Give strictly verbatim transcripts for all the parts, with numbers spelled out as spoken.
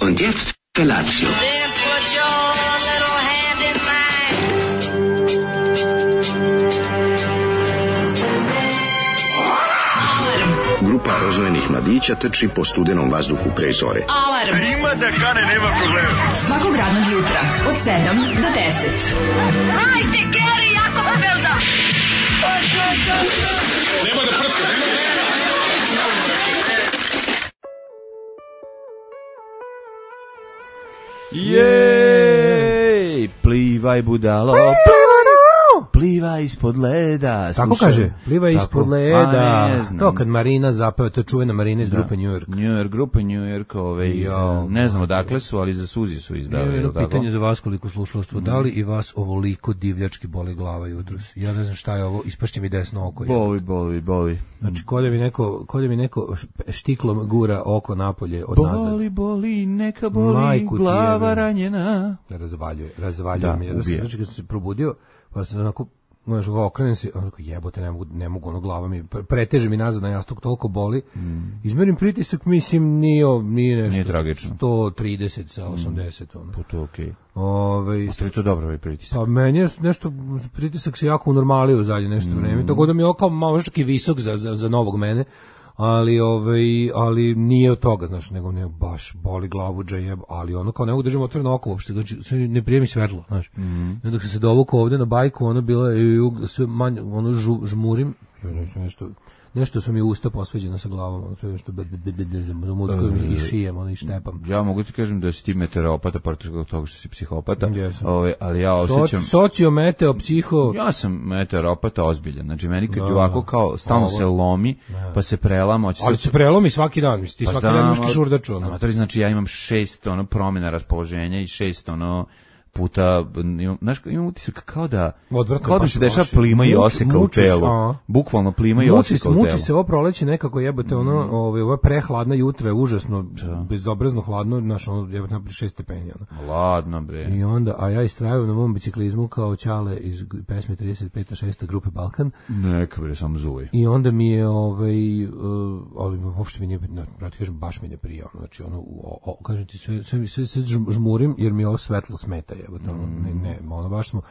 Und jetzt Felatio. Then put your little hand in mine. Grupa rozvojenih mladića trči po studenom vazduhu pre zore. Alarm! Ima da kane, nema problema. Svakog radnog jutra, od sedam do deset. Hajde, Geri, jako se velda! Nema da prska, nema da prska. Jej, plivaj budalo, plivaj ispod leda. Tako kaže, plivaj ispod leda. Ne, to kad Marina zapeva, to je čuvena Marina iz grupe New York. New York, grupa New York, ove, Jo, ne znam odakle su, ali za Suzi su izdali. Jedno tako? pitanje za vas koliko slušalstvo. Da li i vas ovoliko divljački boli glava jutros? Ja ne znam šta je ovo, ispašće mi desno oko. Boli, boli, boli. Znači, kod da mi neko, kod da mi neko štiklom gura oko napolje od nazad. Boli, boli, neka boli, Majku ti glava jebem. ranjena. Razvaljuje, razvaljuje Da, mi. ubija. Znači, kad sam se probudio, pa sam onako, znaš, okrenem se, onako, jebote, ne mogu, ne mogu, ono, glava mi, preteže mi nazad na jastuk, toliko boli. Mm. Izmerim pritisak, mislim, nije, nije nešto. Nije tragično. sto trideset sa osamdeset, ono. Pa to je okej. Ove, A to je to dobro ovaj pritisak. pa meni je nešto, pritisak se jako unormalio u zadnje nešto mm. vreme, tako da mi je ovo kao malo čak i visok za, za, za novog mene, ali ovaj ali nije od toga, znaš, nego ne baš boli glavu džejeb, ali ono kao ne mogu držati otvoreno oko uopšte, znači sve ne prijemi svetlo, znaš. Mm. I dok sam se dovukao ovde na bajku, ono bila je sve manje, ono žu, žmurim, nešto nešto su mi usta posveđena sa glavom, ono sve što za mozgom i šijem, ono i štepam. Ja mogu ti kažem da si ti meteoropata, pored toga što si psihopata, Jesam. ove, ali ja osjećam... Soci, sociometeo, psiho... Ja sam meteoropata ozbiljan, znači meni kad Da, je ovako kao stalno ovo. se lomi, pa se prelama, hoće Ali se prelomi svaki dan, misli, ti Pa svaki znam, dan imaš ali- kišurdaču, ono. Amatori, znači ja imam šest ono promjena raspoloženja i šest ono puta, imam, znaš, imam utisak kao da, Odvratno, kao da baš se dešava loše. plima i Muči- oseka u muči se, telu. a. Bukvalno plima i Muči, oseka se, u telu. muči se ovo proleće nekako jebote, ono, ovaj, ova prehladna jutra je užasno, bezobrazno hladno, znaš, ono, jebote, naprijed šest stepeni, ono. Ladno, bre. I onda, a ja istrajujem na mom biciklizmu kao Ćale iz pesme trideset peta šesta grupe Balkan, Neka, bre, samo zuvaj. i onda mi je, ovaj, uh, ali uopšte mi nije, no, da ti kažem, baš mi ne prija, ono, znači, ono, o, o, kažem ti, sve, sve, sve, sve žmurim, jer mi ovo svetlo smeta, jebote, ono, ne, ne, ono, baš smo,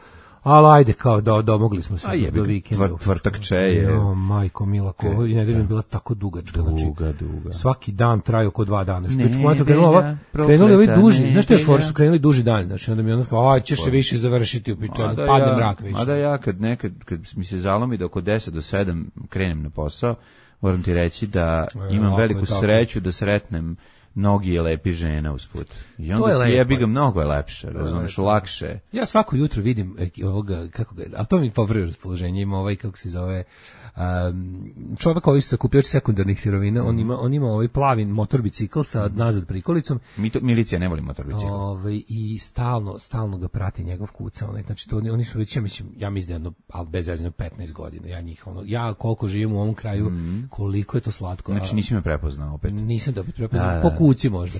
ali ajde, kao, do, domogli smo se A do, jebi do ga, vikenda. tvr- tvrtak če je. Jo, majko mila, ko, ovo i nedelja mi je bila tako dugačka, znači, Duga, duga. svaki dan traju oko dva dana. Što Nedelja, je krenula ova, krenuli ovi prokleta duži, znaš što još nedelja. for su krenuli duži dan, znači onda mi ono kao, aj, ćeš se više završiti, upito, Mada padne ja- mrak više. Mada ja kad nekad, kad mi se zalomi da oko deset do sedam krenem na posao, moram ti reći da E, imam lako je veliku tako. sreću da sretnem mnogi je lepi žena usput. I To je onda lepo. jebi ga, mnogo je lepše, razumiješ, lakše. Ja svako jutro vidim e, ovoga, kako ga, ali to mi popravi raspoloženje, ima ovaj, kako se zove, um, čovjek koji se sakupljač sekundarnih sirovina, on ima, on ima ovaj plavi motor bicikl sa nazad prikolicom, Mi to, milicija ne voli motor bicikl. ovaj, i stalno, stalno ga prati njegov kuca, onaj, znači to oni, oni su već, ja mislim, ja mislim da jedno, ali bez zezanja petnaest godina, ja njih, ono, ja koliko živim u ovom kraju, koliko je to slatko. Znači a- nisi me prepoznao opet. Nisam dobit Da, prepoznao, da. po kuci možda.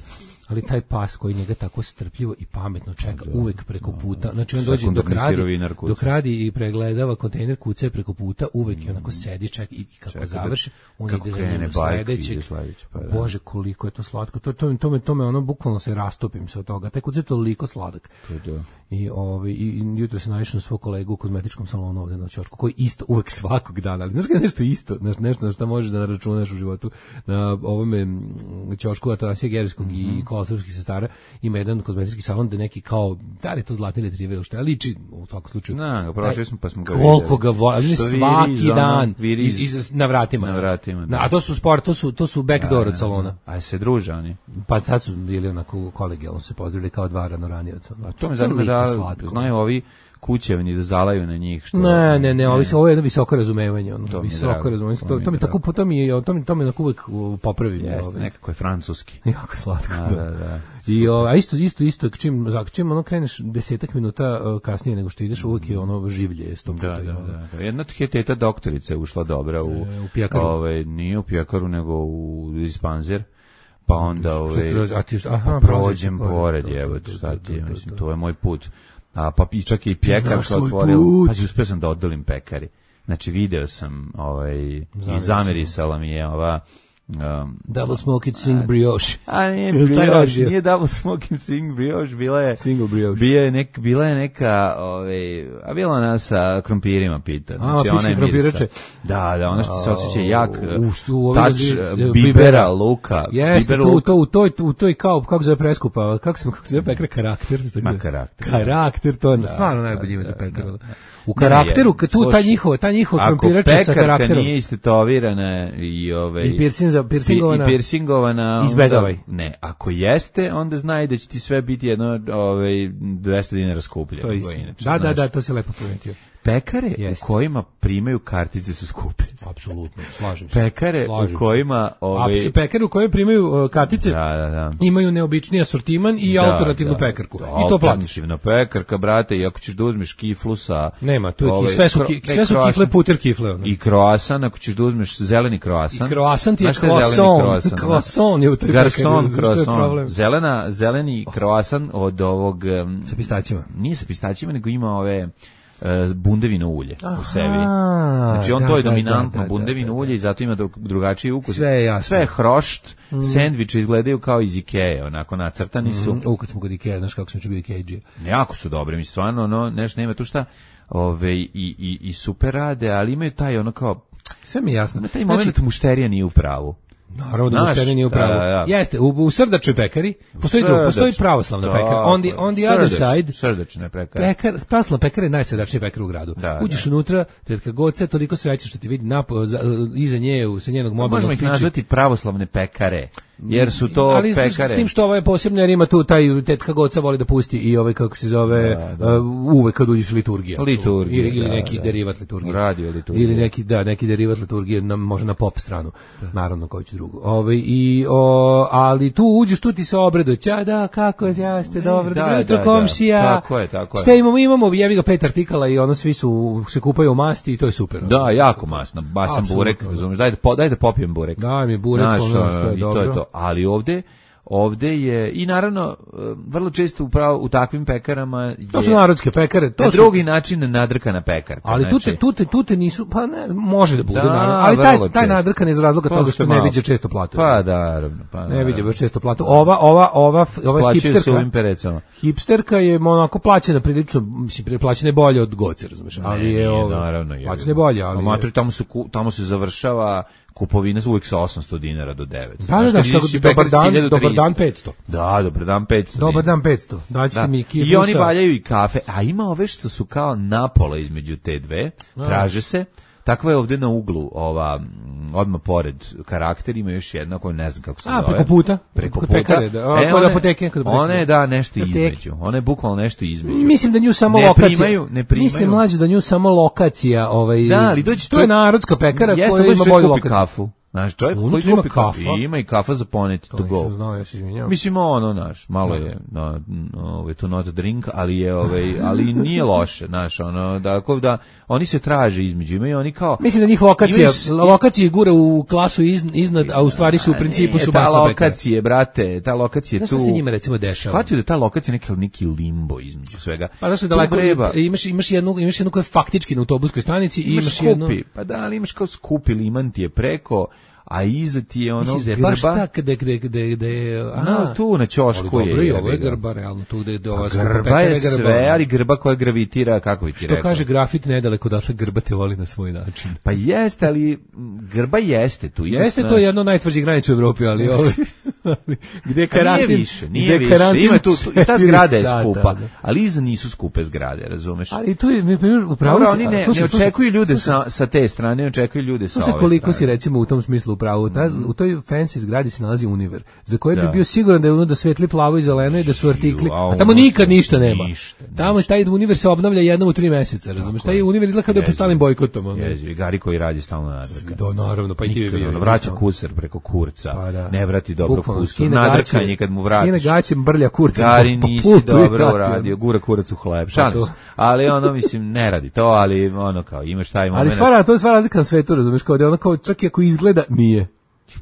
Ali taj pas koji njega tako strpljivo i pametno čeka uvek preko puta. Znači on dođe dok Sekundarni radi, sirovinar kuca. dok radi i pregledava kontejner, kuca je preko puta, uvek je onako sedi, čeka i kako Čeka da- završi, on kako ide za krene njim bajka, sledećeg. ide sledeći, pa da. Bože, koliko je to slatko. To, to, to, me, to me ono, bukvalno se rastopim se od toga. Taj kuca je toliko sladak. To da. I, ovaj, i, i jutro se naišao na svog kolegu u kozmetičkom salonu ovde na Ćošku, koji isto uvek svakog dana, ali znaš kada je nešto isto, znaš, nešto na šta možeš da naračunaš u životu, na ovome mm, Ćošku Atanasija Gerskog mm -hmm. i Kolosavskih sestara, ima jedan kozmetički salon gde neki kao, da li je to zlatni retriver ili šta, liči u svakom slučaju. Na, prošli smo pa smo ga Koliko ga voli, Što svaki viriz, ono, dan, viriz. iz, iz, na vratima. Na vratima, da. Na, a to su sport, to su, to su backdoor od salona. A se druže oni. Pa sad su bili onako kolegijalno se pozdravili kao dva ranoranioca. A to me zanima da znaju ovi kućevni da zalaju na njih što. Ne, ne, ne, ovi se, ovo je jedno visoko razumevanje, ono, To mi je visoko drago, razumevanje. to To, mi to je mi tako, drago. to mi je, to mi, to mi onako uvek popravi. Jeste, ovaj. nekako je francuski. Jako slatko. Da, da, da. I o, a isto isto isto čim za čim ono kreneš desetak minuta uh, kasnije nego što ideš, uvek je ono življe sto puta. Da, da, ono. da, da. Jedna teta doktorica je ušla dobra u, E, u pijakaru. Ovaj, nije u pijakaru, nego u dispanzer. Pa onda Što ovaj, skroz- a ti- aha, prođem prođeš pored, pored, evo, to, to, šta to, ti je, to, mislim, to. to je moj put. A pa i čak i pjekar znaš što svoj otvorila. put. Pa uspio sam da odolim pekari. Znači video sam, ovaj, i Zamirisala. zamirisala mi je ova Um, Double Smoke It Sing Brioche. a nije Jel taj brioche, radio? nije Double Smoking Sing Brioche, bila je Single brioche. Bila je nek, bila je neka, ovaj, a bila ona sa krompirima pita. Znači, A, ona piške je mirisa. krompirače. Da, da, ona što se osjeća jak U, što u ovim tač razli- uh, bibera, luka. Jeste, biber tu, luk. to, u toj, u toj kao, kako zove preskupa, kako se, kako se zove pekara, karakter. Ma, karakter. Karakter, to je stvarno najbolje ime za pekaru. U karakteru, Ne, tu ta slušaj, njihova, ta njihova Ako krompirača sa pekarka karakterom. nije istetovirana i ove I piercing za- piercingovana. i piercingovana, Izbegavaj. onda- Ne, ako jeste, onda znaj da će ti sve biti jedno ovaj dvesta dinara skuplje. To je isto. nego inače, Da, da, znaš. da, to se lepo primetio. Pekare Jeste. u kojima primaju kartice su skuplje. Apsolutno, slažem se. Pekare Slažem u kojima se. ovaj A pekare u kojoj primaju uh, kartice da, da, da. imaju neobičniji asortiman i Da, alternativnu da. pekarku. Da, I to platiš. alternativna pekarka, brate, i ako ćeš da uzmeš kiflu sa... Nema, tu je ki- ovaj, sve su, kro- ki- ne, sve su kroasan. kifle puter kifle. ono. I kroasan, ako ćeš da uzmeš zeleni kroasan. I kroasan ti je Znaš šta zeleni croissant. kroasan, da? Croissant je u toj pekari, Garson znaš što je problem? croissant. Zelena, zeleni kroasan od ovog... um, Sa pistaćima. Nije sa pistaćima, nego ima ove uh, bundevino ulje u sebi. Aha, Znači on da, to je da, dominantno da, da, bundevino da, da. ulje i zato ima dru- drugačiji ukus. Sve je jasno. Sve je hrošt, sendviče izgledaju kao iz Ikea, onako nacrtani su. U, kad smo kod Ikea, znaš kako sam će bio Ikea. Jako su dobri, mi stvarno, ono, nešto nema tu šta, ove, i, i, i super rade, ali imaju taj, ono kao, Sve mi je jasno. ima taj moment mušterija nije u pravu. Naravno da Znaš, mušterija nije u pravu. da, da, da. Jeste, u, u srdačoj pekari postoji, Srdač- postoji pravoslavna Da, pekara. On the, on the other srdač- side, Srdačne pekare. Pekar, pravoslavna pekara je najsrdačnija pekara u gradu. Da, Uđeš da. unutra, tetka Goce, toliko sreće što ti vidi napo, za, iza nje, u- sa njenog mobilnog Možemo ih piči. nazvati pravoslavne pekare, jer su to ali s- pekare. s tim što ovo je posebno, jer ima tu taj tetka Goca voli da pusti i ovaj kako se zove uh, uvek kad uđeš liturgija. Liturgija, ili, ili da, neki da. derivat liturgije. Radio liturgije. Ili neki da, neki derivat liturgije na može na pop stranu. Naravno koji će drugo. Ovaj i o, ali tu uđeš tu ti se obreduje. Ća da kako je ja ste dobro. da, Dobro jutro da, da. komšija. Tako je, tako je. Šta imamo? Imamo jebi ga pet artikala i ono svi su se kupaju u masti i to je super. Da, jako masno, masan Apsolutno, burek, da. razumeš, daj da, po, daj da popijem burek. Daj mi burek, Znaš, ono što je i to dobro. je to. Ali ovde, ovde je, i naravno, e, vrlo često upravo u takvim pekarama je To su narodske pekare, to na su drugi način nadrkana pekarka. ali tu te, znači, tu te, tu te nisu, pa ne, može da bude, Da, naravno, ali taj, vrlo taj često. nadrkan iz razloga Pa toga što što ne malo. viđe često platu. Pa da, naravno. Pa, Ne viđe baš često platu. Ova, ova, ova, ova Plaćaju hipsterka, suvim perecama. hipsterka je onako plaćena prilično, mislim, plaćena je bolje od Goce, razumeš, ali Ne, je nije, ovo, naravno, je. plaćena je bolje, ali A je- matri, tamo se, ku- tamo se završava kupovina uvijek sa osamsto dinara do devet. Da, da, da, što, dobar dan, dobar dan petsto. Da, dobar dan petsto. Dobar dinara. dan petsto. Daćete Da. mi kiflu I oni sa- valjaju i kafe, a ima ove što su kao napola između te dve, traže se. Takva je ovde na uglu, ova, m, odmah pored karakter, ima još jedna koju ne znam kako se A, zove. preko puta? Preko Kod puta. pekare, da. A, E, kod one- apoteke, kod apoteke. Ona je, da, nešto Apoteke. između. Ona je bukvalno nešto između. Mislim da nju samo Ne lokacija. primaju- ne primaju. Mislim mlađe da nju samo lokacija, ovaj. Da, ali dođe to je čovjek- narodska pekara Jeste, koja dođe ima čovjek bolju kupi lokaciju. kafu. Znaš, čovjek Unutra koji ima kupi kafu. kafa? I ima i kafa za poneti to To go. nisam znao, ja se izvinjavam. Mislim, ono, znaš, malo je, no, ovaj, to not a drink, ali je, ovaj, ali nije loše, znaš, ono, da, ako da, oni se traže između, imaju oni kao... Mislim da njih lokacija, Imaju s- lokacije gura u klasu iz, iznad, a u stvari su u principu Nije, su ta masna pekara. lokacije, brate, ta lokacija Znaš tu... šta se njima recimo dešava? Shvatio da je ta lokacija neki, neki limbo između svega. Pa znaš da Tu daleko vreba- imaš imaš jednu imaš jednu koja je faktički na autobuskoj stanici i imaš imaš skupi, jednu. pa da, ali imaš kao skupi liman ti je preko, a iza ti je ono Misliš da je baš grba. tak gde gde gde gde No, tu na ćošku ali je. dobro, i ovo je jebi ga. grba realno tu gde gde ova Pa skupa grba pekara je grba. sve, ali grba koja gravitira, kako bi ti Što rekao. kaže grafit nedaleko odatle grba te voli na svoj način. Pa jeste, ali m, grba jeste tu. ima, Jeste to znaš. jedno od najtvrđih granica u Evropi, ali ovo gde Pa nije karantin više, nije gde više. karantin Ima tu, tu i ta četiri zgrada je sata, skupa, da. ali iza nisu skupe zgrade, razumeš? Ali tu je, na primjer, upravo Dobro, si- oni a, ne, slušaj, ne slušaj, očekuju ljude sa, sa te strane, ne očekuju ljude sa Slušaj ove koliko si strane. recimo u tom smislu upravo. Ta, u toj fancy zgradi se nalazi univer, za koji Da. bi bio siguran da je unutra svetli plavo i zeleno i da su artikli, a a tamo ono- nikad ništa nema. Ništa, Tamo taj univer se obnavlja jednom u tri meseca, razumeš? Taj univer izgleda kao da je pod Jezivo. stalnim bojkotom. ono. Jezivi, Gari koji radi stalno nadrka. Da, naravno, pa i ti bi Nikad, bio. ono, vraća kuser preko kurca, Pa da. ne vrati dobro Bukvalno, kusur, skine nadrkanje gaće, kad mu vratiš. Skine gaće, brlja kurca. Gari po- po nisi pultu i dobro vrati, uradio, ono. gura kurac u hleb, Pa šalim to. se. Ali ono, mislim, ne radi to, ali ono kao, imaš taj Ali moment. stvara, to je sva razlika na svetu, razumeš? Kao da je ono kao, čak i ako izgleda, nije.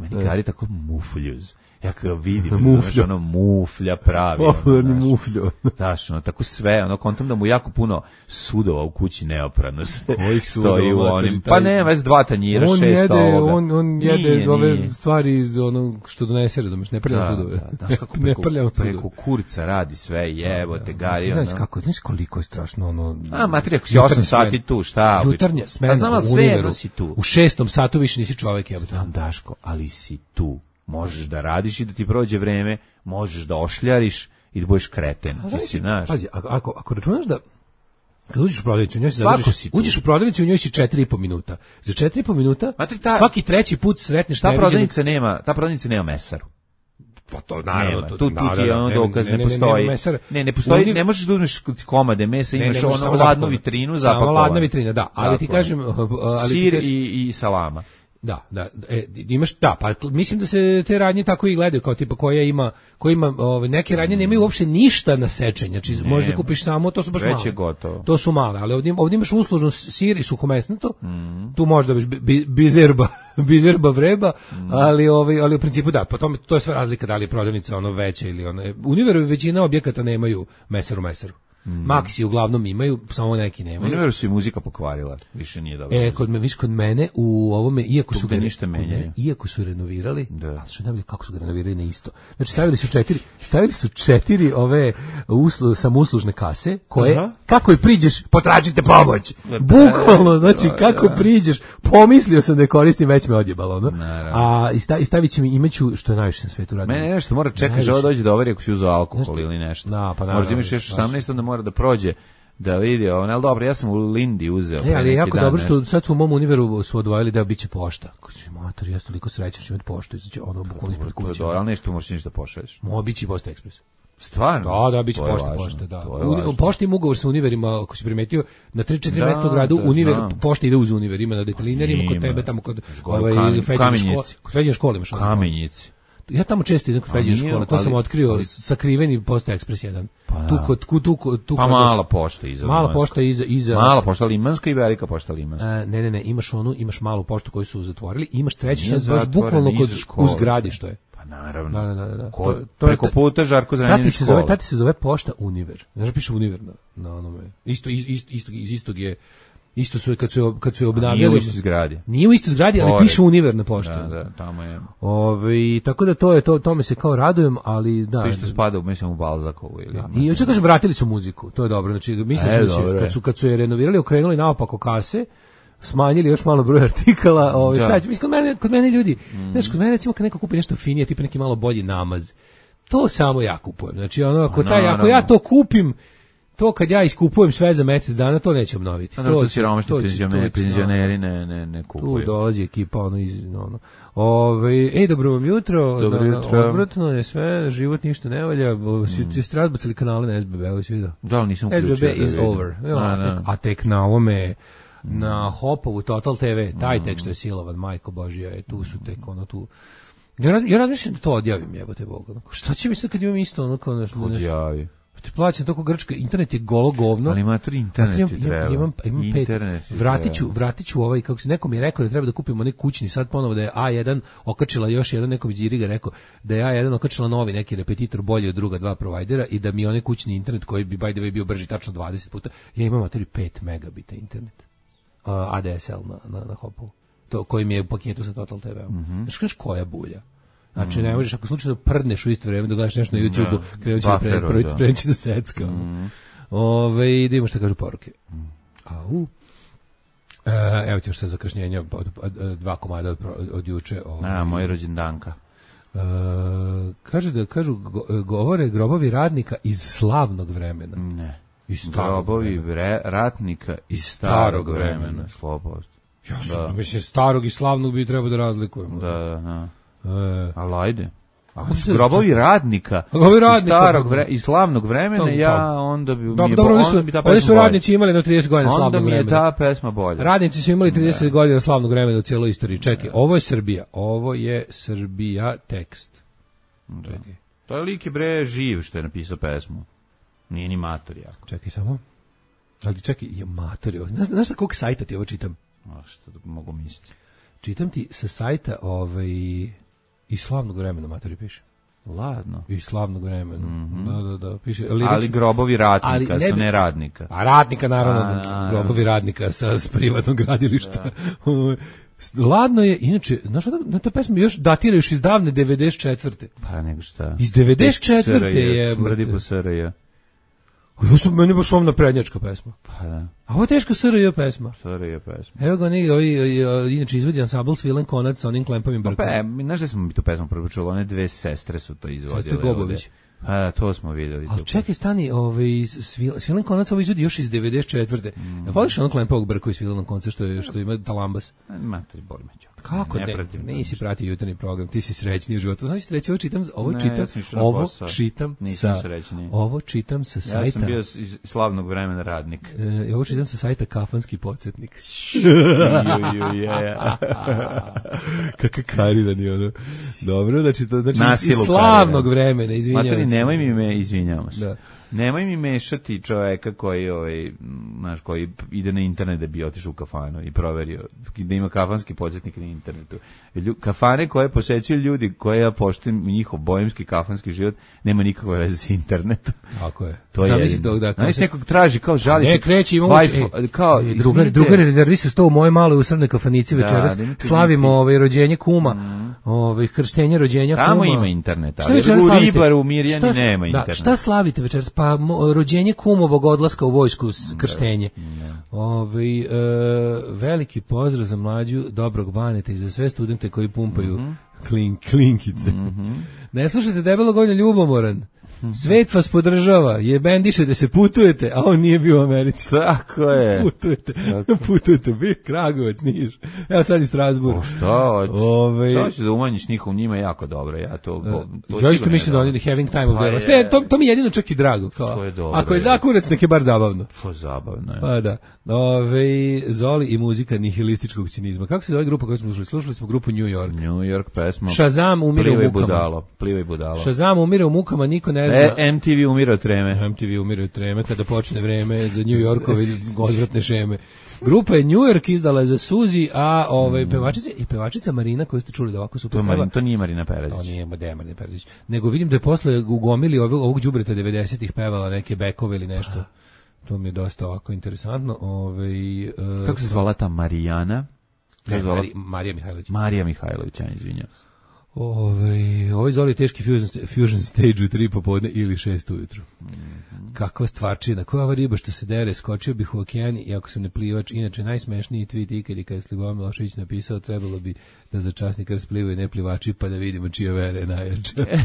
Meni Gari tako mufuljuz. Ja kada vidim, Muflja. znaš, ono muflja pravi. ono, Popularni znaš. mufljo. Daš, ono, tako sve, ono, kontam da mu jako puno sudova u kući neoprano sve Kojih stoji u sudova, onim, taj- pa ne, već dva tanjira, On šest jede, ovoga. on, on jede Nije, ove nije. stvari iz onog što donese, razumeš, ne prljam Da, sudove. da, znaš kako ne preko, prljam sudove. preko kurca radi sve, jebote, gari, Ti znaš ono. kako, znaš koliko je strašno ono... A, materija, ako si jutarnja osam sati smena. tu, šta? Jutarnja smena Pa znam, ali u sve Univeru. jedno si tu. U šestom satu više nisi čovek, jebote. Znam, Daško, ali si tu. Možeš da radiš i da ti prođe vreme, možeš da ošljariš i da budeš kreten. Ti si, znaš. Pazi, ako, ako, ako računaš da kad uđeš u prodavnicu, u njoj se Svako zadržiš, si tu. uđeš u prodavnicu i u njoj si četiri i po minuta. Za četiri i po minuta Znate, ta- svaki treći put sretneš Ta neviđenog- prodavnica nema, ta prodavnica nema mesaru. Pa to Nema, to- tu, tu da, ti je da, ono ne, dokaz, ne, ne, ne, ne, postoji. nema mesara. Ne, ne postoji, Oni- ne možeš da uzmeš komade mesa, Ne, imaš ne, možeš ono samo ladnu zapakovano. vitrinu, Samo zapakovano. ladna vitrina, da, ali ti Tako je. kažem, ali ti Sir kažem- i, i salama. Da, da, e, imaš da, pa mislim da se te radnje tako i gledaju kao tipa koja ima, koja ima ove neke radnje nemaju uopšte ništa na sečenje, znači možeš da kupiš samo, to su baš Već male. je gotovo. To su male, ali ovdje, ovdje imaš uslužno sir i suhomesnato. Mhm. Tu možda biš bi, bizerba, bizerba vreba, Mhm. ali ovaj ali u principu da, po tome to je sve razlika da li je prodavnica ono veća ili ono. U Univeru većina objekata nemaju mesaru mesaru. Mhm. Maxi uglavnom imaju, samo neki nemaju. Univeru su i muzika pokvarila, više nije dobro. E, kod me, viš, kod mene u ovome, iako Tu su gde ga ništa kod mene, menjaju. iako su renovirali, Da. a što najbolje kako su ga renovirali na isto. Znači stavili su četiri, stavili su četiri ove uslu, samouslužne kase koje Aha. kako i priđeš, potražite pomoć. Bukvalno, znači kako priđeš, pomislio sam da je koristim, već me odjebalo, no. Naravno. A i sta, i stavit će mi imaću što je najviše na svetu radim. Mene nešto mora čekaš, Najviše. ovo dođe da overi ako si uzeo alkohol Nešto- ili nešto. Da, pa Možda naravno, imaš još baš. osamnaest, onda mora da prođe da vidi, ono, ali dobro, ja sam u Lindi uzeo. E, pre ali je neki jako dan dobro što nešto. sad su u mom Univeru su odvojili da biće pošta. Kući, mater, ja sam toliko srećan što imati poštu, znači ono bukvalno ispred To je kuće. dobro, ali nešto možeš ništa pošalješ. Mo bići Pošta Ekspres. Stvarno? Da, da, biće To je pošta, važno, pošta, da. to je U, važno. u pošti ima ugovor sa Univerima, ako si primetio, na tri četiri Da, mesta u gradu, da, Univer, znam. pošta ide uz Univer, ima na detelinarima, kod Ima. tebe, tamo kod Gore u ovaj, Kamen- Feđene Kamenjici. škole, kod Feđene škole imaš ono. Kamenjici. Ja tamo često idem kod Feđene nije, škole, to sam ali- otkrio, ali- sakriveni Pošta Ekspres jedan. Pa Tu da. kod, tu, tu, tu, tu Pa kod- mala pošta iza. Mala Limanska. pošta iza, iza Mala pošta limanska i velika pošta limanska. E, ne, ne, ne, imaš onu, imaš malu poštu koju su zatvorili, imaš treću Nije sad baš zatvorena, bukvalno kod iza škole. u zgradi što je. Pa naravno. Da, da, da, da. Ko, To- to je preko ta- puta Žarko Zranjani Tati se zove, škola. tati se zove Pošta Univer. Znaš da piše Univer na, na onome. Isto, isto, isto, isto, iz istog je, isto su, je kad su, kad su je obnavljali. Nije u istoj zgradi. Nije u istoj zgradi, ali Pored. piše Univer na pošti. Da, da, tamo je. Ove, tako da to je, to, tome se kao radujem, ali da. To što spada u, mislim, u Balzakovu ili... Da. I hoću kažem, vratili su muziku, to je dobro. Znači, mislim E, da će, dobro je. kad su, kad su je renovirali, okrenuli naopako kase, smanjili još malo broj artikala, ovaj Da. šta će, mislim, kod mene, kod mene ljudi, znaš, kod mene recimo kad neko kupi nešto finije, tipa neki malo bolji namaz, to samo ja kupujem. Znači, ono, ako, taj, ako naravno. ja to kupim, to kad ja iskupujem sve za mjesec dana, to neće obnoviti. Pa to će- siromašni to će- penzioneri, to će- penzioneri ne, ne, ne Tu kupuju. dolazi ekipa, ono, iz, ono. Ove, ej, dobro vam jutro, Dobro na- na- jutro. odvratno je sve, život ništa ne valja, mm. svi ste razbacili kanale na S B B, ovo si vidio. Da, ali nisam S B uključio. B da is vidim. over. Jo, Da, a, da. tek, a tek na ovome, na Hopovu Total T V, taj tek što je silovan, majko Božija, je, tu su tek ono tu. Ja, raz- ja razmišljam da to odjavim, jebote Boga. Ono, šta će mi sad kad imam isto, ono kao nešto, nešto, Odjavi. ti plaćam toliko grčka, internet je golo govno. Ali mater, internet Imam- ti imam- treba. Imam, imam pet. Internet ti Vratit ću, treba. vratit ću ovaj, kako se neko mi je rekao da treba da kupimo neki kućni, sad ponovo da je A jedan okačila još jedan, neko mi Điriga rekao da je A jedan okačila novi neki repetitor bolji od druga dva provajdera i da mi onaj kućni internet koji bi by the way bio brži tačno dvadeset puta, ja imam materi pet megabita internet. Uh, A D S L na, na, na Hopu. To koji mi je u paketu sa Total T V-om. Mhm. Znaš kažeš koja bulja? Znači, ne možeš, ako slučajno prdneš u isto vrijeme da gledaš nešto na YouTube-u, krenut će da, pre, Bufferu, pre, da. krenut će da secka. Ove, da vidimo šta kažu poruke. Au. E, evo ti još sve zakašnjenja, od, od, od, dva komada od, od, od juče. Ove. A, moj rođendanka. E, kaže da, kažu, go, govore grobovi radnika iz slavnog vremena. Ne. Iz starog Grobovi vremena. vre, ratnika iz Starog starog vremena. vremena. Slobost. Ja Da. sam, mislim, starog i slavnog bi trebao da razlikujemo. Da, da, da. E, Ali ajde. Ako Ajde, su grobovi radnika, Grobovi iz radnika, starog pa- vre, iz slavnog vremena, Pa- ja onda bi, mi Dobro, je, dobro, bo- oni onda su, bi ta oni pesma su bolja. radnici imali na trideset godina Onda slavnog mi je vremena. ta pesma bolja. Radnici su imali trideset godina slavnog vremena u cijeloj istoriji. Čekaj, ovo je Srbija. Ovo je Srbija tekst. Čekaj, To je lik je bre živ što je napisao pesmu. Nije ni mator jako. čekaj samo. Ali čekaj, je matori. Znaš, znaš sa kog sajta ti ovo čitam? A što da mogu misliti. Čitam ti sa sajta ovaj, iz slavnog vremena matori piše. Ladno. Iz slavnog vremena. Mm-hmm. Da, da, da. Piše, ali, ali grobovi ratnika, ali ne, su ne radnika. A radnika, naravno. A, a, grobovi radnika sa s privatnog gradilišta. Da. Ladno je, inače, znaš, na ta pesma još datira još iz davne devedeset četvrte. Pa nego šta. Iz devedeset četvrte je. Smrdi po S R J. Ovo su meni baš ovna prednjačka pesma. Pa da. A ovo je teška S R J pesma. S R J pesma. Evo ga neki, ovi, inače izvodi ansambl Svilen Konac sa onim klempavim brkom. Pa, pa znaš da smo mi tu pesmu prvo čuli, one dve sestre su to izvodile. Sestre Gobović. Pa da, to smo videli. Ali čekaj, stani, ovaj, Svilen Konac ovo izvodi još iz devedeset četvrte. Mm. Voliš onog klempavog brka iz Svilenog konca što, je, što ima talambas? Ma, to je boli među. Kako ne? ne nisi pratio jutarnji program, ti si srećni u životu. Znači, treći, ovo čitam, ovo ne, čitam, ja ovo čitam Nisam sa, srećni. ovo čitam sa sajta. Ja sam bio iz slavnog vremena radnik. E, ovo čitam sa sajta Kafanski podsjetnik. Kakav karirani ono. Dobro, znači, to, znači iz slavnog karirani. vremena, izvinjavam Materi, se. nemoj mi me, izvinjavam se. Da. Nemoj mi mešati čoveka koji, ovaj, znaš, koji ide na internet da bi otišao u kafanu i proverio da ima kafanski podsjetnik na internetu. Lju, kafane koje posećuju ljudi koje ja poštujem njihov bojemski kafanski život nema nikakve veze s internetom. Tako je. To je jedino. Da, znaš, nekog traži kao žali ne, se. Kreći, imamo e, kao, e, drugar, drugar rezervista sto u moje maloj usrednoj kafanici da, večeras. Slavimo ovaj, rođenje kuma. Mm. Ovaj, krštenje rođenja kuma. Tamo ima interneta. Ali u Ribaru, u Mirjani šta, nema da, interneta. Šta slavite večeras? Pa mo, rođenje kumovog odlaska u vojsku, krštenje. Ovaj, e, veliki pozdrav za mlađu dobrog Baneta i za sve studente koji pumpaju mm-hmm. klin, klinkice. Mm-hmm. Ne slušajte debelog ovdje ljubomoran. Svet vas podržava, je bendiše da se putujete, a on nije bio u Americi. Tako je. Putujete, tako. Putujete, bi Kragujevac, Niš. Evo sad i Strasburg. O šta hoćeš? Ove... Šta hoćeš da umanjiš njihov, njima je jako dobro. Ja to, to ja isto mislim da oni having time of their life. To, to mi je jedino čak i drago. Kao. To je dobro. Ako je zakurac, nek je bar zabavno. To je zabavno, je. Pa da. Ove, Zoli i muzika nihilističkog cinizma. Kako se zove grupa koju smo slušali? Slušali smo grupu New York. New York pesma. Shazam umire u mukama. Budalo, plivaj budalo. Shazam umire u mukama, niko ne zna. E, M T V umire od treme. M T V umire od treme kada počne vreme za New Yorkove odvratne šeme. Grupa je New York izdala za Suzi, a ovaj pevačica i pevačica Marina koju ste čuli da ovako super peva. To, to nije Marina Perezić. To nije Marina Perezić. Nego vidim da je posle ugomili ovog, ovog đubreta devedesetih pevala neke bekove ili nešto. To mi je dosta ovako interesantno. Ovaj uh, kako se zvala ta Marijana? Ne, zvala? Mari, Marija Mihajlović. Marija Mihajlović, ja izvinjavam se. Ovaj ovaj Zoli teški fusion, fusion stage u tri popodne ili šest ujutru. Mm-hmm. Kakva stvarčina, koja ova riba što se dere, skočio bih u okean i ako sam ne plivač, inače najsmešniji tweet ikad je kada je Slivomir Milošević napisao trebalo bi da za časni krst plivaju ne plivači pa da vidimo čija vera je najjača. e,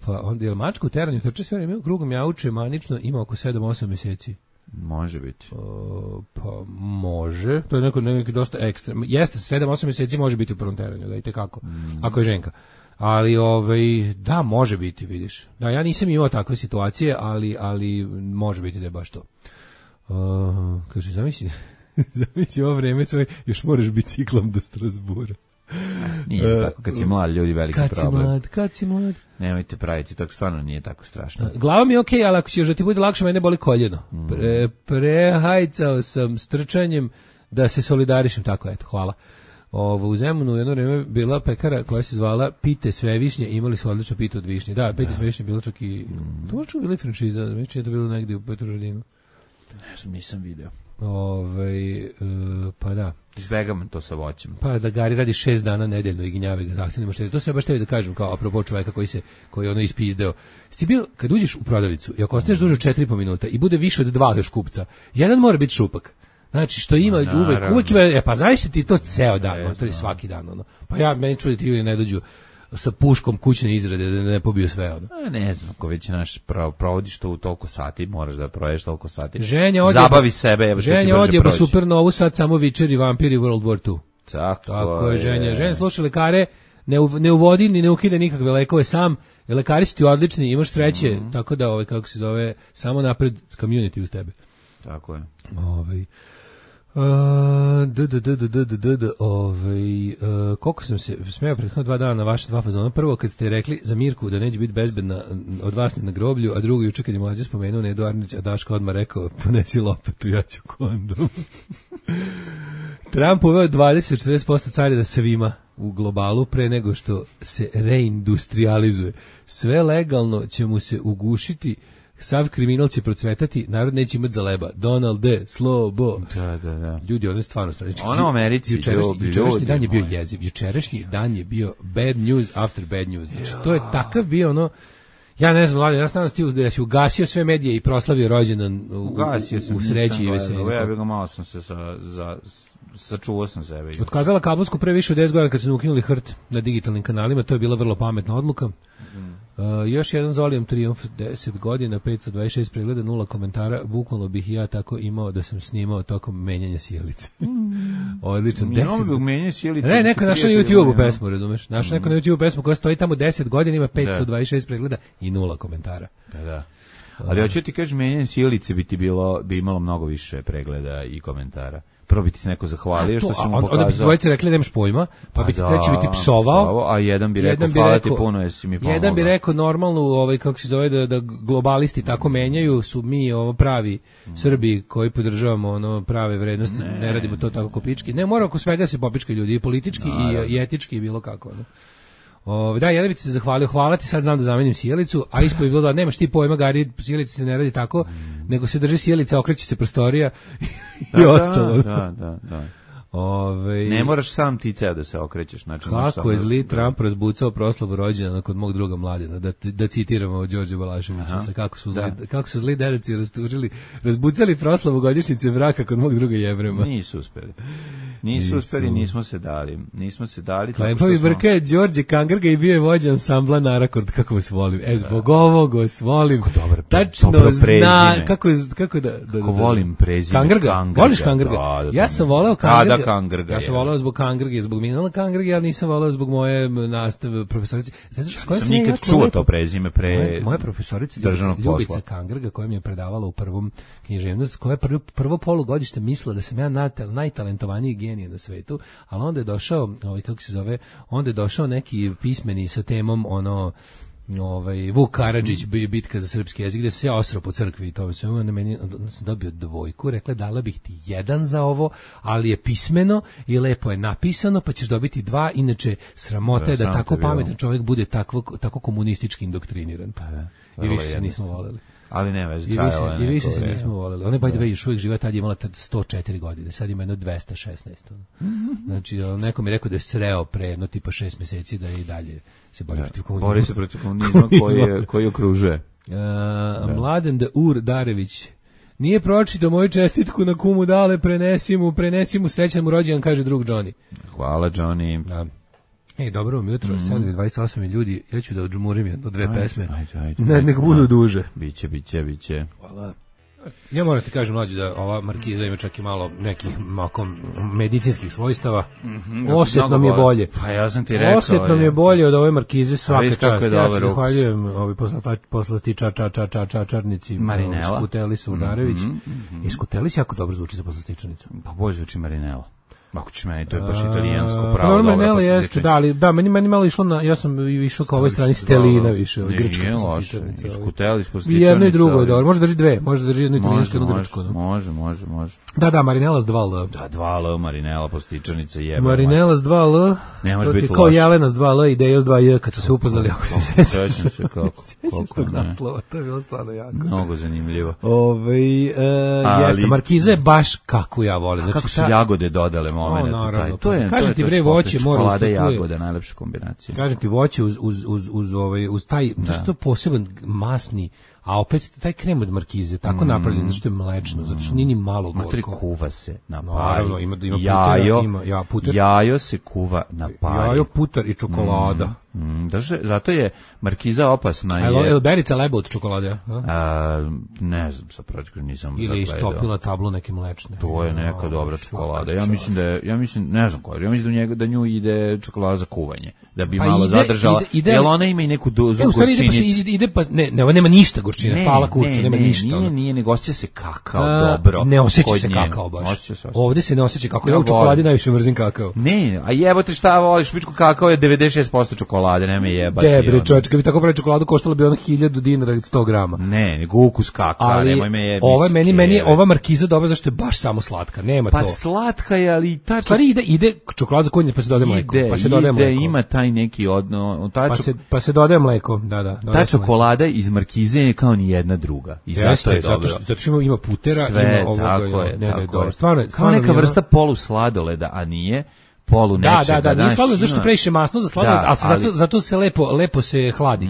pa onda je mačka u teranju, trče sve vreme krugom jauče manično, ima oko sedam osam mjeseci. Može biti. Uh, pa može. To je neko, neko dosta ekstremno. Jeste, sedam osam mjeseci može biti u prvom teranju, da idete kako. Mm. Ako je ženka. Ali ovaj da može biti, vidiš. Da, ja nisam imao takve situacije, ali ali može biti da je baš to. Uh, kaže zamisli, zamisli ovo vreme sve još moraš biciklom do Strasbura. Nije uh, tako, kad si mlad, ljudi veliki kad problem. Kad si mlad, kad si mlad. Nemojte praviti, tako stvarno nije tako strašno. Uh, glava mi je okej, okay, ali ako ćeš da ti bude lakše, mene boli koljeno. Mm. Pre, prehajcao sam strčanjem da se solidarišem, tako eto, hvala. Ovo, u Zemunu jedno vreme bila pekara koja se zvala Pite sve višnje, imali su odlično pite od višnje. Da, Pite sve višnje bilo čak i... Mm. To možda bila i franšiza, znači je to bilo negdje u Petrovaradinu. Ne znam, nisam video. Ove, uh, pa da. Izbegam to sa voćem. Pa da Gari radi šest dana nedeljno i ginjave ga zahtjevnimo što je. To se baš tebi da kažem kao apropo čoveka koji se koji ono ispizdeo. Sti bio kad uđeš u prodavnicu i ako ostaneš duže od četiri i po minuta i bude više od dva još kupca, jedan mora biti šupak. Znači što ima no, uvek, uvek ima, e pa znaš ti to ceo dan, no, to je svaki dan ono. Pa ja meni čudi ti ljudi ne dođu sa puškom kućne izrade da ne pobiju sve ono. A ne znam, ako već naš provodiš to u toliko sati, moraš da provedeš toliko sati. Ženja odjeba, zabavi sebe, ja Ženja odjeba Supernovu, sad samo Vičer i Vampiri World War two. Tako, Tako je, Ženja. Ženja sluša lekare, ne, u, ne uvodi ni ne ukide nikakve lekove sam, lekari su ti odlični, imaš sreće, mm-hmm. tako da, ovaj, kako se zove, samo napred community uz tebe. Tako je. Ovaj... Uh, d, d, d, d, d, d, d, ovaj, uh, koliko sam se smeo prethodno dva dana na vaše dva fazona. Prvo kad ste rekli za Mirku da neće biti bezbedna od vas na groblju, a drugo juče kad je mlađe spomenuo Nedo Arnić, a Daško odmah rekao ponesi lopetu, ja ću kondom. Trump uveo dvadeset do četrdeset posto carina svima. u globalu pre nego što se reindustrializuje. Sve legalno će mu se ugušiti, sav kriminal će procvetati, narod neće imati za leba. Donald D. Slobo. Da, da, da. Ljudi, ono je stvarno strano. Ono u Americi, jučerašnji, ljudi, jučerašnji dan je bio moji. jeziv. Jučerašnji dan je bio bad news after bad news. Znači, to je takav bio ono, ja ne znam, Vlade, ja sam ti da si ugasio sve medije i proslavio rođendan u, Ugasio sam, u, u sreći i veselju. Ja bih ga malo sam se sa, za, sačuvao sam sebe. Otkazala kablovsku pre više od deset godina kad su ukinuli H R T na digitalnim kanalima, to je bila vrlo pametna odluka. Uh, još jedan Zolijem trijumf, deset godina, petsto dvadeset šest pregleda, nula komentara, bukvalno bih i ja tako imao da sam snimao tokom menjanja sjelice. Odličan, deset godina. Menjanje sjelice. Ne, neko našao na YouTube-u pesmu, razumeš? Našao neko na YouTube-u pesmu koja stoji tamo deset godina, ima petsto dvadeset šest pregleda i nula komentara. Da, da. Ali hoću ti kažem, menjanje sjelice bi ti bilo, bi imalo mnogo više pregleda i komentara. Prvo bi ti se neko zahvalio što si mu pokazao. Onda bi ti dvojice rekli da nemaš pojma, pa bi ti treći bi ti psovao, a jedan bi rekao hvala ti puno jesi mi pomogao. Jedan bi rekao normalnu, ovaj, kako se zove, da, da globalisti tako menjaju, su mi ovo pravi Srbi koji podržavamo ono prave vrednosti, ne, ne radimo to tako ko pički. Ne, mora oko svega se popička ljudi, i politički i, i etički i bilo kako. Ne? O, da, jedan bi ti se zahvalio, hvala ti, sad znam da zamenim sjelicu, a ispod bi bilo da nemaš ti pojma, Gari, sjelica se ne radi tako, mm. nego se drži sjelica, okreće se prostorija i da, ostalo. Da, da, da. Ove, ne moraš sam ti ceo da se okrećeš. Znači, kako je zli Trump razbucao proslavu rođendana kod mog druga Mladena, da, da citiramo od Đorđe Balaševića, kako su zli, da. kako su zli dedaci rastužili, razbucali proslavu godišnjice braka kod mog druga Jevrema. Nisu uspeli. Nisu uspeli, nismo se dali. Nismo se dali. Klepovi smo... brka je Đorđe Kangrga i bio je vođa ansambla Narakord, kako vas volim. E, zbog ovog vas volim. Dobar, tačno dobro zna, kako, kako da... da, da, da. Kako volim prezime. Kangrga, Kangrga. voliš Kangrga? Da, da, ja sam voleo Kangrga. Da, da, Kangrga. Ja sam voleo zbog Kangrge, zbog Minala Kangrge, ali nisam voleo zbog moje nastave profesorice. Zato što s kojom sam nikad čuo to prezime pre moje, moje profesorice Ljubica Kangrga, koja mi je predavala u prvom književnosti, koja je prvo, prvo polugodište mislila da sam ja najtalentovaniji genije na svetu, ali onda je došao, ovaj, kako se zove, onda je došao neki pismeni sa temom, ono, ovaj, Vuk Karadžić, bitka za srpski jezik, gde se ja osrao po crkvi i to sve, na meni, onda sam dobio dvojku, rekla, dala bih ti jedan za ovo, ali je pismeno i lepo je napisano, pa ćeš dobiti dva, inače sramota je da, da tako pametan čovjek bude takvo, tako komunistički indoktriniran. Pa da, i više se nismo voleli. Ali ne veze, I više, i više se nismo voleli. Ona je by the way još uvijek živa, tad je imala sto četiri godine, sad ima jedno dvesta šesnaest. Znači, neko mi je rekao da je sreo pre jedno tipa šest mjeseci, da je i dalje se bori protiv komunizma. Bori se protiv komunizma koji, je, koji okružuje. Uh, Mladen da Ur Darević nije pročitao moju čestitku na kumu dale, prenesi mu, prenesi mu srećan mu rođendan, kaže drug Johnny. Hvala Johnny. Da. Ej, dobro vam jutro, mm-hmm. sad je dvadeset osam ljudi, ja ću da odžumurim jedno, dve ajde, pesme. Ajde, ajde, ne, nek budu duže. Biće, biće, biće. Hvala. Ja moram ti kažem, mlađe, da ova markiza ima čak i malo nekih makom medicinskih svojstava. Mm-hmm, Osjetno mi je bolje. Pa ja sam ti rekao. Osjetno mi je bolje od ove markize, svaka čast. Ja se zahvaljujem ovi poslasti ča, ča, ča, ča, ča, čarnici. Marinela. Skutelis Udarević. Mm-hmm. I Skutelis jako dobro zvuči za poslastičanicu. Pa bolje zvuči Marinela. Ako ćeš meni, to je baš italijansko pravo. Normalno, Marinela jeste, da, ali, da, meni, meni malo išlo na, ja sam išao kao ovoj strani Stelina više, ovaj grčka poslastičanica. Nije Skutelis poslastičanica. I jedno i drugo je dobro, može drži dve, može drži jedno italijansko, jedno grčko. Može, može, može. Da, da, Marinela s dva L. Da, dva L, Marinela poslastičanica jebe. Marinela s dva L. Ne može biti loš. Kao Jelena s dva L i Dejo s dva J, kad su se upoznali, ako se sjećaš. Sjećam se kako. Sjećaš tog naslova, to je bilo stvarno jako. Mnogo zanimljivo. Ove, jeste, markiza je baš kako ja volim. Kako su jagode dodale moment. To je, kažem ti bre, voće mora čokolada i jagode, najlepša kombinacija. Kažem ti, voće uz uz uz uz ovaj uz taj da. Što poseban masni, a opet taj krem od markize tako mm. napravljen da što je mlečno, zato što nije ni malo gorko. Matri kuva se na pari. Naravno, ima ima jajo, putera, ima ja puter. Jajo se kuva na pari. Jajo, puter i čokolada. Mm. Mm, daže, zato je markiza opasna. Je li berica leba od čokolade? A, ne znam, sa protiv nisam ili je istopila tablu neke mlečne. To je neka o, dobra čokolada. Ja mislim da je, ja mislim, ne znam koja, ja mislim da u njega da nju ide čokolada za kuvanje, da bi pa malo ide, zadržala. Ide, ide, jel ona ima i neku dozu e, gorčinice? Ide, ide pa ne, ne, nema ništa gorčine, Ne, hvala kurcu, ne, nema ne, ništa. Nije, ono. nije, nego osjeća se kakao A, dobro. Ne osjeća kod se njega. kakao baš. Osjeća se, osjeća. Ovde se ne osjeća kakao. Ja Ja u čokoladi volim. najviše mrzim kakao. Ne, a jebote šta voliš, pičku kakao je devedeset šest posto čokolade, nema me jebati. Debre, ono. čovječ, kad bi tako pravi čokoladu, koštalo bi ono hiljadu dinara sto grama. Ne, nego ukus kakao, Ali nemoj me jebati. ova meni, meni je ova markiza dobra zašto je baš samo slatka, nema Pa to. slatka je, ali ta Stvari ide, ide čokolada za konje pa se dodaje mleko. ide, Pa se dodaje ide, mleko. ima taj neki odno, ta, Pa čok- se, pa se dodaje mleko, da, da. ta dodaje se mleko. čokolada iz markize je kao ni jedna druga. I zato Jeste, je zato dobro. što, zato što ima, ima putera, Sve, ima ovoga, tako je, ne, ne, tako dobro. je. Stvarno, Kao stvarno mi neka je vrsta polu sladoleda, a nije polu Da, nečega. da, da, nije znaš, sladoled zašto ima- previše masno za sladoled, Da, ali se ali- zato, zato se lepo, lepo se hladi.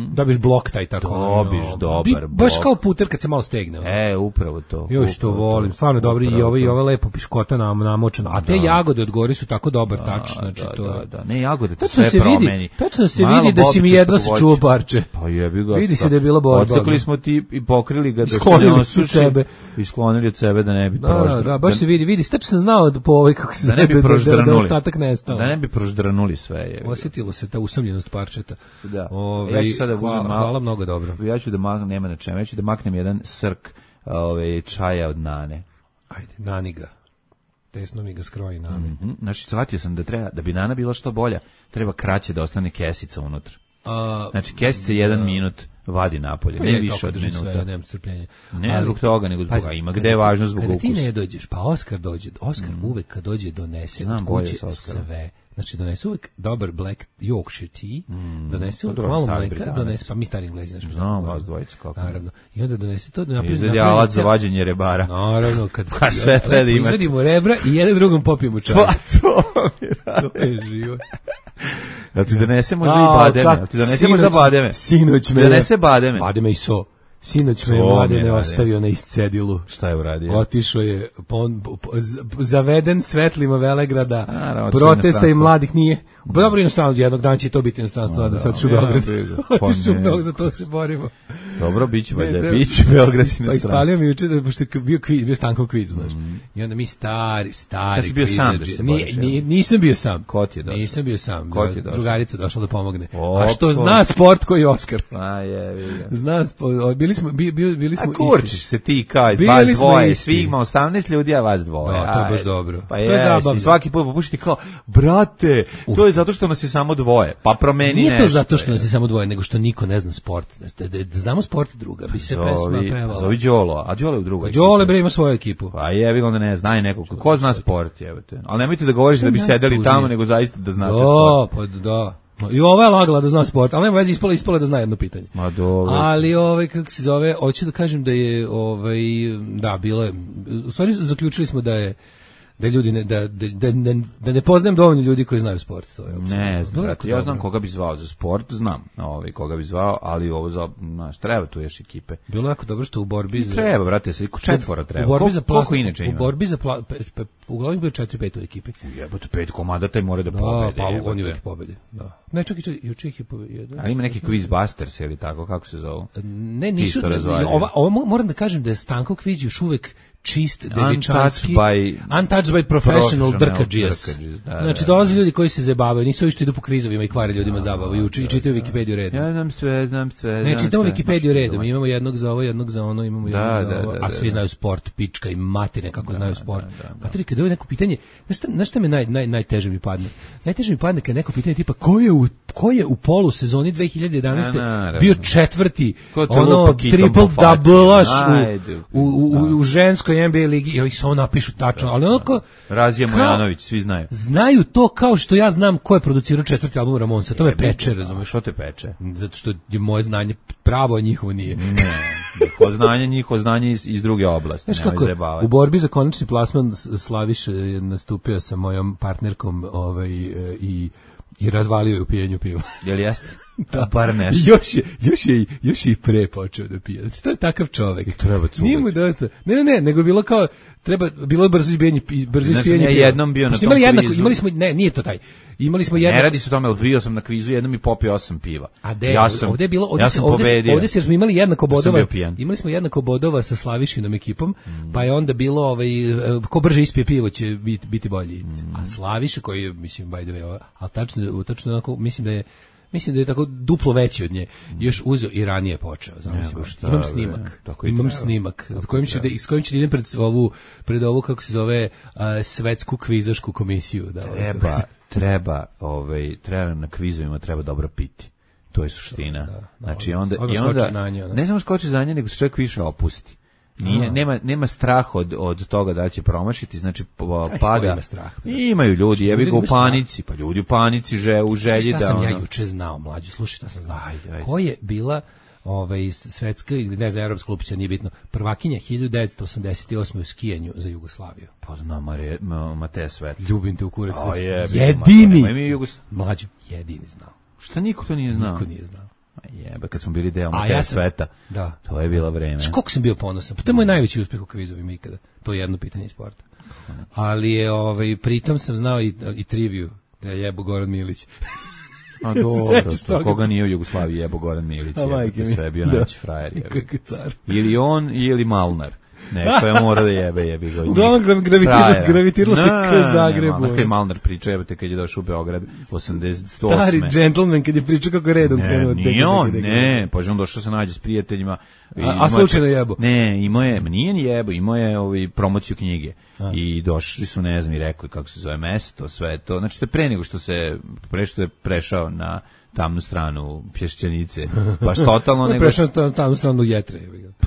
Dobiš blok taj tako. Dobiš ono, dobar bi- Baš blok. kao puter kad se malo stegne. ono. E, upravo to. Još to upravo volim, stvarno dobro i upravo ovo i to. ovo lepo piškota nam namočeno. A te jagode od gore su tako dobar tač, znači da, to da, je. da. Ne, jagode te Tačno sve se vidi, promeni. tačno se Malo vidi da si mi bobičastog jedva voća. sačuo parče. Pa jebi ga. Vidi se da je bila borba, Odsekli ono. smo ti i pokrili ga da se Sklonili ne od osuši. sebe. I sklonili od sebe da ne bi Da, da, proždr- da, baš se vidi, vidi, tačno sam znao da po ovoj kako se da ne bi zove, da, da, da, proždrnuli. ostatak nestao. Da ne bi proždrnuli sve. Je. Osjetilo se ta usamljenost parčeta. Da. Ove, Ja ću sada hvala, uzmem malo- hvala mnogo dobro. Ja ću da maknem, nema na čemu, ja ću da maknem jedan srk ove, čaja od nane. Ajde, nani ga. Tesno mi ga skroji nani. Mhm. Znači, shvatio sam da treba, da bi nana bila što bolja, treba kraće da ostane kesica unutra. A, Znači, kesica jedan minut vadi napolje, pa ne je, više kako od držim minuta. sve, nemam strpljenja. Ne Ali- zbog toga, nego zbog Pazi, toga. Ima kada gde je ti- važno zbog Kada ti ukusa. ne dođeš, pa Oskar dođe, Oskar uvek kad dođe donese Znam od bolje kuće s Oskarom. sve. Znači donese uvek dobar black Yorkshire tea, donese uvek dobro, malo stari mleka, Britanac. donese, pa mi stari Englezi, znači. Znam vas dvojica kako. Naravno. I onda donese to da napravi. Izvedi napravi alat za cel- vađenje rebara. Naravno, kad Pa sve treba da imaš. izvedimo rebra i jedan drugom popijemo čaj. Pa to mi radi. To je život. Jel ti donese možda i A, bademe? kak- Jel ti donese možda sinoć- bademe? Sinoć me Ti donese bademe? Bademe i so. Sinoć me So mi je mladene radio. ostavio na iscedilu. Šta je uradio? Otišao je pon, po- z- zaveden svetlima Velegrada, Naravno, otišao u protesta i inostranstvo. mladih nije. Pa dobro inostranstvo, jednog dana će to biti inostranstvo, nadam se, otišao u ja, Beograd. briga. Pa Otišao u ne. Beograd, za to se borimo. Dobro, bit će valjda, Ne, bit će Beograd i Pa ispalio mi juče da pošto je bio kviz, bio Stankov kviz, znaš. I onda mi stari, stari. Šta si bio sam da kvizađi- se Ni- boriš, ni- jel? nisam bio sam. Ko ti je došao? Nisam bio sam. Ko ti je došao? Drugarica došla da pomogne. O, A što ko? zna sport koji je Oskar. A je, vidi ga. Zna sport, bili smo, bi- bili, bili smo A kurčiš se ti kao Bili vas smo dvoje, isti. svi ima osamnaest ljudi, a vas dvoje. Da, to je baš Ajde. dobro. Pa To je je, zabavno. i svaki put popušiti kao, brate, to je zato što nas je samo dvoje, pa promeni Nije nešto. to zato što nas je samo dvoje, nego što niko ne zna sport. Da, da, da znamo sport druga, bi se pesma Zovi, pevala. zovi Đolo, a Đolo je u drugoj. Đole bre ima svoju ekipu. Pa je, onda ne zna neko. Ko zna sport, jebate. Ali nemojte da govoriš da bi sedeli tamo, nego zaista da znate sport. Da, pa da. I ova je lagala da zna sport, ali nema veze, ispala, ispala da zna jedno pitanje. Ma dobro. Ali ovaj kako se zove, hoću da kažem da je ovaj da bilo je u stvari zaključili smo da je da ljudi ne, da, da, da, ne, da ne poznajem dovoljno ljudi koji znaju sport, to je apsolutno. Ne znam, Bilo je brate, jako ja znam dobro. koga bi zvao za sport, znam ovaj, koga bi zvao, ali ovo za, znaš, treba tu još ekipe. Bilo je jako dobro što u borbi za Treba, brate, se četvora treba. U borbi Kol- za koliko plas- inače U ima? borbi za pla, pe, pe, uglavnom bio četiri pet u ekipi. Jebote, pet komada taj mora da Da, pobede. pa jebote. on je uvijek pobedi. Da. Ne, čak i čak, juče ih je pobedio. Ali ima neki Quizbusters ili tako, kako se zovu? Ne, nisu, Isto ne, razvaljuju. ova, ova, mo- moram da kažem da je Stankov kviz još uvek čist, devičanski, by- untouched by professional professional drkađijas. drkađijas, da, Znači, da, dolaze ljudi koji se zabavaju, nisu ovi što idu po kvizovima i kvare ljudima zabavu i uči i čitaju Wikipediju redom. Ja znam sve, znam sve. Ne, znam čitamo sve. Wikipediju Maš, redom, doma. imamo jednog za ovo, jednog za ono, imamo jednog Da, za da, ovo, da, a da, svi da. znaju sport, pička i matine kako znaju sport. Materi, kada je neko pitanje, znaš šta, znaš šta me naj, naj, najteže mi padne? Najteže mi padne kad neko pitanje tipa, ko je u, ko je u polu sezoni dve hiljade jedanaeste Na, naravno. bio četvrti, Ko te ono, lupa kitom triple po faci? double-aš Ajde, u, u, u, u ženskoj N B A ligi, i ovih samo napišu tačno, ali ono ko, Razija kao- Mojanović, svi znaju. znaju to kao što ja znam ko je producirao četvrti album Ramonsa, to me peče, razumeš? Što te peče? Zato što je moje znanje pravo, a njihovo nije. Ne, njihovo znanje, njihovo znanje iz, iz druge oblasti. Znaš nemoj kako, zajebavati. u borbi za konačni plasman S- Slaviš je nastupio sa mojom partnerkom ovaj, e, i, i razvalio je u pijenju piva. Jel jeste? Da, bar nešto. I još je, još je, još je i pre počeo da pije. Znači, to je takav čovek. treba cugati. Nije mu dosta. Ne, ne, ne, nego je bilo kao, treba, bilo je brzo izbijanje, brzo Znaš, ispijanje ja piva. jednom bio na Pošto tom imali jednako, kvizu. imali smo, ne, nije to taj. Imali smo Ne jednako. radi se o tome, ali bio sam na kvizu, jednom i popio osam piva. A de, ja sam, ovde je bilo, ovde ja se, sam ovde, se- pobedio. ovde se, jer smo imali jednako Ja sam bodova, bio pijan. imali smo jednako bodova sa Slavišinom ekipom, pa je onda bilo, ovaj, e, ko brže ispije pivo će biti, biti bolji. A Slaviša koji je, mislim, by the way, ovaj, ali tačno, tačno onako, mislim da je mislim da je tako duplo veći od nje. Još uzeo i ranije počeo, znači imam snimak. Imam snimak s kojim ću da s kojim ću da idem pred ovu pred ovu kako se zove uh, svetsku kvizašku komisiju, da treba treba ovaj treba na kvizovima treba dobro piti. To je suština. Da, da, znači onda i onda znanje, ne samo skoči znanje, nego se čovjek više opusti. Nije, nema, nema strah od, od toga da će promašiti, znači pada. Ima strah, imaju ljudi, jebi ga u panici, pa ljudi u panici že, u želji da... Šta sam ono... ja juče znao, mlađi, slušaj šta sam znao. Ajde, ajde. Ko je bila ovaj, svetska, ili ne znam, evropska lupića, nije bitno, prvakinja hiljadu devetsto osamdeset osme u skijanju za Jugoslaviju? Pa znam, Mare, Mateja Svet. Ljubim te u kurac. O, jebi, jedini! Ma, Jugos... Mlađi, jedini znao. Šta niko to nije znao? Niko nije znao. Jebe, kad smo bili deo Mateja ja Sveta, da. To je bilo vreme. Znaš koliko sam bio ponosan? Pa to je moj najveći uspeh u kvizovima ikada. To je jedno pitanje iz sporta. Ali je, ovaj, pritom sam znao i, i triviju da je jebo Goran Milić. A dobro, koga nije u Jugoslaviji jebo Goran Milić, je sve bio najveći frajer. Ili on, ili Malnar. Neko je mora da jebe, jebi ga. Uglavnom gravitiralo, gravitiralo se ka Zagrebu. Ono kaj Malnar priča, jebate, kad je došao u Beograd osamdeset osme. Stari džentlmen, kad je pričao kako redom krenuo. Ne, nije on, ne, pa on došao se nađe s prijateljima. A, a slučajno jebo? Ne, imao je, nije ni jebo, imao je ovaj, promociju knjige. A. I došli su, ne znam, i rekli kako se zove mesto, sve to. Znači, to je pre nego što se, pre što je prešao na tamnu stranu Pješčanice. Baš totalno nego... Prešao na tamnu stranu Jetre.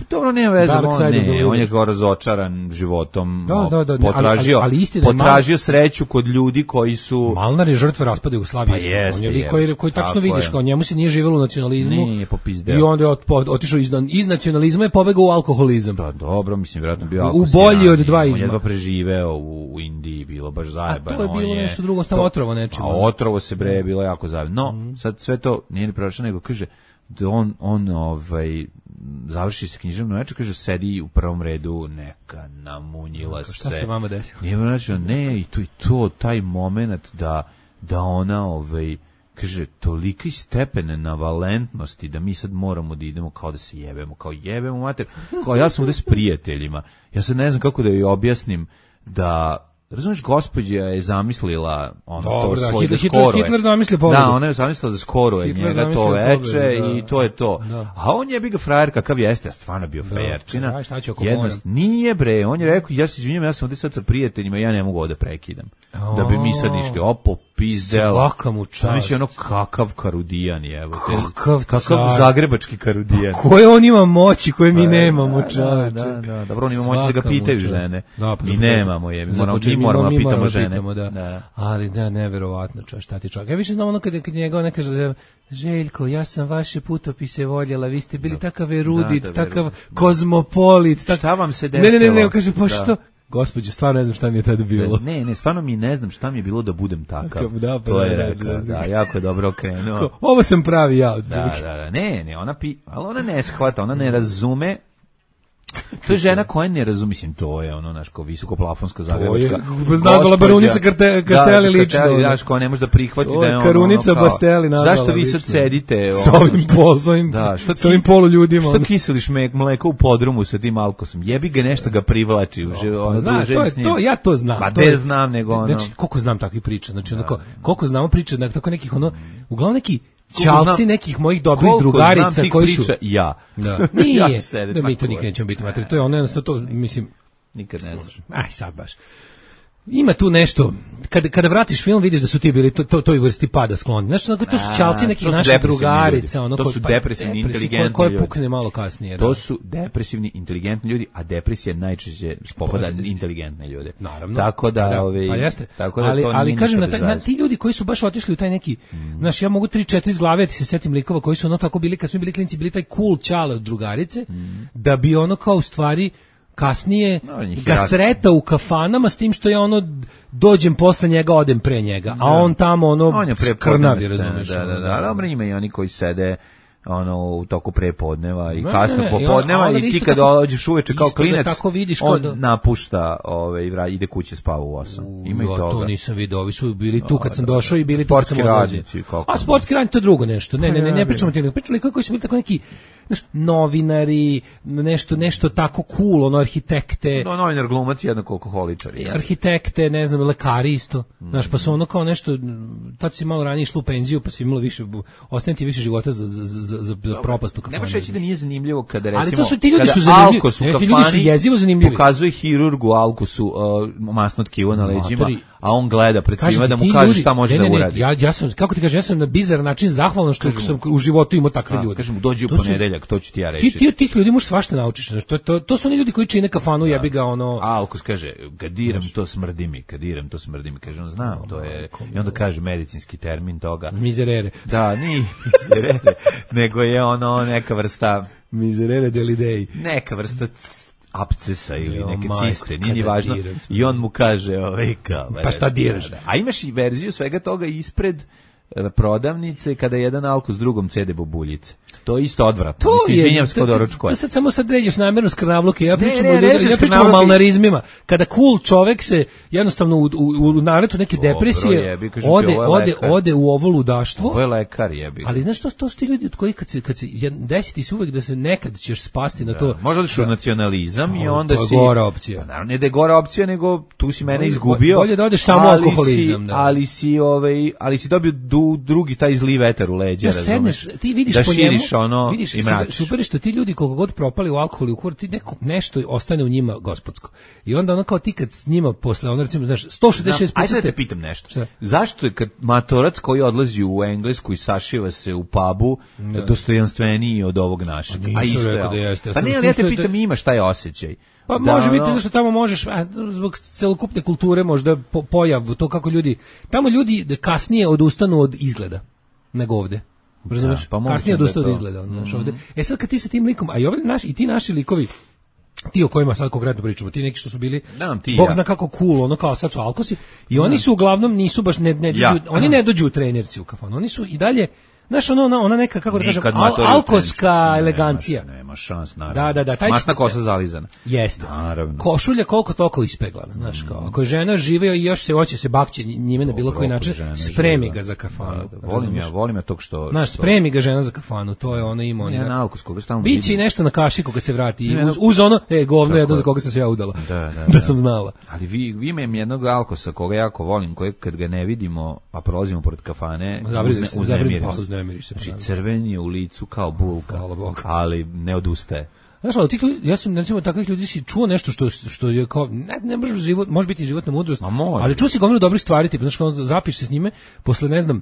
Dobro, nema veze, on, ne, on je kao razočaran životom, da, da, da, potražio, ali, ali, ali potražio Mal... sreću kod ljudi koji su... Malnar je žrtva raspada Jugoslavije. Pa jeste, on je lik koji, koji tačno vidiš, kao njemu se nije živelo u nacionalizmu. Nije popizdeo. I onda je ot, otišao iz, iz nacionalizma i pobegao u alkoholizam. Da, dobro, mislim, vjerojatno bio alkoholizam. U bolji od dva izma. On je jedva preživeo u, u Indiji, bilo baš zajebano. A to je bilo je, nešto drugo, stavo otrovo nečim. A otrovo se bre, bilo jako zajebano. No, mm. sad sve to nije ni prošlo, nego kaže da on, on ovaj, završi se književno večer, kaže, sedi u prvom redu, neka namunjila se. Šta se vama desilo? Nije znači, ne, i to i to, taj moment da, da ona, ovaj, kaže, toliki stepen navalentnosti da mi sad moramo da idemo kao da se jebemo, kao jebemo mater, kao ja sam ovde s prijateljima, ja sad ne znam kako da joj objasnim da, razumiješ, gospođa je zamislila ono, dobro, to svoje da skoro je. Hitler zamislio pobedu. Da, ona je zamislila da skoro je njega to veče da, i to je to. Da. A on je bi ga frajer kakav jeste, a stvarno bio frajerčina. Da, šta ću ako Jednost, nije bre, on je rekao, ja se izvinjam, ja sam ovdje sad sa prijateljima, ja ne mogu ovdje prekidam. O, da bi mi sad išli, opo, pizdel. Svaka mu čast. Misli ono kakav karudijan je, evo. Kakav, kakav zagrebački karudijan. Koje on ima moći, koje mi nemamo, čoveče. Da, da, dobro, on ima moći da ga pitaju žene. Mi nemamo je, mi moramo moramo pitamo žene. Pitamo, da. Da. Ali da, neverovatno, čo, šta ti čovjek. Ja više znam ono kad, kad njega ona kaže, Željko, ja sam vaše putopise voljela, vi ste bili da. Takav erudit, da, da, takav da. Kozmopolit. Tak... Šta vam se desilo? Ne, ne, ne, ne, kaže, pa što? Gospođo, stvarno ne znam šta mi je tada bilo. Ne, ne, stvarno mi ne znam šta mi je bilo da budem takav. Da, pa, to je da, rekao, da, da, da, jako je dobro okrenuo. Ovo sam pravi ja. Od da, da, da, ne, ne, ona pi, ali ona ne shvata, ona ne razume. To je žena koja ne razumi, mislim, to je ono, naš, kao visokoplafonska zagrebačka. To je nazvala barunica Kasteli lično. Da, znaš, koja ne može da prihvati da je ono, Karunica ono, Basteli nazvala. Zašto vi sad sedite? S ovim pol, s ovim, da, što s ovim polu ljudima. Što kiseliš me, mleko u podrumu sa tim alkosom? Jebi ga nešto ga privlači. Ono, zna, to je, to, ja to znam. Ma ne znam, nego ono. Znači, koliko znam takvih priča, znači, onako, koliko znamo priča, tako nekih, ono, uglavnom neki, čalci nekih mojih dobrih drugarica koji su ja. Da. Nije. Ja da mi to nikad nećemo biti mater. To je ono jednostavno to, mislim, nikad ne znaš. Aj sad baš. Ima tu nešto, kada, kada vratiš film vidiš da su ti bili to, to, toj vrsti pada skloni. Znači, to su čalci nekih naših drugarica. Ono, to su depresivni, inteligentni koje pukne malo kasnije. To da. Su depresivni, inteligentni ljudi, a depresija najčešće spopada inteligentne ljude. Naravno. Tako da, da ove, pa jeste. Tako da ali, to ali kažem, na, na, ti ljudi koji su baš otišli u taj neki, mm. znaš, ja mogu tri četiri iz glave, ti se setim likova koji su ono tako bili, kad smo bili klinci, bili taj cool čale od drugarice, mm. da bi ono kao u stvari kasnije no, ga sreta u kafanama s tim što ja ono dođem posle njega, odem pre njega, a on tamo ono on krnavi, razumiješ. Da, da, da, dobro, ima i oni koji sede ono u toku prepodneva i ne, kasno ne, ne, popodneva i ti kad dođeš uveče kao klinac, on da... napušta ove, ide kuće, spava u osam. Ima i toga. To nisam vidio, ovi su bili tu kad sam došao i bili tu kad sam odlazio. A sportski radnici to drugo nešto. Ne, ne, ne, ne pričamo ti, ne pričamo koji su bili tako neki znaš, novinari, nešto, nešto tako cool, ono, arhitekte. No, novinar glumac jednako alkoholičar. Arhitekte, ne znam, lekari isto. Znaš, pa su ono kao nešto, tad si malo ranije išlo u penziju, pa si imalo više, ostane ti više života za, za, za, za, za propast u kafani. Ne možeš reći da nije zanimljivo kada, recimo, ali to su, ti ljudi su zanimljivi. Alkos u kafani, ljudi su jezivo zanimljivi. Pokazuje hirurgu Alkosu uh, masno tkivo na leđima, Matori, a on gleda pred svima da mu ti kaže ljudi, šta može ne, ne, da ne, uradi. Ja, ja sam, kako ti kažem, ja sam na bizar način zahvalan što Kažem, sam u životu imao takve a, ljude. Kažem mu, dođi u To su- ponedeljak, to ću ti ja reći. Ti, ti, tih ljudi možeš svašta naučiš. Znaš, to, to, to su oni ljudi koji čine kafanu, jebi ga ono... A Alkos kaže, kad diram to smrdi mi, kad diram to smrdi mi. Kaže on, znam, to je... I onda kaže medicinski termin toga. Mizerere. Da, nije mizerere, nego je ono neka vrsta... Mizerere delidei. Neka vrsta c- apcesa ili Jo, neke majko, ciste, nije ni kada važno. diram. I on mu kaže, ovaj, kao... Pa šta diraš? Da, da. A imaš i verziju svega toga ispred e, prodavnice kada jedan Alkos drugom cede bobuljice. To je isto odvratno. To Mislim, je, izvinjam se to- kod to- doručkova. to sad samo sad ređeš namjerno skrnavluke, ja Ne, pričam ne, o ne, ljudi, ređeš ja pričam o skrnavluke. malnarizmima. Kada cool čovek se jednostavno u, u, u naretu neke Dobro, depresije jebi, kažem ti, ode, ovo je ode, lekar. ode u ovo ludaštvo. Ovo je lekar, jebi. Ali znaš što, to su ti ljudi od kojih kad se, kad se jed- desi ti se uvek da se nekad ćeš spasti na to. Možda odeš u nacionalizam i O, onda to je si... gora opcija. Pa naravno, ne da je gora opcija, nego tu si mene Bolje- izgubio. bolje da odeš samo ali alkoholizam, Si, da. Ali si, ovaj, ali si dobio du, drugi taj zli vetar u leđa, Znaš, razumeš? sedneš, ti vidiš da po njemu, širiš ono vidiš, i super, mračiš. super je što ti ljudi koliko god propali u alkohol i u kur, ti neko, nešto ostane u njima gospodsko. I onda ono kao ti kad s njima posle, ono recimo, znaš, sto šezdeset šest Ajde puta sad ste... te pitam nešto. Šta? Zašto je kad matorac koji odlazi u Englesku i sašiva se u pubu dostojanstveniji od ovog našeg? Pa nisam A isto rekao je, da jeste, ja Pa sam ne, ali ja te slušao da- pitam, imaš taj osjećaj. Pa Da, može biti ono- zašto tamo možeš, a, zbog celokupne kulture možda po, pojav, to kako ljudi, tamo ljudi da kasnije odustanu od izgleda nego ovde. Razumeš? pa moguće kasnije da je odustanu od to. izgleda. Znaš, ovde. E sad kad ti sa tim likom, a i, ovi naši, i ti naši likovi, ti o kojima sad konkretno pričamo, ti neki što su bili, Da, ti i Bog ja. zna kako cool, ono kao sad su alkosi, i oni su uglavnom nisu baš, ne, ne, Ja. dođu- oni ne dođu u trenerci u kafanu, oni su i dalje, znaš, ono, ona, ona neka, kako da kažem, Nikad al, matori u alkoska trenču. elegancija. Nema, nema šans, naravno. Da, da, da, taj Masna će- kosa zalizana. Jeste. Naravno. Košulja koliko toliko ispeglana, znaš, kao, ako je žena živa i još se hoće se bakće njime na bilo koji Dobro, način, žena spremi živa. ga za kafanu. Da, da, volim ja, volim ja tog što... Znaš, što- spremi ga žena za kafanu, to je ono ima. Ja on na Alkos koga stalno Biće i vidim. nešto na kašiku kad se vrati, i Ne, uz, no- uz ono, e, govno Tako jedno je. za koga sam se ja udala. Da, da, da da. sam znala. Ali vi, vi imam jednog Alkosa koga jako volim, kojeg kad ga ne vidimo, a prolazimo pored kafane, Zabrine uzne, se, uznemirim zabrine, se. uznemiriš se. Znači, crven je u licu kao bulka, Hvala Bogu. ali ne odustaje. Znaš, ali od tih ljudi, ja sam recimo takvih ljudi si čuo nešto što što je kao ne, ne može život, može biti životna mudrost, Ma može. ali čuo si gomilu dobrih stvari, tipa, znaš, kao zapiš se s njime, posle ne znam,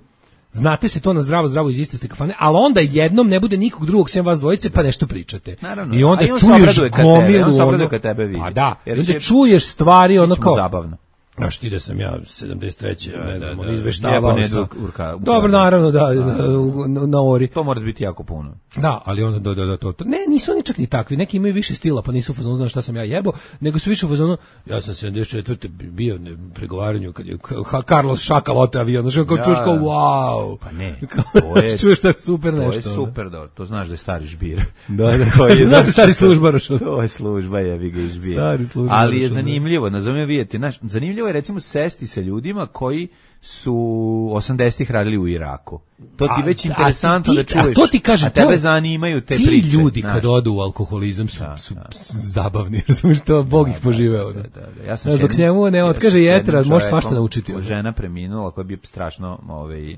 znate se to na zdravo, zdravo iz iste ste kafane, ali onda jednom ne bude nikog drugog sem vas dvojice, pa nešto pričate. Naravno. I onda A i on se čuješ obraduje kad tebe, gomilu, on se obraduje ono- kad tebe vidi. Pa da, Jer i onda će- čuješ stvari, ono Biće mu kao, zabavno. znaš ti da sam ja sedamdeset treće ne da, znam, da. on izveštavao Jebo ne sam. dok urka- urka- Dobro, naravno, da, na, na, na ori. To mora biti jako puno. Da, ali onda da, da, da, to, to. Ne, nisu oni čak ni takvi. Neki imaju više stila, pa nisu u fazonu, znaš šta sam ja jebo, nego su više u fazonu, ja sam sedamdeset četvrte bio na pregovaranju kad je Ka- Carlos Šakal oteo avion, znaš, kao Ja, čuješ kao, da. wow. Pa ne, Kao, to je- čuješ tako super To nešto. je ono. super, dobro. To znaš da je stari žbir. Da, da, Koji je- znaš da stari službaraš. ono. To je služba, jebi ga i žbir. Stari služba, Ali je da. zanimljivo, nazovimo vidjeti, znaš, zanimljivo je recimo sesti sa ljudima koji su osamdesetih radili u Iraku. To ti A, već a interesantno ti- da čuješ. A to ti kažem, a tebe to je- zanimaju te ti priče. ljudi znaš. kad odu u alkoholizam su, Da, su da. zabavni, razumiješ, to Bog ih poživeo. Da, da, da. Ja sam Znaš, s dok jednim- njemu ne ja otkaže sam s jednim jetra, može čovekom, svašta naučiti. ono. Žena preminula koja je bio strašno ovaj,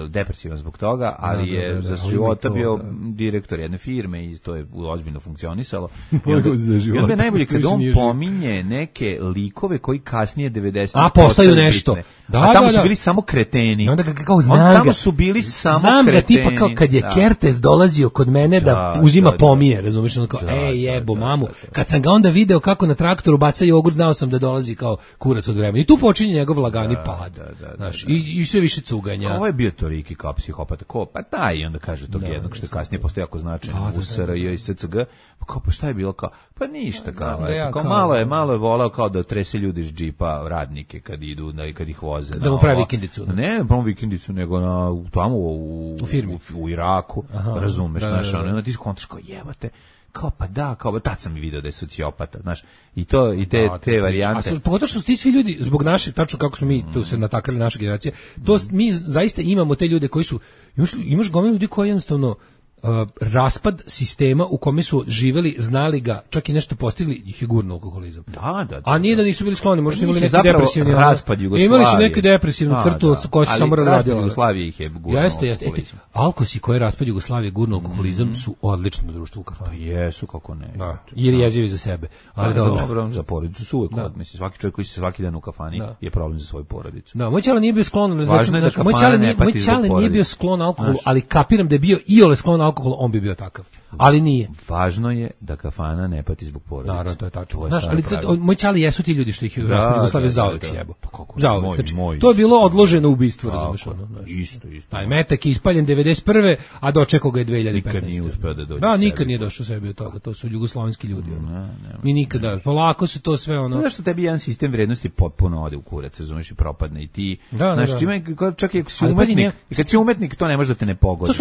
depresivan zbog toga, ali Da, da, je da, da, za ali života to, bio da. direktor jedne firme i to je ozbiljno funkcionisalo. I Mogu onda, za i onda života, je najbolje kad više on nije živ. pominje neke likove koji kasnije devedesetih A, postaju nešto. Da, a tamo da, su da. bili samo kreteni. I onda ga kao On- znam tamo ga. su bili samo znam kreteni. ga tipa kao kad je Da. Kertes dolazio kod mene da, Da, uzima da, da. pomije, razumiješ, ono kao, Da, ej da, jebo da, mamu. da, da. Kad sam ga onda video kako na traktoru baca jogurt, znao sam da dolazi kao kurac od vremena. I tu počinje njegov lagani pad. da, da, da, Znaš, da. i, i sve više cuganja. Ovo je bio Toriki kao psihopata, ko, pa taj, i onda kaže tog jednog što je kasnije postao jako značajan Da, da, u S R J i S C G, pa kao, pa šta je bilo kao, pa ništa kao, da ja eto, kao, kao- malo je, malo je volao kao da trese ljudi iz džipa, radnike kad idu, da, kad ih voze. Da na mu pravi ovo. vikendicu. Ne, ne pravi vikendicu, nego na, u- tamo u, U firmi. u, u Iraku, Aha, razumeš, da, znaš, da, da. ono, i onda ti skontaš kao, jebate, kao pa da, kao tad sam i video da je sociopata, znaš, i to, i te, Da, te A varijante. su, pogotovo što su ti svi ljudi, zbog naše, tačno kako smo mi tu se natakali naše generacije, to s- mi zaista imamo te ljude koji su, imaš, imaš gomilu ljudi koji jednostavno, uh, raspad sistema u kome su živeli, znali ga, čak i nešto postigli, ih je gurno alkoholizam. Da, da, da. A nije da nisu bili skloni, možda su imali neki Zapravo depresivni raspad Jugoslavije. Imali su neku depresivnu crtu da, da. koja se samo razradila. Ali Jugoslavije ih je gurno Jeste, jeste. alkoholizam. Alkosi koji je raspad Jugoslavije gurno alkoholizam mm. su odlično društvo u kafanu. Pa jesu, kako ne. Da, jer jezivi za sebe. Ali da, dobro. dobro, za porodicu su uvek, mislim, svaki čovjek koji se svaki dan u kafani da. je problem za svoju porodicu. Da, moj ćale nije bio sklon, znači, da znači, moj ćale nije, moj ćale nije bio sklon alkoholu, ali kapiram da je bio iole sklon alkoholu, on bi bio takav. Ali nije. Važno je da kafana ne pati zbog porodice. Naravno, to je tačno. Znaš, ali to, moj ćali jesu ti ljudi što ih da, raspad Jugoslavije zauvek sjebo. Zauvek. Znači, moj, to je bilo odloženo ubistvo, razumeš ono. Isto, isto. Taj metak je ispaljen devedeset prve, a dočekao ga je dve hiljade petnaeste. Nikad nije uspeo da dođe. Da, nikad nije došao sebi od toga. To su jugoslovenski ljudi. Ono. Mi nikada. Polako se to sve ono. Znaš što tebi jedan sistem vrednosti potpuno ode u kurac, razumeš, i propadne i ti. Znaš, čime čak i ako si umetnik, i kad si umetnik, to ne može da te ne pogodi.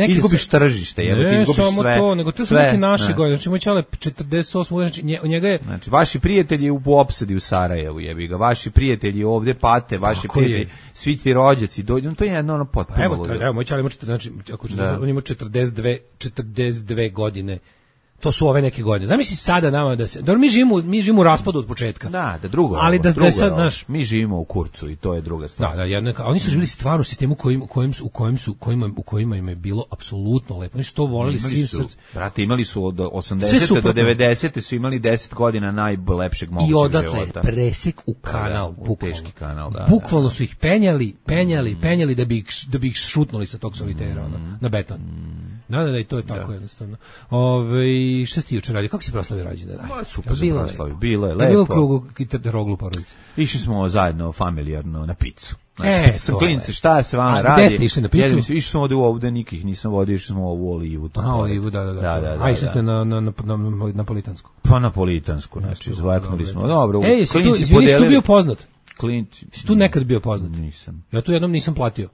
Izgubiš tržište, jer izgubiš sve. Nego to su neke naše godine. Znači moj ćale četrdeset osme znači njega je znači vaši prijatelji u opsadi u Sarajevu, jebi ga. Vaši prijatelji ovde pate, vaši prijatelji, je. Svi ti rođaci dođu, to je jedno ono potpuno. Evo, evo moj ćale ima znači ako da. on ima četrdeset dve, četrdeset dve godine. To su ove neke godine. Zamisli sada nama da se, da mi živimo, mi živimo u raspadu od početka. Da, da drugo. Ali da, da sad naš, mi živimo u kurcu i to je druga stvar. Da, da, jedno, oni su živjeli stvarno u sistemu kojim, u kojem su, u kojem su, kojima, u kojima im je bilo apsolutno lepo. Oni su to voleli svim srcem. Brate, imali su od osamdesete do devedesete su imali deset godina najlepšeg mogućeg života. I odatle presek u kanal, da, da, u teški kanal, da. Bukvalno su ih penjali, penjali, mm. penjali da bi ih, da bi ih šutnuli sa tog solitera, mm. ono, na beton. Mm. Da, da, da, i to je tako da. Jednostavno. Ove, šta si ti juče radio? Kako si proslavio rođendan? Ma, super sam proslavio, bilo je lepo. Je bilo u krugu roglu porodice? Išli smo zajedno familijarno na picu. Znači, e, sa klinci, šta se vama a, radi? Gde ste išli na picu? Išli smo ovde u ovde, nikih nisam vodio, išli smo u Olivu. Aha, Olivu, da, da, da. da, da, da a išli ste na, na, na, na, na Napolitansku? Pa Napolitansku, znači, zvaknuli smo. Dobro, ej, jesi tu, izvini, si tu bio poznat? Klinci. Si tu nekad bio poznat? Nisam. Ja tu jednom nisam platio.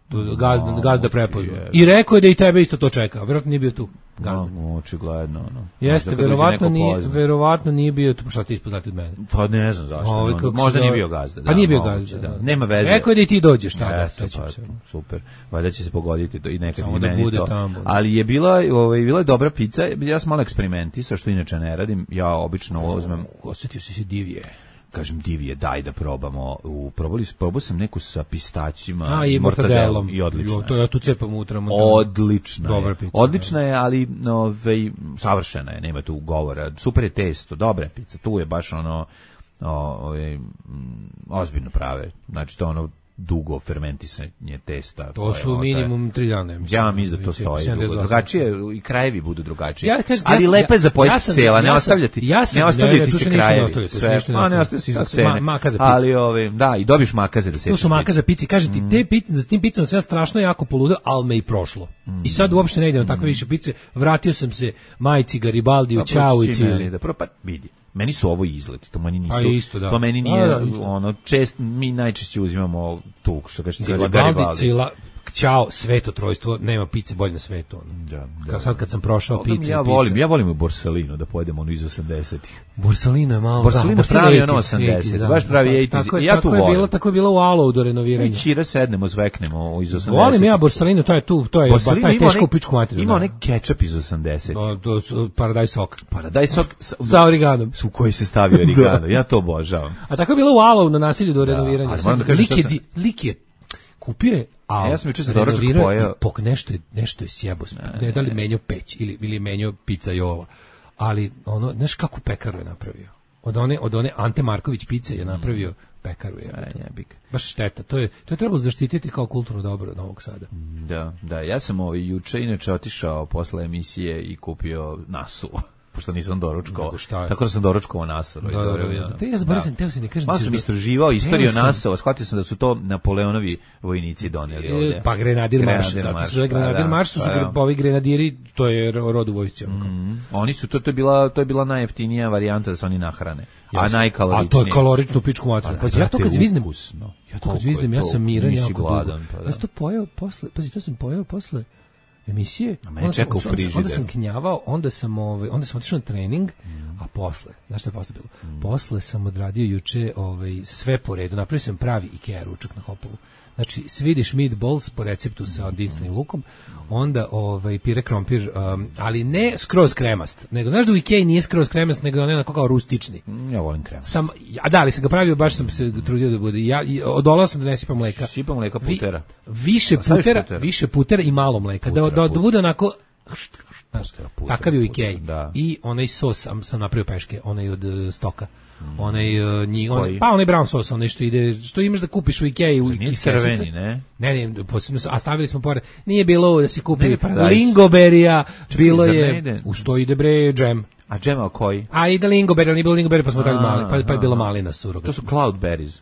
Tu gazda, no, gazda prepoznao. I rekao je da i tebe isto to čeka. Verovatno nije bio tu. Gazda. No, očigledno, no. Jeste, verovatno nije, verovatno nije bio tu, šta ti ispoznati od mene. Pa ne znam zašto. Ovi, no, možda nije bio gazda. Da, pa nije bio moguće, gazda. Da. Da. Nema veze. Rekao je da i ti dođeš tada. Jeste, pa, super. Valjda će se pogoditi to i nekad samo i da meni bude to. Tamo, ali je bila, ovaj, bila je dobra pizza. Ja sam malo eksperimentisao, što inače ne radim. Ja obično uzmem. Osjetio si se divije. Kažem divije, daj da probamo. U probali probao sam neku sa pistaćima a, i mortadelom i odlično. Jo, to ja tu cepam unutra. Odlična. Dobra je. Pizza, odlična je, ali ovaj savršena je, nema tu govora. Super je testo, dobra je pizza. Tu je baš ono ovaj ozbiljno prave. Znači to ono dugo fermentisanje testa. To su je, minimum tri dana. Mislim, ja mislim da to stoji dugo. Drugačije, i krajevi budu drugačiji. Ja, kažem, ali ja, lepa je za pojesti ja sam, cela, ne ja ostavljati. Ja sam, ne ostavljati ne, ne, se krajevi. Ne sve, a ne ostavljati se za cene. Makaza ali ove, da, i dobiš makaze da se. To su makaza pici, kaže ti, te pice, za tim picama sve strašno jako poludeo, al me i prošlo. Mm. I sad uopšte ne idem na takve više pice. Vratio sam se majci Garibaldi u Ćao i Cili. Da pa vidi. Meni su ovo izleti, to meni nisu. Isto, da. To meni nije da, da, ono čest mi najčešće uzimamo tu što kaže Cila Garibaldi. Cila, Ćao, sveto trojstvo, nema pice bolje na svetu. Ono. Da, da. Kao sad kad sam prošao pice. Ja volim, ja volim u Borsalino da pojedemo ono iz osamdesetih. Borsalino je malo. Borsalino da, pravi ono osamdeset, da, baš pravi osamdeset. Ja tu volim. Je bilo, tako je bilo u Alo do renoviranja. Mi čira sednemo, zveknemo iz osamdesetih. Volim ja Borsalino, to je tu, to je Borsalino taj teško pičku materiju. Ima onaj kečap iz osamdesetih. To su Paradise sok. Paradise sok sa origanom. Su koji se stavio origano. Ja to obožavam. A tako je bilo u Alo na nasilju do renoviranja. Lik je kupio je, a ja sam juče za doručak pojeo. Pok nešto je nešto je sjebo. Ne, ne da li menjao peć ili ili menjao pizza Jova. Ali ono, znaš kako pekaru je napravio. Od one od one Ante Marković pice je napravio pekaru je. Jebik. Baš šteta. To je to je trebalo zaštititi kao kulturno dobro Novog Sada. Da, da, ja sam ovaj juče inače otišao posle emisije i kupio nasu. Pošto nisam doručkovao. Tako da sam doručkovao Nasoro. Da, da, da, da. Te ja zaboravim, teo se ne kažem. Malo sam istraživao istoriju Nasova, shvatio sam da su to Napoleonovi vojnici doneli ovde. Pa Grenadir Marš, zato su zove Grenadir Marš, su ovi grenadiri, to je rod u vojsci. Oni su, to je bila to je bila najjeftinija varijanta da se oni nahrane. A najkaloričnije. A to je kalorično pičku materiju. Pa ja to kad zviznem, ja to kad zviznem, ja sam miran, jako dugo. Ja sam to pojeo posle, pazi, to sam pojeo posle emisije. Onda sam, onda sam knjavao, onda sam ovaj, onda sam otišao na trening, mm. A posle, znaš šta je posle bilo? Mm. Posle sam odradio juče ovaj, sve po redu, napravio sam pravi Ikea ručak na Hopovu. Znači, Swedish meatballs po receptu sa dinstvenim lukom, onda ovaj, pire krompir, um, ali ne skroz kremast, nego, znaš da u Ikei nije skroz kremast, nego on je onako kao rustični. Ja volim kremast. Sam, ja, da, ali sam ga pravio, baš sam se trudio da bude. Ja, odolao sam da ne sipam mleka. Sipam mleka putera. Vi, više putera, putera, više putera i malo mleka. Putera, da, da, da bude onako... Znaš, takav je u Ikei. I onaj sos sam, sam napravio peške, onaj od uh, stoka. Mm. Onaj, uh, nji, onaj, pa onaj brown sos, onaj što ide, što imaš da kupiš u Ikei u Ikei crveni, ne? Ne, ne, posebno, a stavili smo pored. Nije bilo da si kupi lingoberija, bilo je, u što ide bre džem. A džem al koji? A ide lingoberija, nije bilo lingoberija, pa smo dali mali, pa, pa je bila malina surogat. To su cloudberries.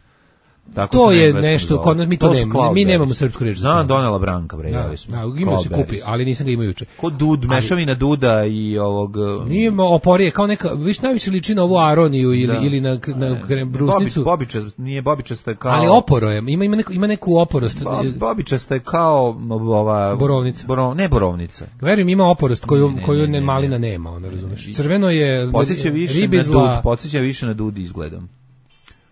Tako to je nešto, kod nas mi to, to nemamo, mi nemamo srpsku reč. Znam, donela Branka, bre, da, smo. Da, imao se kupi, ali nisam ga imao juče. Kod dud, ali, mešavina duda i ovog... Nije oporije, kao neka, viš najviše liči na ovu aroniju ili, da. ili na, na brusnicu. Bobičast, nije bobičasta je kao... Ali oporo je, ima, ima, neku, ima neku oporost. Bobičasta je kao ova... Borovnica. Borov, ne borovnica. Verujem, ima oporost koju, ne, ne, koju ne, ne, malina ne, nema, ono razumeš. Crveno je... Podsjeća više na dud, podsjeća više na dud izgledom.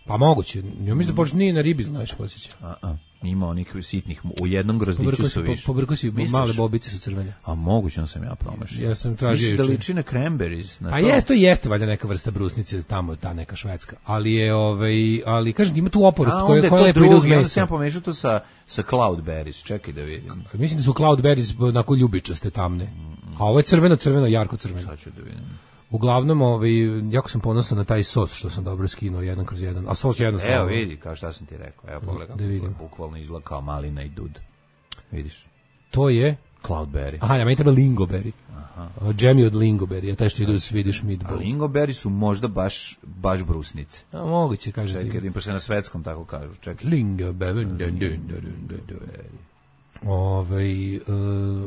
Pa moguće. Ja mislim da počne nije na ribi, znaš, posjeća. A a. Ima onih sitnih, u jednom grozdiću su više. Pobrko si, male bobice su crvene. A moguće sam ja promašio. Ja sam tražio juče. Da liči na cranberries. Na pa jeste, jeste valjda neka vrsta brusnice tamo, ta neka švedska. Ali je, ovaj, ali kažem, ima tu oporost koja koja lepo ide uz meso. Ja sam pomešao to sa sa cloudberries, čekaj da vidim. Mislim da su cloudberries onako ljubičaste tamne. A ovo je crveno, crveno, jarko crveno. Sad ću da vidim. Uglavnom, ovaj, jako sam ponosan na taj sos što sam dobro skinuo jedan kroz jedan. A sos je jednostavno. Evo vidi, kao šta sam ti rekao. Evo pogledaj, da vidim. Bukvalno izgleda kao malina i dud. Vidiš? To je cloudberry. Aha, ja meni treba lingoberry. Aha. Džemi od lingoberry, a taj što ide u Swedish meatballs. A lingoberry su možda baš baš brusnice. A moguće, kaže ti. Čekaj, im se na svetskom tako kažu. Čekaj. Lingoberry. Ovaj, uh,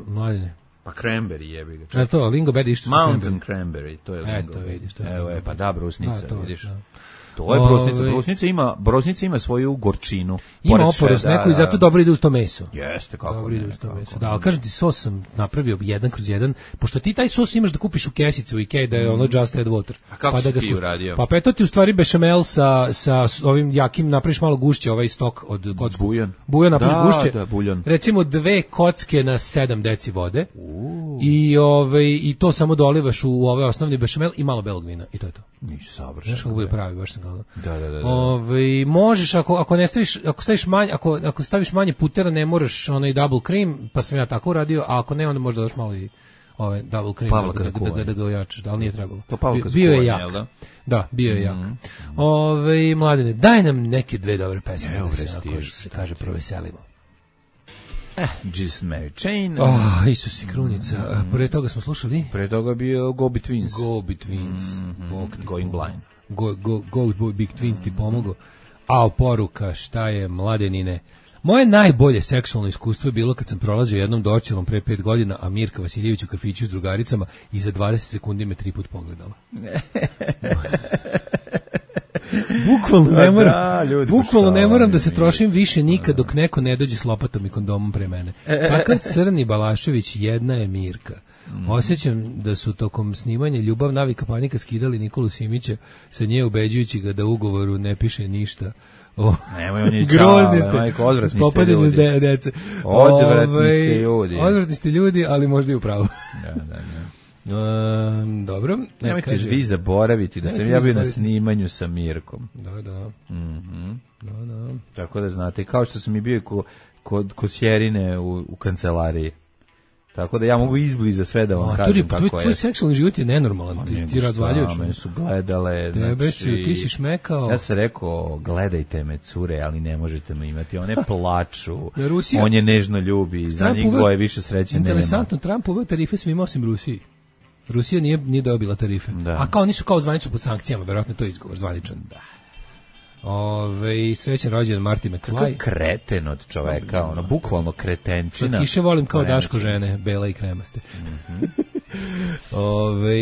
mladine. Pa cranberry jebi ga. E to, lingoberry išto Mountain cranberry, to je lingoberry. Eto, vidiš, to je. Evo je, pa da, brusnica, da, to, vidiš. Da. To je brusnica, brusnica ima, brusnica ima svoju gorčinu. Ima oporost neku i zato dobro ide uz to meso. Jeste, kako dobro ne. Ide uz to meso. Da, ali kažem ti, sos sam napravio jedan kroz jedan, pošto ti taj sos imaš da kupiš u kesicu u Ikei, da je ono just add water. A kako pa si da ti uradio? Pa peto ti u stvari bešamel sa, sa ovim jakim, napraviš malo gušće, ovaj stok od kocku. Bujon. Bujon napraviš da, gušće. Da, buljon. Recimo dve kocke na sedam deci vode. Uh. I, ovaj, i to samo dolivaš u ovaj osnovni bešamel i malo belog vina. I to je to. Nisi savršen. Znaš kako bude pravi, baš sam ga. Da, da, da. Ove, možeš ako ako ne staviš ako staviš manje ako ako staviš manje putera ne moraš onaj double cream, pa sam ja tako uradio, a ako ne onda možda daš malo i ovaj double cream Pavlaka da, da, da, da ga ojačaš, da li nije trebalo. To Pavlaka bio je jak. Da? da, bio je jak. Mm. Ove, mladene, daj nam neke dve dobre pesme, evo da se, ako se kaže proveselimo. Eh, Jesus Mary Chain. Oh, Isus i krunica. Mm. Pre toga smo slušali? Pre toga bio Go Betweens. Go Betweens. Mm -hmm. Going Blind. Go, go, go, go Big Twins ti pomogao. A poruka, šta je, mladenine? Moje najbolje seksualno iskustvo je bilo kad sam prolazio jednom dočelom pre pet godina, a Mirka Vasiljević u kafiću s drugaricama i za dvadeset sekundi me tri put pogledala. Bukvalno ne moram, da, ljudi, bukvalno ne moram da se trošim više nikad dok neko ne dođe s lopatom i kondomom pre mene. Takav crni Balašević, jedna je Mirka. Mm. Osjećam da su tokom snimanja Ljubav, navika, panika skidali Nikolu Simića sa nje ubeđujući ga da u ugovoru ne piše ništa. O, nemoj, on je grozni čao, ste, majko, odvratni ste ljudi. De, dece. Odvratni Ove, ste ljudi. Odvratni ste ljudi, ali možda i u pravu. Da, da, da. Um, dobro. Nemojte kaže, vi zaboraviti da sam ja bio na snimanju sa Mirkom. Da, da. Mm-hmm. Da, da. Tako da znate, kao što sam i bio kod kod Kosjerine u, u kancelariji. Tako da ja mogu izbliza sve da vam a, kažem tvoj, kako tvoj, je. Tvoj seksualni život je nenormalan, ti, ti razvaljuješ. Mene su gledale. Tebe znači, si, ti si šmekao. Ja sam rekao, gledajte me cure, ali ne možete me imati. One plaču, Rusija, on je nežno ljubi, za njih dvoje više sreće nema. Interesantno, Trump uveo tarife svima osim Rusiji. Rusija nije, nije dobila tarife. Da. A kao nisu kao zvanično pod sankcijama, verovatno to je izgovor zvaničan. Da. Ove, srećan rođendan Marty McFly. Kako kreten od čoveka, ono, bukvalno kretenčina. Slatkiše volim kao Daško žene, bela i kremaste. Mm-hmm. Ove,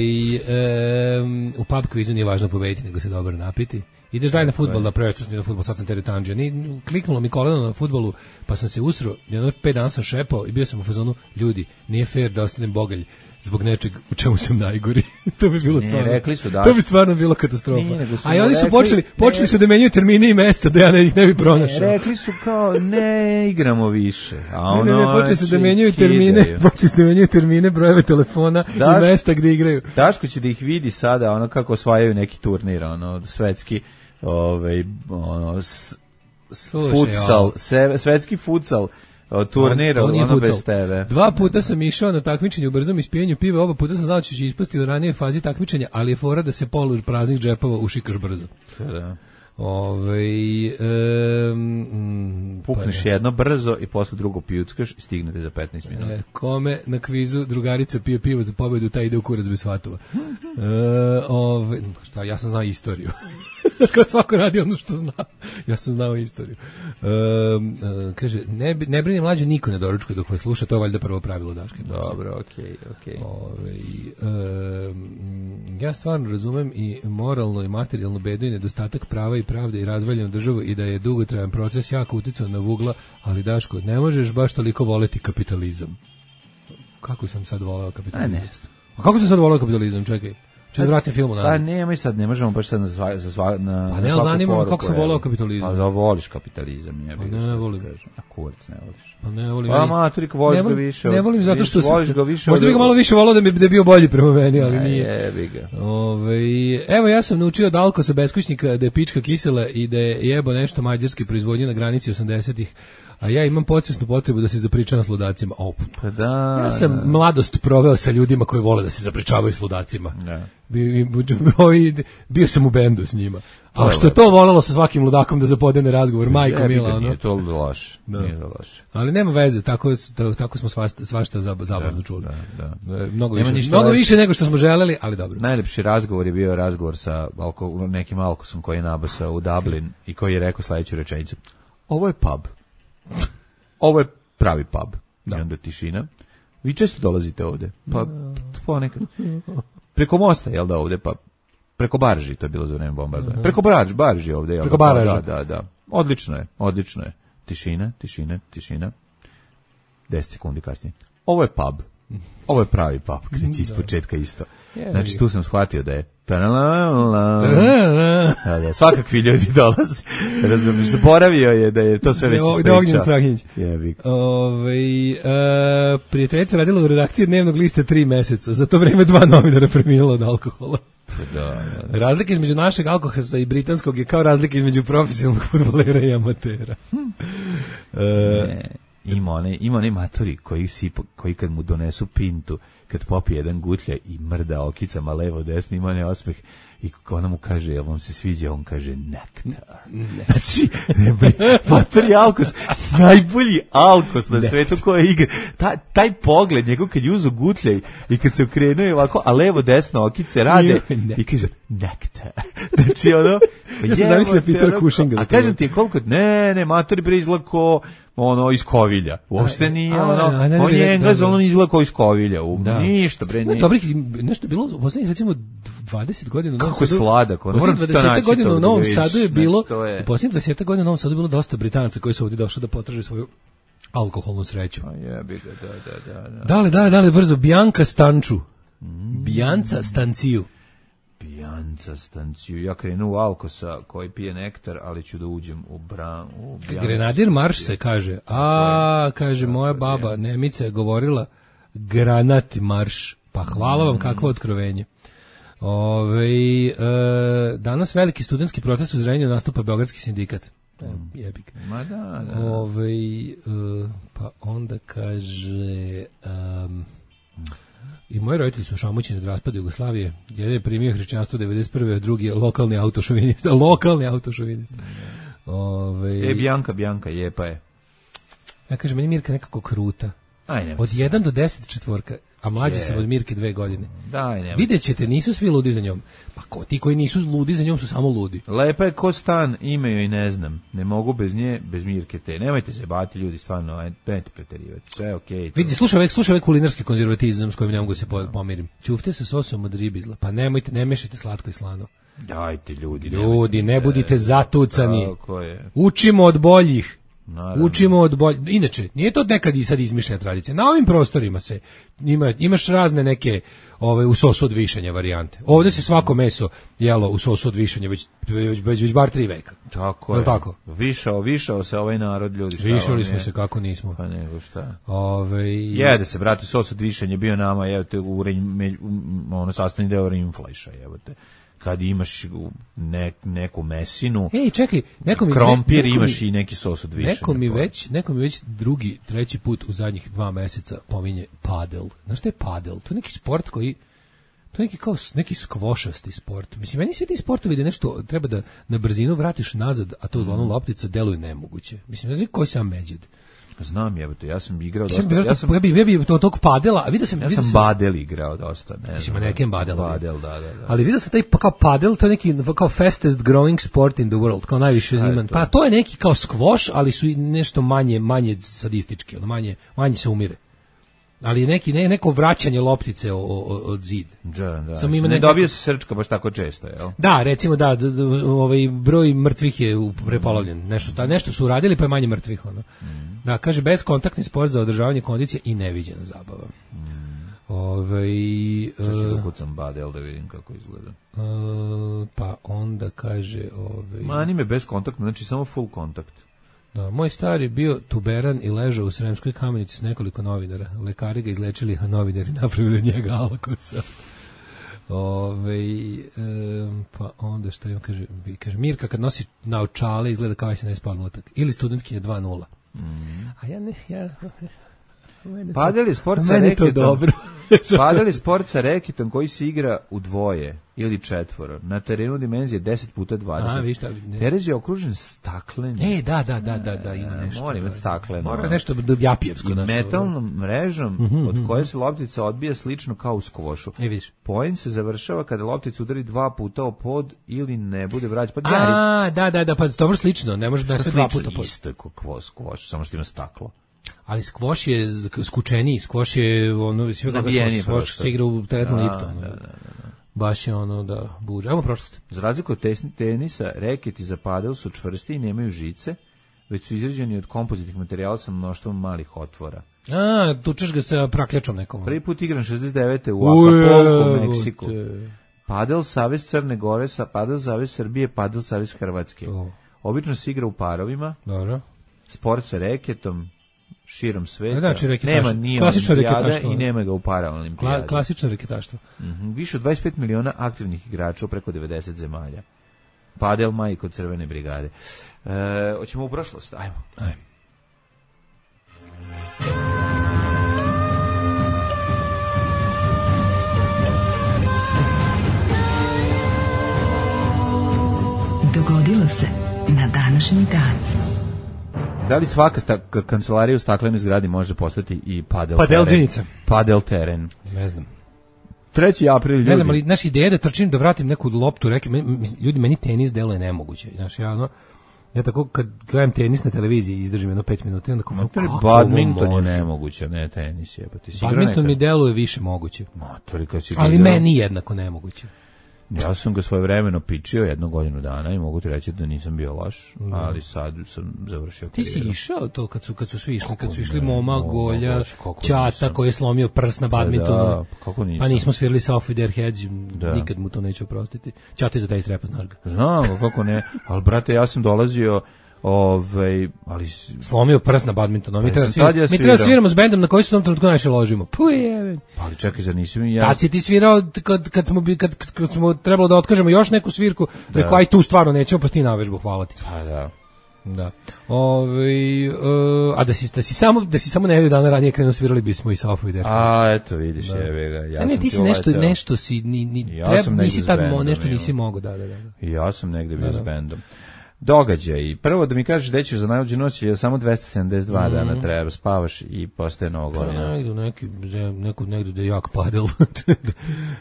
um, u pub kvizu nije važno pobediti, nego se dobro napiti. Ideš daj na fudbal, da preveću na fudbal, sad sam teretanđe. Ni kliknulo mi koleno na fudbalu, pa sam se usro, jedno pet dana sam šepao i bio sam u fazonu, ljudi, nije fair da ostanem bogalj. zbog nečeg u čemu sam najgori. To bi bilo Ne, stvarno. rekli su da- To bi stvarno bilo katastrofa. Nije, nego su A i oni su rekli- počeli, počeli ne- su da menjaju termine i mesta da ja ne, ih ne bi pronašao. Ne, rekli su kao ne igramo više. A Ne, ono ne, ne, počeli su da znači, menjaju kidaju. termine, počeli su da menjaju termine, brojeve telefona Daš- i mesta gde igraju. Daško će da ih vidi sada, ono kako osvajaju neki turnir, ono svetski, ovaj ono s, Slušaj, futsal, ovo. se, svetski futsal o, turnir, To nije ono futsal. bez tebe. Dva puta sam išao na takmičenje u brzom ispijenju piva, oba puta sam znao da ću ispasti u ranije fazi takmičenja, ali je fora da se polu praznih džepova ušikaš brzo. Da. Ovaj em, Pukneš pa ne. jedno brzo i posle drugo pijuckaš i stignete za petnaest minuta. E, kome na kvizu drugarica pije pivo za pobedu, taj ide u kurac bez fatova. E, ove, šta, ja sam znao istoriju. Kao svako radi ono što zna. Ja sam znao istoriju. E, e, kaže, ne, bi- ne brini mlađe, niko ne doručkuje dok vas sluša, to je valjda prvo pravilo Daške. Dobro, okej, okej. Ove, e, ja stvarno razumem i moralno i materijalno bedu i nedostatak prava i pravde i razvaljenu državu i da je dugotrajan proces jako uticao na Vugla, ali Daško, ne možeš baš toliko voleti kapitalizam. Kako sam sad voleo kapitalizam? A ne. A kako sam sad voleo kapitalizam? Čekaj. Ču da vratim film Pa na. nemoj sad, ne možemo baš sad na, sva, za sva, na, Pa na ne, ali svaku zanima me poruku, kako sam evo. voleo kapitalizam. Pa da voliš kapitalizam, je. Pa ne, ne volim. A kurac ne voliš. Pa ne volim. Pa ja- maturik, voliš ne ga volim- više. Ne od- volim zato što više- sam- voliš ga više. Možda od- bi ga malo više volao da bi da je bio bolji prema meni, ali Ne, nije. jebi ga. Ove, evo ja sam naučio od Alkosa beskućnika da je pička kisela i da je jebo nešto mađarske proizvodnje na granici osamdesetih, a ja imam podsvesnu potrebu da se zapričavam s ludacima. Op. Pa da. Ja sam da. mladost proveo sa ljudima koji vole da se zapričavaju s ludacima. Da. Bi- bi- bi- Bio sam u bendu s njima. A što je to volalo sa svakim ludakom da zapodene razgovor, majko Jebi ga, mila, ono. Nije to loše. Nije to loše. Ali nema veze, tako tako smo svašta, svašta zab- zabavno čuli. Da, da. E, Mnogo Nema više, ništa mnogo lepše. više nego što smo želeli, ali dobro. Najlepši razgovor je bio razgovor sa alko, nekim alkosom koji je nabasao u Dublin i koji je rekao sledeću rečenicu. Ovo je pub. Ovo je pravi pub. Da. I onda tišina. Vi često dolazite ovde. Pa ponekad. Preko mosta, jel da, ovde, pa preko barži, to je bilo za vreme bombardovanja. Preko barži, barži ovde, jel Preko da? baraža. Da, da, da. Odlično je, odlično je. Tišina, tišina, tišina. deset sekundi kasnije. Ovo je pub. Ovo je pravi pub, kreći iz početka isto. Znači, tu sam shvatio da je da, da, svakakvi ljudi dolaze. Razumiješ, zaboravio je da je to sve već Da je ispričao. Ognjen Strahinjić. Jebi ga. Ove, e, prijateljica radila u redakciji dnevnog lista tri meseca. Za to vreme dva novinara preminula od alkohola. Da, da. Razlika između našeg alkohola i britanskog je kao razlika između profesionalnog fudbalera i amatera. E, Ne, ima one, ima one matori koji, si, koji kad mu donesu pintu, kad popije jedan gutlja i mrda okicama levo desno, ima ne osmeh i ona mu kaže, jel vam se sviđa? On kaže, nektar. Ne. Znači, ne, bre, matori alkos, najbolji alkos na svetu koji igra. Ta, taj pogled, njegov kad je uzo gutlja i, i kad se okrenuje ovako, a levo desno okice rade Ne. i kaže, nektar. Znači, ono, Ja sam zamislio Petera Cushinga da A to kažem gleda. ti, koliko, ne, ne, matori bre izgleda ko, ono, iz Kovilja. Uopšte nije, a, ono, a, ne, on ne, je ne, Englez, da, da. on izgleda kao iz Kovilja. U, Da. Ništa, bre, Ima nije. dobrih, nešto je bilo, u poslednjih recimo dvadeset godina u Novom Kako je Sadu. sladak, ono, U moram poslednjih to dvadeset naći godina to u da Novom vidiš. Sadu je Znači, bilo, to je- u poslednjih dvadeset godina u Novom Sadu je bilo dosta Britanaca koji su ovdje došli da potraže svoju alkoholnu sreću. A jebi ga, da, da, da, da. Dale, dale, dale, brzo, Bianca Stanču. Bianca Stanciju. Pijanca stanciju. Ja krenu u alkosa koji pije nektar, ali ću da uđem u bran, u Bijancu. Grenadir marš se kaže. A, kaže, moja baba Nemica je govorila granati marš. Pa hvala vam, kakvo otkrovenje. Ove, e, danas veliki studentski protest u Zrenjaninu nastupa Beogradski sindikat. E, jebik. Ma da, da. Ove, e, pa onda kaže... Um, i moji roditelji su šamućeni od raspada Jugoslavije. Jedan je primio hrišćanstvo devedeset prve, a drugi je lokalni autošovinista. Lokalni autošovinista. Ove, E, Bianca, Bianca, je, pa je. ja kažem, meni je Mirka nekako kruta. Aj, ne. Od jedan do deset četvorka, a mlađi Je. sam od Mirke dve godine. Daj, ne. Vidjet ćete, nisu svi ludi za njom. Pa ko, ti koji nisu ludi za njom su samo ludi. Lepa je ko stan, ime joj ne znam. Ne mogu bez nje, bez Mirke te. Nemojte se bati ljudi, stvarno, aj, nemojte preterivati. Sve je okej. to- Vidite, slušaj ovaj, slušaj ovaj kulinarski konzervatizam s kojim ne mogu da se po- pomirim. Ćufte sa sosom od ribizla, pa nemojte, ne mešajte slatko i slano. Dajte ljudi. Ljudi, ne budite zatucani. Tako je. Učimo od boljih. Naravno. Učimo od bolje. Inače, nije to nekad i sad izmišljena tradicija. Na ovim prostorima se ima, imaš razne neke ove u sosu od višanja varijante. Ovde se svako meso jelo u sosu od višanja već već već, već bar tri veka. Tako je. je. Tako? Višao, višao se ovaj narod, ljudi. Šta Višali smo se kako nismo. Pa nego šta. Ove Jede se, brate, sos od višanja bio nama, evo te u ono sastavni deo rimflajša, evo te. Kad imaš ne, neku mesinu, ej, čekaj, neko mi krompir, neko imaš mi, i neki sos od višanja. Neko mi već, neko mi već drugi, treći put u zadnjih dva meseca pominje padel. Znaš šta je padel? To je neki sport koji to je neki kao neki skvošasti sport. Mislim, meni svi ti sportovi da nešto treba da na brzinu vratiš nazad, a to uglavnom loptica deluje nemoguće. Mislim, ne znam koji sam međed. Znam, jebote, ja sam igrao Sam dosta. Ja sam ja bih ja bih to tog padela, a vidio sam ja vidio sam sam badel igrao dosta, ne. Mislim, nekem badel. Badel, da, da, da. Ali vidio sam taj pa kao padel, to je neki kao fastest growing sport in the world, kao najviše ima. Pa to je neki kao squash, ali su i nešto manje manje sadistički, ono manje manje se umire. Ali neki ne, neko vraćanje loptice o, o, od zid. Da, da. Samo ima ne neko... dobije se srčka baš tako često, je l'? Da, recimo da, d, d, ovaj broj mrtvih je prepolovljen. Nešto ta nešto su uradili pa je manje mrtvih ono. Mm. Da, kaže bezkontaktni sport za održavanje kondicije i neviđena zabava. Mm. Ovaj Sad ću da kucam badel da vidim kako izgleda. Uh, pa onda kaže ovaj Mani me bez kontakta, znači samo full kontakt. Da, moj star je bio tuberan i ležao u Sremskoj Kamenici s nekoliko novinara. Lekari ga izlečili, a novinari napravili od njega alkosa. Ove, e, pa onda što im kaže, vi, kaže, Mirka kad nosi naočale izgleda kao se ne spalno tak. Ili studentkinja dva nula. Mm. A ja ne, ja... Padeli sport sa reketom. Padeli sport sa reketom koji se igra u dvoje ili četvoro. Na terenu dimenzije deset puta dvadeset. A, vi šta? Terez je okružen staklenim. E, da, da, da, da, da, ima nešto. Mora imati stakleno. Mora nešto japijevsko. I metalnom mrežom mm-hmm, od koje se loptica odbija slično kao u skvošu. E, vidiš. Poen se završava kada loptica udari dva puta o pod ili ne bude vraćan. Pa a, da, da, da, pa dobro slično. Ne može da se dva puta pod. Isto je kao skvoš, samo što ima staklo. Ali skvoš je skučeniji, skvoš je ono sve kako skvoš se igra u teretnom liftu. Da, da, da, da. Baš je ono da buđe. Ajmo prošlost. Za razliku od tenisa, reketi za padel su čvrsti i nemaju žice, već su izrađeni od kompozitnih materijala sa mnoštvom malih otvora. A, tučeš ga sa prakljačom nekom. Prvi put igran šezdeset devete u Acapulco, Meksiku. Padel savez Crne Gore, sa Padel savez Srbije, Padel savez Hrvatske. Oh. Obično se igra u parovima. Dobro. Sport sa reketom širom sveta. Znači, nema ni olimpijada i nema ga u paraolimpijadi. Kla, klasično reketaštvo. Mm-hmm. Više od dvadeset pet miliona aktivnih igrača u preko devedeset zemalja. Padel majko Crvene brigade. E, hoćemo u prošlost? Ajmo. Ajmo. Dogodilo se na današnji dan. Da li svaka sta, kancelarija u staklenoj zgradi može postati i padel, padel teren? Džinica. Padel teren. Ne znam. treći april ljudi. Ne znam, ali naša ideja da trčim, da vratim neku loptu, reke, ljudi, meni tenis deluje nemoguće. Znaš, ja, ono, ja tako kad gledam tenis na televiziji izdržim jedno pet minuta, onda kako, kako badminton je nemoguće, ne tenis je. Pa badminton mi deluje više moguće. Motori, kad si ali meni jednako nemoguće. Ja sam ga svojevremeno pičio jednu godinu dana i mogu ti reći da nisam bio loš, mm. ali sad sam završio Ti karijeru. si išao to kad su, kad su svi išli, kad su išli Moma, Golja, Ćata koji je slomio prst na badmintonu, da, da, kako nisam. Pa nismo svirali sa Off With Their Heads, da. Nikad mu to neću oprostiti. Ćata je za taj strepa, znaš ga. Znam, kako ne, ali brate, ja sam dolazio Ove, ali slomio prst na badmintonu. Mi treba sviramo, mi treba sviramo s bendom na koji se u tom trenutku najviše ložimo. Puje. Ali čekaj, zar nisi mi ja? Kad si ti svirao kad kad smo kad, kad smo trebalo da otkažemo još neku svirku, da. Rekao aj tu stvarno nećemo, pa ti na vežbu, hvala ti. Pa da. Da. Ove, uh, a da si da si samo da si samo nedelju dana ranije krenuo svirali bismo i sa Off With Their Heads. A eto vidiš, da. Jebe ga. Ja a ne, ti si nešto leteo. nešto si ni ni ja treba nisi tad mo, nešto nisi mogao, da, da, da. Ja sam negde bio s bendom. Događaj. Prvo da mi kažeš da ćeš za najluđu noć je samo dvesta sedamdeset dva mm-hmm. dana treba, spavaš i postaje novo godina. Pa negdje, neki, neku, negdje da je jak padel,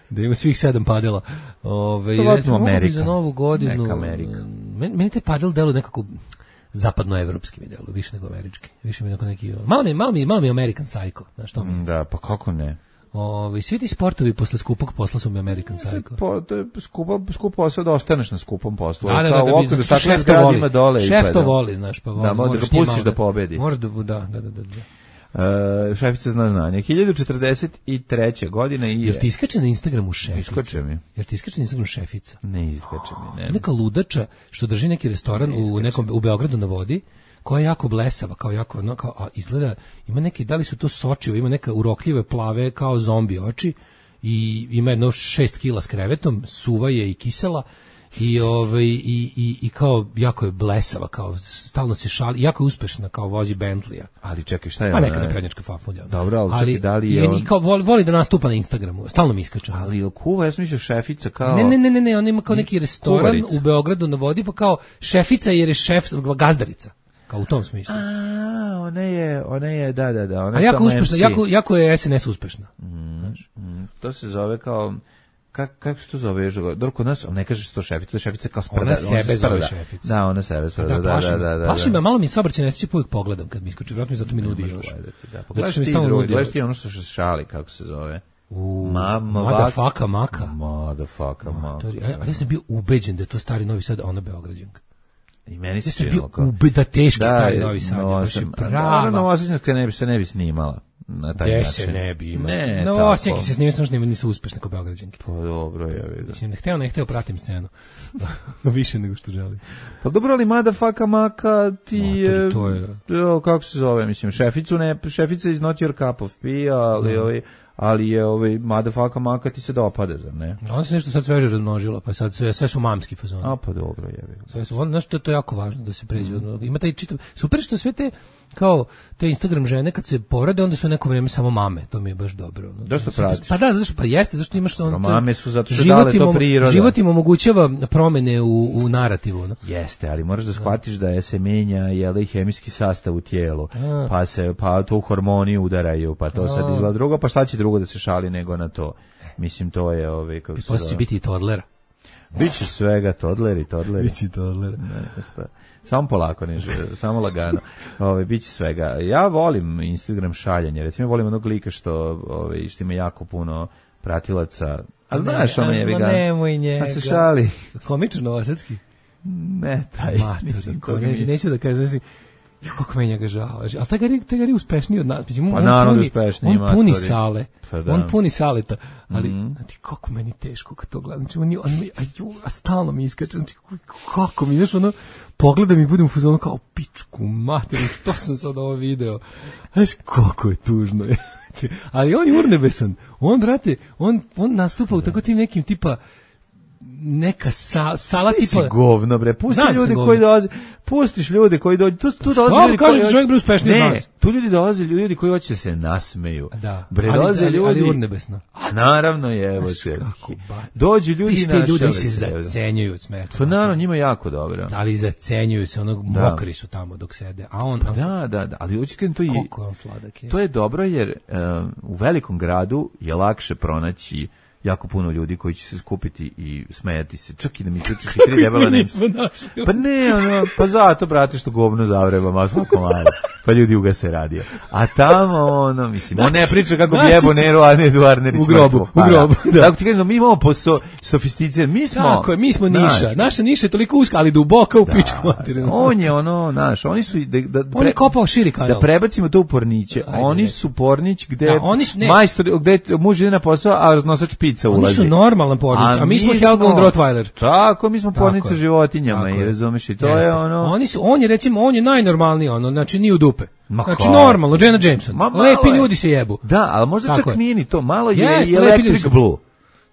da ima svih sedam padela. Ove, recimo, Amerika. Za novu godinu. Neka Amerika. Meni, meni te padel delo nekako zapadnoevropski mi delo, više nego američki. Više mi neko neki, malo mi, malo mi, malo mi American Psycho, znaš to mi. Da, pa kako ne? Ovi, svi ti sportovi posle skupog posla su mi American Psycho. Po, to je skupo, skup posao da ostaneš na skupom poslu. Da, da, Kao da, u okviru da, staklenih šef to voli. gradima dole. Šef i to pa, voli, znaš, pa voli. Da, možda ga pustiš da pobedi. Možeš da, da, da, da, da. Uh, šefica zna znanje. hiljadu četrdeset treće godine i je... Jel ti iskače na Instagramu šefica? Iskače mi. Jel ti iskače na Instagramu šefica? Ne iskače mi, ne. To je neka ludača što drži neki restoran u nekom u Beogradu na vodi, koja je jako blesava, kao jako, no, kao, a izgleda, ima neki, da li su to sočive, ima neka urokljive plave kao zombi oči i ima jedno šest kila s krevetom, suva je i kisela i ovaj i i i kao jako je blesava, kao stalno se šali, jako je uspešna, kao vozi Bentleya. Ali čekaj, šta je Pa ona? neka naprednjačka fafulja. Dobro, ali čekaj, da li je i, on... i kao voli, voli da nastupa na Instagramu, stalno mi iskače. Ali je kuva, ja sam mislio šefica kao... Ne, ne, ne, ne, ne, ona ima kao neki restoran Kuvarica. u Beogradu na vodi, pa kao šefica jer je šef, gazdarica. Kao u tom smislu. A, ona je, ona je, da, da, da. Ona A je jako tamo uspešna, em ce. jako, jako je es en es uspešna. Mm, to se zove kao... Kak, kako se to zove? Dobro, kod nas, ne kaže se to šefica, to je šefica kao sprda. Ona sebe se zove sprda. šefica. Da, ona sebe sprda, Da, da, plaši da, me. da, da. Plaši me, malo mi saobraćaj nesreće uvijek pogledam kad mi iskoči, vjerojatno mi zato mi nudi još. Gledati, da. Zato Pogledaš što mi ti stalno drugi, nudi. gledaš ti ono što se šali, kako se zove. U, Mama, Motherfucka maka. Motherfucka maka. Ali ja sam bio ubeđen da je to stari Novi Sad, a ona Beograđanka. I meni se Ja sam bio činilo kao... ubeda teški Da, stari Novi Sad. no, Baš je sam- prava. Naravno, Novosadnjanska ne bi se ne bi snimala na taj Gde način. se ne bi imao. Ne, No, tako. osjećaj se snimio, samo što nisu uspešne kao Beograđanke. Pa dobro, ja vidim. Mislim, ne hteo, ne hteo, pratim scenu. Više nego što želim. Pa dobro, ali motherfucka maka ti je... Matori, to je- Jo, kako se zove, mislim, šeficu ne... Šefica is not your cup of tea, ali, ovaj, ali je ovaj motherfucka maka ti se dopada, zar ne? Ona se nešto sad sveže razmnožila, pa sad sve, sve su mamski fazoni. A pa dobro, je vidim. Sve su, on, znaš, to, to je jako važno da se pređe. Mm. Ima taj čitav, super što sve te, kao, te Instagram žene kad se porade, onda su neko vrijeme samo mame, to mi je baš dobro. Ono. Dosta pratiš. Pa da, zašto, pa jeste, zašto imaš ono... Mame su zato što život dale to im om- priroda. Život im omogućava promene u, u narativu, ono. Jeste, ali moraš da shvatiš da je se menja jel, i hemijski sastav u tijelu, A. pa se pa to u hormoni udaraju, pa to sad izgleda drugo, pa šta će drugo da se šali nego na to? Mislim, to je ovaj kako se Poslije će zove. biti i toddlera. Biće svega, todleri, todleri. Biće i toddlera. Ne, šta. Samo polako, ne, že- samo lagano. Ove, biće svega. Ja volim Instagram šaljanje. Recimo, volim onog lika što, ove, što ima jako puno pratilaca. A znaš, ono je Ma vegan. nemoj njega. A se šali. Komično novosadski. Ne, taj. Matori, nisam ko, to neću, mislio. neću da kažem, znači, jo, kako meni njega žao. Znači, ali taj gari, taj gari uspešniji od nas. Mislim, Pa on naravno da puni, uspešniji, on puni matori. sale. Pa da. On puni saleta. Ali, Mhm. znači, kako meni teško kad to gledam. Znači, on, je- on, mi- a, ju, a stalno mi iskače. Znači, kako mi, znaš, ono, pogledam i budem u fazonu kao, pičku materinu, što sam sad ovo video. Znaš, koliko je tužno. Ali on je urnebesan. On, brate, on, on nastupa u tako tim nekim tipa, neka sa, sala Ti si tipa... govno, bre. Pusti Znam da sam ljudi govno. koji dolaze. Pustiš ljude koji dođu. Tu, tu dolaze vam ljudi kažem koji... da čovjek bre uspešniji od Ne, nas? tu ljudi dolaze, ljudi koji hoće da se nasmeju. Da, Bre, ali, dolaze ali, ljudi... ali urnebesno. A naravno je, evo te. kako ba- Dođu ljudi Viš i te ljude našale se se. zacenjuju od smeha. To naravno njima jako dobro. Ali zacenjuju se, onog Da. mokri su tamo dok sede. A on, a Da, da, da, ali hoće kažem to i... koliko je on sladak je. To je dobro jer um, u velikom gradu je lakše pronaći jako puno ljudi koji će se skupiti i smejati se. Čak i da mi čučiš i tri debela Mi Nemca. nismo našli. Pa ne, ono, pa zato, brate, što govno zavreba, ma svako malo. Pa ljudi ugase radio. A tamo, ono, mislim, on ne priča kako bi Naći jebo će- Neru, a ne Eduarnerić. U grobu, mrtvo. u Pa, grobu, da. Tako ti kažem, mi imamo po so, sofisticiran, mi smo... Tako je, mi smo znaš, niša. Naša niša je toliko uska, ali duboka u pičku materinu. On je ono, naš, oni su... i Da, da, On je kopao širi kanal. Da prebacimo to u Porniće. Ajde, Oni reci. su Pornić gde Da, oni su- ne. majstor, gde muž ide na posao, a raznosač pizza Oni ulazi. su normalan pornić, a mi smo Helga und Rottweiler. Tako, mi smo Tako pornica je. životinjama Tako i je. razumeš i to Jeste. je ono... Oni su, on je recimo, on je najnormalniji, ono, znači nije u dupe. Ma Znači kako? normalno, Jenna Jameson. Ma malo Lepi je. ljudi se jebu. Da, ali možda Tako čak je. nije ni to, malo je Jeste, i lepi ljudi Electric su. Blue.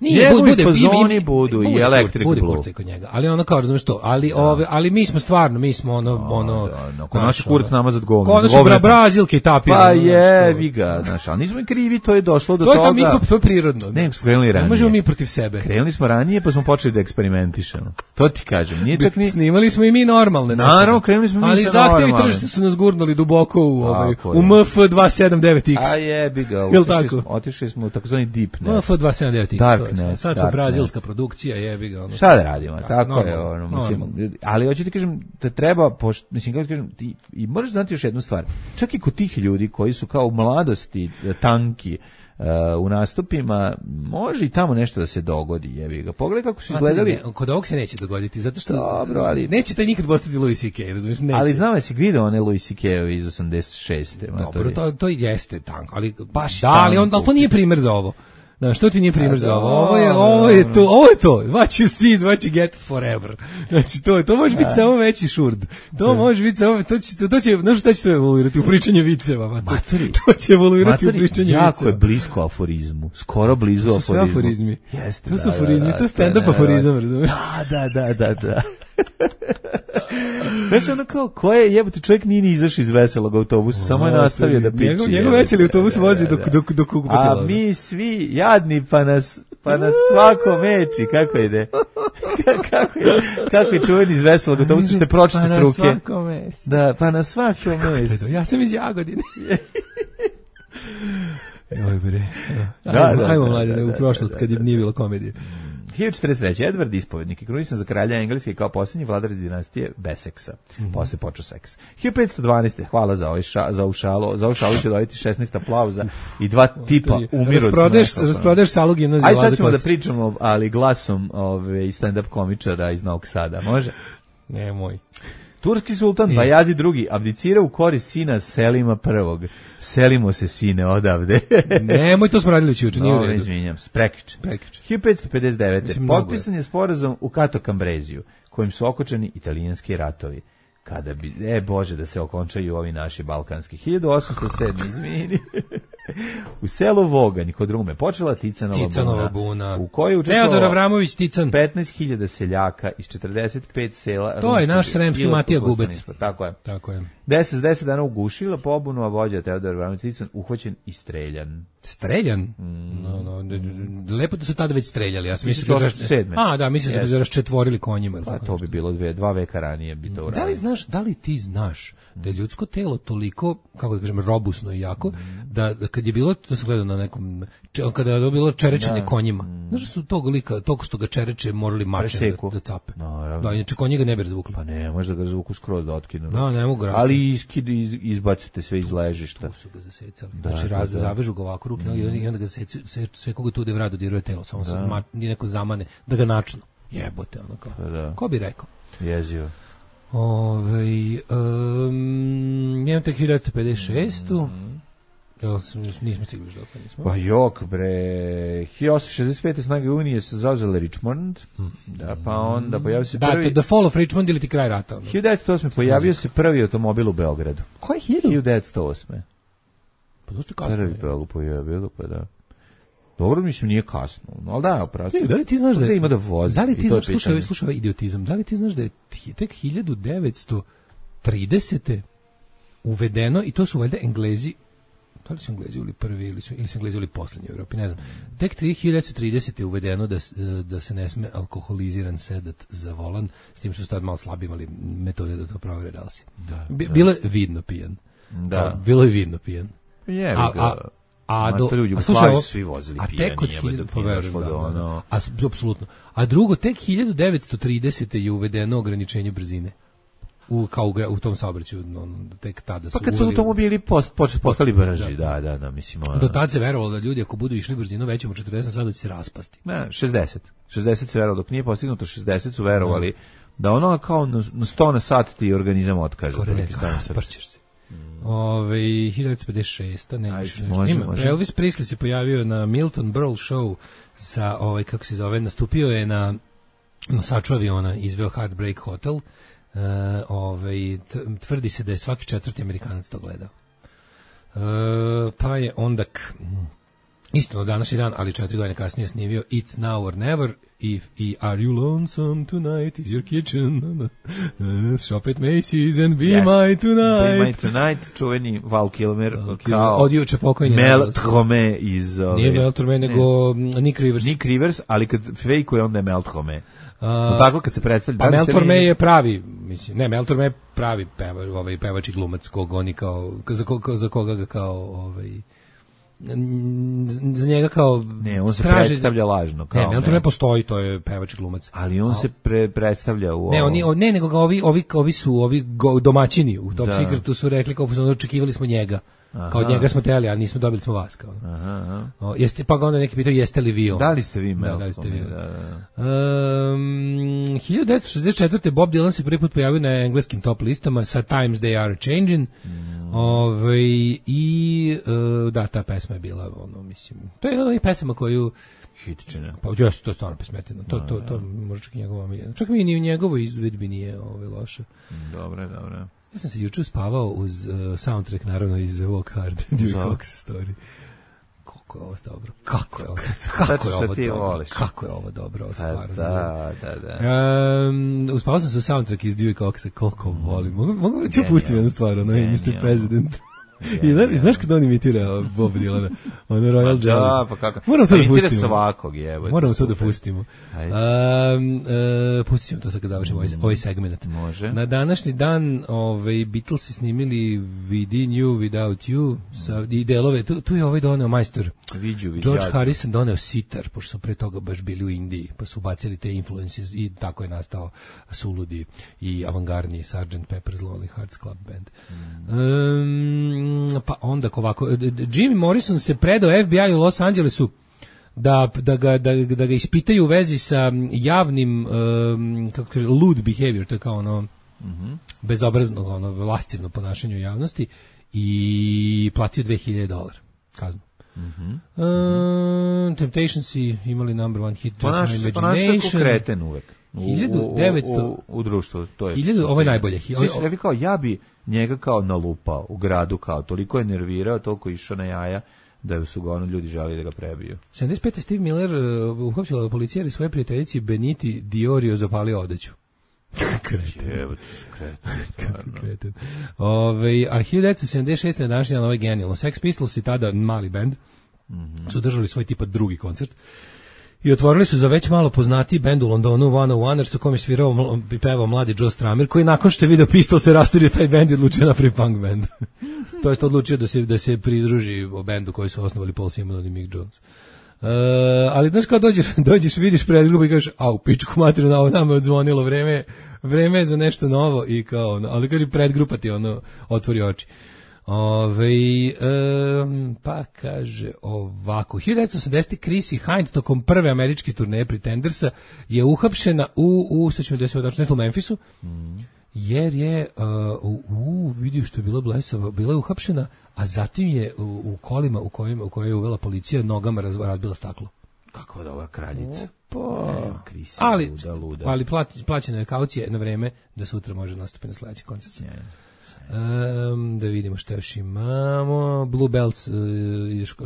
Nije, Njegovi bude, fazoni ima- budu i bude Electric bude Blue. kurce kod njega. Ali ono kao, razumiješ to, ali, ove, ali mi smo stvarno, mi smo ono, ono... Da, no, kod znaš, naš kurac ono, namazat govno. Kod nas su govneta. bra- Brazilke i tapir. Pa ono, znaš, je, to- vi ga, znaš, ali nismo i krivi, to je došlo do To je toga. tamo, mi smo, to je prirodno. Ne, smo krenuli ranije. Ne možemo mi protiv sebe. Krenuli smo ranije, pa smo počeli da eksperimentišemo. To ti kažem, nije čak ni... Snimali smo i mi normalne. Naravno, nekada. krenuli smo mi ali sa zahtevi normalnim. tržišta su nas gurnuli duboko u, ovaj, Tako u je. M F dva sedam devet X. A jebi ga, Jel otišli tako? smo, otišli smo u takozvani deep M net. F dva sedam devet X. Dark Darkness. Sad smo Darkness. brazilska produkcija, jebi ga. Ono. Šta da radimo, Da, tako normalno, je, ono, mislim, normalno. ali hoću ti kažem da treba, poš, mislim, kako ti kažem, ti, i moraš znati još jednu stvar, čak i kod tih ljudi koji su kao u mladosti tanki, Uh, u nastupima može i tamo nešto da se dogodi, jebi ga. Pogledaj kako su izgledali. Ne, kod ovog se neće dogoditi, zato što Dobro, ali neće taj nikad postati Louis C K, razumiješ? Neće. Ali znam da si vidio one Louis C K-ove iz osamdeset šeste. Dobro, to, to jeste tanko, ali, Baš da, ali, on, tanko. ali to nije primer za ovo. Da, što ti nije primjer A, za ovo? da, Ovo je, ovo je to, ovo je to. What you see is what you get forever. Znači, to, to može biti samo veći šurd. To može biti samo, to će, to, to će, znaš šta će to evoluirati u pričanju viceva? Maturi. To će evoluirati Maturi, u pričanju jako viceva. je blisko aforizmu. Skoro blizu To su sve aforizmu. aforizmi. Jeste, To su da, aforizmi, da, da, to je stand-up to je aforizam, razumiješ? Da, da, da, da, da. Znaš, ono kao, ko je, jebote, čovjek nije ni izašao iz veselog autobusa, samo je nastavio da piči. Njegov, njegov veseli autobus vozi dok, dok, dok kupatila. A mi svi jadni, pa nas, pa nas svako meči, kako ide? kako je, kako je čuveni iz veselog autobusa, što je pročite s ruke. Pa na svakom mesu. Da, pa na svakom mesu. Ja sam iz Jagodine. Joj bre. Da, Ajmo, da, ajmo da, mladine, da, u da, prošlost da, kad je nije bilo komedije. hiljadu četrdeset treće. Edward Ispovednik je krunisan za kralja Engleske kao posljednji vladar iz dinastije Beseksa. Mm-hmm. Posle počeo seks. hiljadu petsto dvanaeste. Hvala za ovaj ša, za ušalo. Za ušalo ću dobiti šesnaest aplauza i dva tipa umiru. Rasprodeš, rasprodeš salu gimnazije. Aj sad ćemo da pričamo, ali glasom ove stand-up komičara iz Novog Sada. Može? Ne, moj. Turski sultan Bajazi drugi abdicira u korist sina Selima prvog. Selimo se, sine, odavde. Nemoj, to smo radili juče, nije u No, redu. izvinjam se, prekiče. Prekiče. hiljadu petsto pedeset devete. Mislim, mnogo Potpisan je sporazum u Kato Kambreziju, kojim su okončani italijanski ratovi. Kada bi, e Bože, da se okončaju ovi naši balkanski. hiljadu osamsto sedme. izvini. U selu Voganj kod Rume počela Ticanova, Ticanova buna, buna. u kojoj je Teodor učestvovalo Avramović Tican. petnaest hiljada seljaka iz četrdeset pet sela. To je naš Rumskog sremski Ilirskog Matija Gubec. ustaništva. Tako je. Tako je. deset deset dana ugušila pobunu, a vođa Teodor Avramović Tican uhvaćen i streljan. Streljan? Mm. No, no, d- d- lepo da su tada već streljali. Ja sam mislio tisuću da osamsto sedme. A, da, mislim da Yes. su raščetvorili konjima. ili Pa tako to nešto. bi bilo dve, dva veka ranije bi to Da li uradili. znaš, da li ti znaš da je ljudsko telo toliko, kako da kažem, robusno i jako, da, da kad je bilo, to sam gledao na nekom, če- kada je bilo čerečenje Da. konjima, znaš da su tog lika, toko što ga čereče morali mačem da, Preseku. da cape. Naravno. Da, inače konji ga ne bi razvukli. Pa ne, možda ga zvuku skroz da otkinu. Da, ne mogu razvukli. Ali iskid, iz, izbacite sve iz ležišta. Tu su ga zasecali. Da, znači, da, raz, da. zavežu ga ovako ruke, noge, i onda ga secu, se, sve koga tu devrado diruje telo, samo se ma, ni neko zamane, da ga načnu. Jebote, ono kao. Pa da. Ko bi rekao? Jezio. Ove, um, imam tek hiljadu pedeset šest. Jel, sam- nismo stigli još dok nismo. Pa jok, bre. hiljadu osamsto šezdeset pete. snage Unije su zauzele Richmond. Da, pa onda pojavio se Da, prvi... to The Fall of Richmond ili ti kraj rata. Ono. hiljadu devetsto osme. pojavio se prvi automobil u Beogradu. Ko je hiljadu? hiljadu devetsto osme. Pa dosta kasno. Prvi Beograd pojavio, pa da. Dobro, mislim, nije kasno. No, ali da, opravo. Ne, da li ti znaš da Da je, ima da vozi. Da li i ti to je znaš, slušaj, pitanje. ovaj- slušaj ovaj idiotizam, da li ti znaš da je ti- tek hiljadu devetsto tridesete uvedeno, i to su valjda Englezi, da li su Englezi ili prvi, ili su, ili su Englezi ili poslednji u Evropi, ne znam. Tek hiljadu devetsto tridesete je uvedeno da, s- da se ne sme alkoholiziran sedat za volan, s tim što su tad malo slabi imali metode da to provere da li si. Da, Bi- da. Bilo je vidno pijan. Da. Kao, bilo je vidno pijan. Jebi A- ga. a- A Ma, do, to ljudi u a slušaj, Jugoslaviji ovo- su svi vozili a pijani, tek od jebote, hiljadu, dok pa nije verujem, došlo da, do da, da. ono- A s- apsolutno. A drugo, tek hiljadu devetsto tridesete je uvedeno ograničenje brzine. U, kao u, gra- u tom saobraćaju, ono, tek tada su Pa kad su uveli- automobili post, počet, postali brži, da, da, da, mislim, ono... Do tad se verovalo da ljudi ako budu išli brzinom većom od četrdeset sada će se raspasti. Ne, šezdeset. šezdeset se verovalo, dok nije postignuto šezdeset su verovali da ono kao na na sto na sat ti organizam otkaže. otprilike sto na sat. Rasparćeš se. Ove, hiljadu devetsto pedeset šest. Ne, Ajde, više nešto. može, Ima, može. Elvis Presley se pojavio na Milton Berle show sa, ovaj, kako se zove, nastupio je na nosaču aviona, izveo Heartbreak Hotel. Uh, ovaj, t- tvrdi se da je svaki četvrti Amerikanac to gledao. Uh, pa je onda k, isto na današnji dan, ali četiri godine kasnije snimio It's Now or Never i, i Are You Lonesome Tonight is Your Kitchen. Shop at Macy's and Be Yes. My Be Tonight. My Tonight, čuveni Val Kilmer, Val Kilmer, kao od juče pokojni, Mel nažalost. Trome iz... ove- Nije Mel Torme, nego Nick Rivers. Nick Rivers, ali kad fejkuje onda je Mel Trome. A, Tako kad se predstavlja... pa da li Mel ste Torme vi- je pravi, mislim, ne, Mel Torme je pravi peva, ovaj, pevač i glumac kog oni kao, za, koga, za koga ga kao, ovaj, za njega kao ne, on se traži, predstavlja lažno kao. Ne, ne, on to ne postoji, to je pevač i glumac. Ali on A, se pre, predstavlja u Ne, oni ne, nego ga ovi ovi ovi su ovi go, domaćini u Top da. Secretu su rekli kao smo očekivali smo njega. Aha. Kao njega smo teli, a nismo dobili smo vas kao. Aha, aha. O, jeste pa ga onda neki pitao jeste li vi on? Da li ste vi Malcolm? Da, da li ste vi? Da, da. Um, hiljadu devetsto šezdeset četvrte Bob Dylan se prvi put pojavio na engleskim top listama sa Times They Are Changing. Mm. Ove, i uh, da, ta pesma je bila ono, mislim, to je jedna od onih pesama koju hitčina. Pa jeste, to je stvarno pesmetina. To, to, to može čak i njegova omiljena. Čak mi ni u njegovoj izvedbi nije ove, loše. Dobre, dobre. Ja sam se juče uspavao uz uh, soundtrack, naravno, iz Walk Hard, Dewey Cox story. Kako je ovo dobro? Kako je ovo? Kako je ovo dobro? Kako je ovo dobro? Ovo stvarno. Da, da, da. Um, uspavao sam se u soundtrack iz Dewey Coxa, koliko volim. Mogu, mogu ću pustiti jednu stvar, ono je mister President. I znaš, znaš kada on imitira Bob Dylana? Ono Royal Jelly. Da, pa kako? Moramo to da pustimo. Imitira svakog, jevo. Moramo to da pustimo. Um, uh, pustit ćemo to sad kad završimo ovaj, ovaj segment. Može. Na današnji dan ovaj, Beatlesi snimili Within You, Without You sa, i delove. Tu, tu je ovaj doneo majstor. Viđu, viđu. George Harrison doneo sitar, pošto su pre toga baš bili u Indiji, pa su ubacili te influences i tako je nastao suludi i avangardni sergeant Pepper's Lonely Hearts Club Band. Mm. Um, pa onda ovako, Jimmy Morrison se predao F B I u Los Angelesu da, da, ga, da, da ga ispitaju u vezi sa javnim um, kako kaže, lewd behavior, to je kao ono mm-hmm. bezobrazno, ono lascivno ponašanje u javnosti i platio dve hiljade dolara kaznu. Mm-hmm. Uh, Temptations imali number one hit Just My Imagination. Ponaša se kreten uvek. hiljadu devetsto u, u, u društvu, to je. hiljadu, ovo je najbolje. Svi su rekli kao, ja bi njega kao nalupao u gradu, kao toliko je nervirao, toliko išao na jaja, da su ga ono ljudi želi da ga prebiju. sedamdeset pete Steve Miller uh, uhapsila policija i svoje prijateljici Beniti Diorio zapalio odeću. Kreten. Evo ti kreten. Kreten. Ove, a hiljadu devetsto sedamdeset šeste na današnji dan, ovo je genijalno. Sex Pistols i tada mali band mm-hmm. su držali svoj tipa drugi koncert. I otvorili su za već malo poznatiji bend u Londonu One oh One, u kom je svirao i pevao mladi Joe Strummer, koji nakon što je video Pistol se rasturio taj bend i odlučio napravi punk band. To jest odlučio da se, da se pridruži o bendu koji su osnovali Paul Simon i Mick Jones. Uh, ali znaš kao dođeš, dođeš vidiš predgrupu i kažeš, au, pičku materiju, na ovo nama je odzvonilo vreme, vreme je za nešto novo i kao, ali kaže predgrupa ti ono otvori oči. Ove, um, pa kaže ovako, hiljadu devetsto osamdesete Chrissy Hind tokom prve američke turneje Pretendersa je uhapšena u, u sad ćemo da se odačno, u Memphisu, mm. jer je uh, u, u vidio što je bila blesava, bila je uhapšena, a zatim je u, u kolima u kojima u kojoj je uvela policija nogama raz, razbila staklo. Kakva dobra kraljica. Opa. Ne, Chrissy, ali, luda, luda. ali plati, plaćena je kaucija na vreme da sutra može nastupiti na sledeći koncert. Yeah. Um, da vidimo šta još imamo. Blue Bells, uh,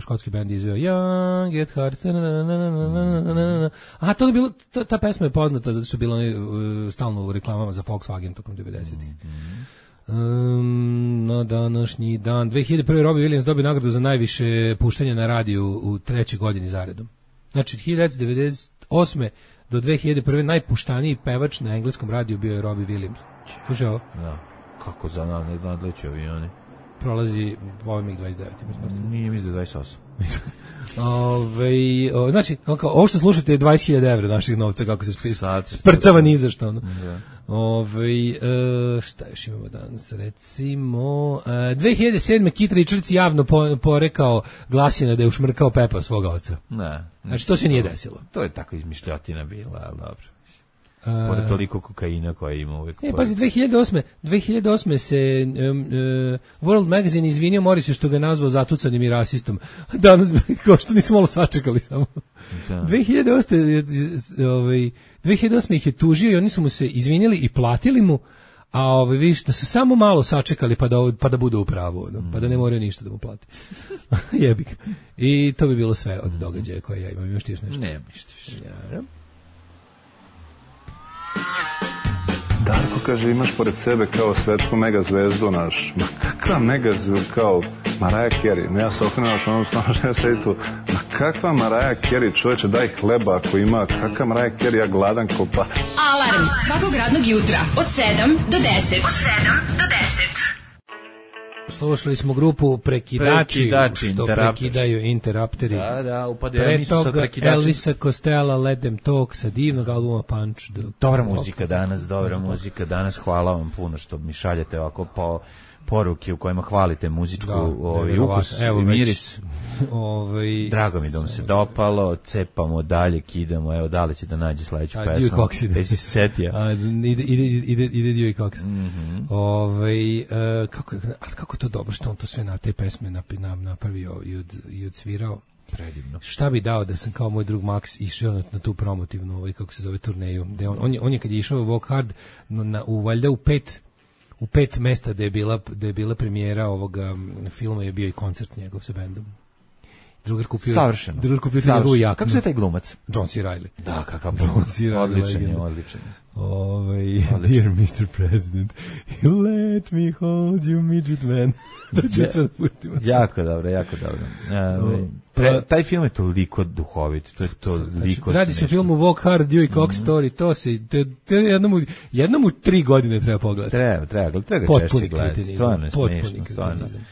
škotski band izveo Young, Get Hard. Na, na, na, na, na, na. Aha, to je bilo, ta, ta pesma je poznata zato što je bilo uh, stalno u reklamama za Volkswagen tokom devedesetih. Um, na današnji dan dve hiljade prve Robbie Williams dobio nagradu za najviše puštanja na radiju u trećoj godini zaredom. Znači, hiljadu devetsto devedeset osme do dve hiljade prve najpuštaniji pevač na engleskom radiju bio je Robbie Williams. Slušaj ovo? Da. Kako za nadleći avioni? Prolazi ovaj MiG dvadeset devet. Nije mi za dvadeset osam. Ove, o, znači, kao, ovo što slušate je dvadeset hiljada evra naših novca, kako se spri, sprcava ni za što. Ono. Da. Ove, e, šta još imamo danas? Recimo, e, dve hiljade sedme Keith Richards javno po, porekao glasina da je ušmrkao Pepa svoga oca. Ne. Znači, to se nije desilo. To je tako izmišljotina bila, ali dobro. Pored toliko kokaina koja ima uvijek. E, pazi, dve hiljade osme dve hiljade osme se um, uh, World Magazine izvinio Morrisu što ga nazvao zatucanim i rasistom. Danas, kao što nismo malo sačekali samo. Da. dve hiljade osme ovaj, dve hiljade osme ih je tužio i oni su mu se izvinili i platili mu, a ovaj, vidiš da su samo malo sačekali pa da, pa da bude u pravu, no? Pa da ne moraju ništa da mu plati. Jebik. I to bi bilo sve od događaja koje ja imam. Još ti još nešto? Ne, ništa više. Ja, Darko kaže, imaš pored sebe kao svetsku mega zvezdu naš. Ma kakva mega zvezdu, kao Mariah Carey. No ja se okrenuo naš onom stano što ja sedi tu. Ma kakva Mariah Carey, čoveče, daj hleba ako ima. Kakva Mariah Carey, ja gladan ko pas. Alarm svakog radnog jutra od sedam do deset. Od sedam do deset. Slušali smo grupu Prekidači, Prekidači, što Interrupters. prekidaju interapteri. Da, da, upadaju. Pre Mi smo sad toga prekidači. Elvisa Costello, Let Them Talk, sa divnog albuma Punch. the- Dobra muzika danas, dobra muzika danas. Hvala vam puno što mi šaljete ovako po poruke u kojima hvalite muzičku Da, ovaj nevjerovatno. ukus Evo i već, miris. Ovaj, Drago mi da vam se dopalo, cepamo dalje, kidamo, evo da li će da nađe sledeću A, pesmu. Dewey Cox ide. Jesi se setio? A, ide, ide, ide, ide Dewey Cox. Mhm. Ovaj, e, kako, je- a kako je to dobro što on to sve na te pesme napi- nam napravio i, od, i odsvirao. Predivno. Šta bi dao da sam kao moj drug Max išao na, na tu promotivnu, ovaj, kako se zove, turneju. Da je on, on, je, on je kad je išao u Walk Hard, no, na, u, valjda u pet u pet mesta da je bila, da je bila premijera ovoga m, filma je bio i koncert njegov sa bendom. Drugar kupio, Savršeno. drugar kupio Savršeno. njegovu jaknu. Kako se taj glumac? John C. Reilly. Da, kakav John C. Reilly, odličan je, legenda. odličan je. Ovaj, dear mister President, you let me hold you, midget man. Da ću sve da pustimo. Jako dobro, jako dobro. Uh, pre, taj film je toliko duhovit, to je toliko... Radi se o smešno. filmu Walk Hard, Dewey Cox Story, to se, te, te jednom, u, jednom u tri godine treba pogledati. Treba, treba, treba ga Potpuni češće gledati. kretenizam, Stvarno je potpuni smešno, stvarno. kretenizam.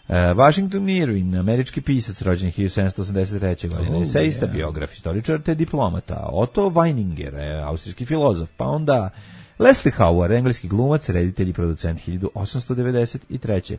Uh, Washington Irving, američki pisac, rođen hiljadu sedamsto osamdeset treće. godine, Oh, esejista, yeah. biograf, istoričar te diplomata, Otto Weininger, eh, austrijski filozof, pa onda Leslie Howard, engleski glumac, reditelj i producent hiljadu osamsto devedeset treće.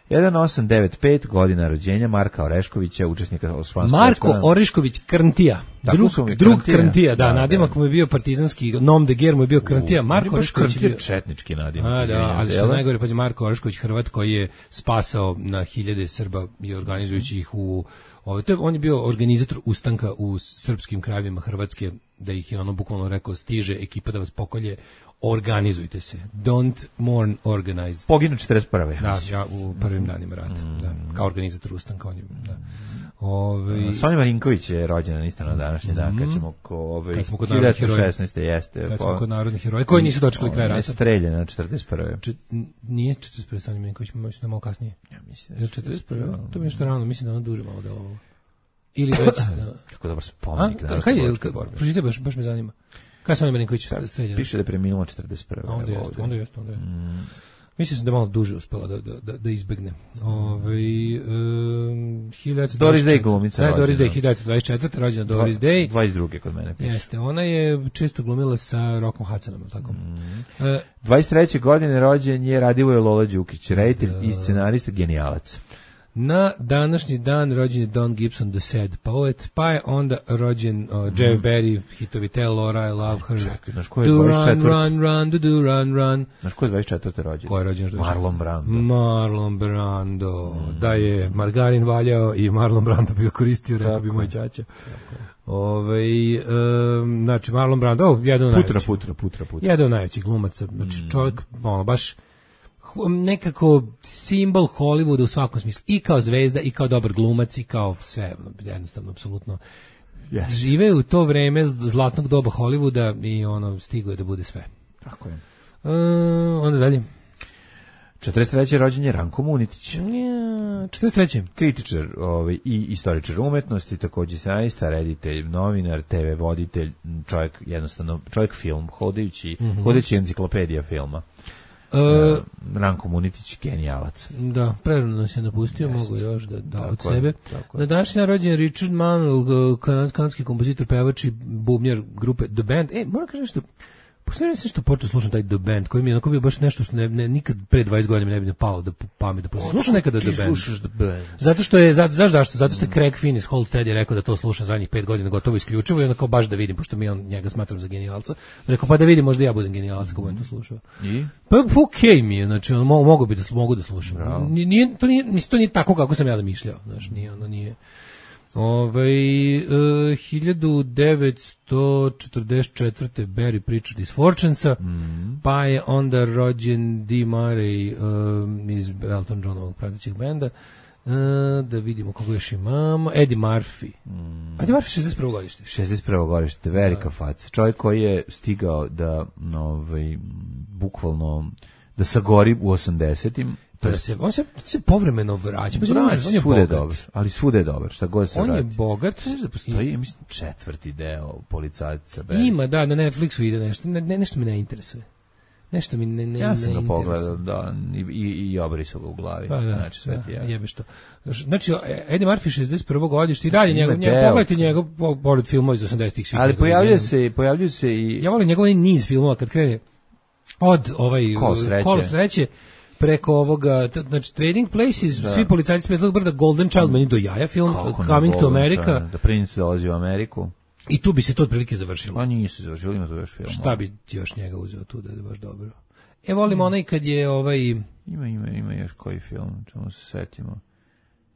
hiljadu osamsto devedeset pet godina rođenja Marka Oreškovića, učesnika Osmanskog Marko ratovanja. Orešković Krntija. Tako Drug, su mi, drug Krntija. Krntija, da, Da, nadimak da. mu je bio partizanski, nom de guerre mu je bio Krntija. Marko Baš Orešković je Krntija bio... četnički nadimak. A, da, izvinjam ali se, što jel da? najgore, pazi, Marko Orešković, Hrvat koji je spasao na hiljade Srba i organizujući ih u... Ovo, to je, on je bio organizator ustanka u srpskim krajevima Hrvatske, da ih je ono bukvalno rekao, stiže ekipa da vas pokolje, organizujte se. Don't mourn, organize. Poginu četrdeset prve. Da, ja u prvim danima rata, da, kao organizator ustanka on je, da. Ove, Sonja Marinković je rođena isto na današnji dan, kad ćemo ko ove Kad smo kod narodnih heroja. hiljadu šesnaeste jeste. kad po- smo kod narodnih heroja, koji nisu dočekali kraj ona je rata. streljena na četrdeset prve. Če, n- nije četrdeset prve Sonja Milenković, mislim da je malo kasnije. Ja mislim Je li četrdeset prve To mi je nešto rano, mislim da ono duže malo delovalo. Ili već... da. Kako dobar A, spomenik. ka- danas kaj je, Boračke ka- borbe. pročitaj, baš, baš me zanima. Kada je Sonja Milenković streljena? Piše da je preminuo četrdeset prve. A onda evo jeste, ovde. onda jeste, onda jeste. Mislim sam da je malo duže uspela da, da, da, da izbegne. Ove, um, hiljadu Doris Day glumica Da, Doris rođena. Day, hiljadu dvadeset četvrte rođena Doris Day. dvadeset druge kod mene piše. Jeste, ona je često glumila sa Rokom Hudsonom, je li tako? E, dvadeset treće godine rođen je Radivoje Lola Đukić, reditelj i scenarista, genijalac. Na današnji dan rođen je Don Gibson, The Sad Poet, pa je onda rođen uh, Jeff Berry, hitovi Tell Laura, I Love Her, Čekaj, znaš ko je Do Run, dvadeset četvrte? Run, Run, Do Do Run, Run. Znaš ko je dvadeset četvrte rođen? Ko je rođen? još dvadeset četvrte? Marlon Brando. Marlon Brando, da je margarin valjao i Marlon Brando bi ga koristio, rekao bi Tako moj je. ćaća. Ovaj um, znači Marlon Brando, oh, jedan od Putra, najvećih. putra, putra, putra. Jedan od najvećih glumaca, znači čovjek, ono, baš hu- nekako simbol Hollywooda u svakom smislu, i kao zvezda, i kao dobar glumac, i kao sve, ono, jednostavno, apsolutno. Yes. Žive u to vreme zlatnog doba Hollywooda i ono, stigo je da bude sve. Tako je. E, onda dalje. četrdeset treće rođen je Ranko Munitić. Ja, četrdeset treće Kritičar ovaj, i istoričar umetnosti, takođe scenarista, reditelj, novinar, te ve voditelj, čovjek jednostavno, čovjek film, hodajući, Mhm. hodajući enciklopedija filma. E, Ranko Munitić, genijalac. Da, prerano nas je napustio, mogu još da, da od Tako je, sebe. tako je. Na današnji dan rođen je Richard Manuel, kanad, kanadski kompozitor, pevač i bubnjar grupe The Band. E, moram kažem što, posljedno sam što počeo slušati taj The Band, koji mi je onako bio baš nešto što ne, ne, nikad pre dvadeset godina mi ne bi ne palo da pamet da poslušam. Slušam nekada The Ti Band. slušaš The Band. Zato što je, zato, znaš zašto? Zato što je Craig Finn iz Hold Steady rekao da to slušam zadnjih pet godina gotovo isključivo i onda kao baš da vidim, pošto mi on njega smatram za genijalca. Rekao pa da vidim, možda ja budem genijalac ako budem to slušao. I? Pa okej mi je, znači ono, mo- mogu bi da, slu- mogu da slušam. Nije, nije, to, nije, mislim, to nije tako kako sam ja zamišljao, znaš, nije, ono nije. Ovaj e, hiljadu devetsto četrdeset četvrte Barry Pritchard iz Fortunesa, Mhm. pa je onda rođen Dee Murray um, iz Elton Johnovog pratećeg benda. E, da vidimo koga još imamo. Eddie Murphy. Mhm. Eddie Murphy šezdeset prvo godište. šezdeset prvo godište, velika faca. Čovjek koji je stigao da, ovaj, bukvalno, da sagori u osamdesetim. To Da je se, on se, se povremeno vraća. Pa Brać, on je svuda je bogat. dobar, ali svuda je dobar, šta god se On je vrati. bogat. Znaš da postoji, ja mislim, četvrti deo policajca. Barry. Ima, da, na Netflixu ide nešto. Ne, ne, nešto me ne interesuje. Nešto mi ne ne Ja sam ne ga pogledao, interesuje. da, i, i, i obrisao ga u glavi. Pa da, Znači, sve ti da, je. jebeš to. Znači, Eddie Murphy šezdeset prvo godište i dalje Znači, njegov, ima njegov deo. pogledajte njegov, pored filmova iz osamdesetih svih. Ali njegovih pojavljuje godina. se, pojavljuje se i... Ja volim njegov niz filmova kad krene od ovaj Kolo sreće. Kolo sreće preko ovoga, t- znači Trading Places, svi policajci s Medlog brda, Golden Child, meni do jaja film, Kako ne, Coming to Golden America, Child, Da princ dolazi u Ameriku. i tu bi se to otprilike završilo. A nisu završili, ima to još film. Šta bi ti još njega uzeo tu da je baš dobro? E, volim onaj kad je ovaj... Ima, ima, ima još koji film, čemu se setimo,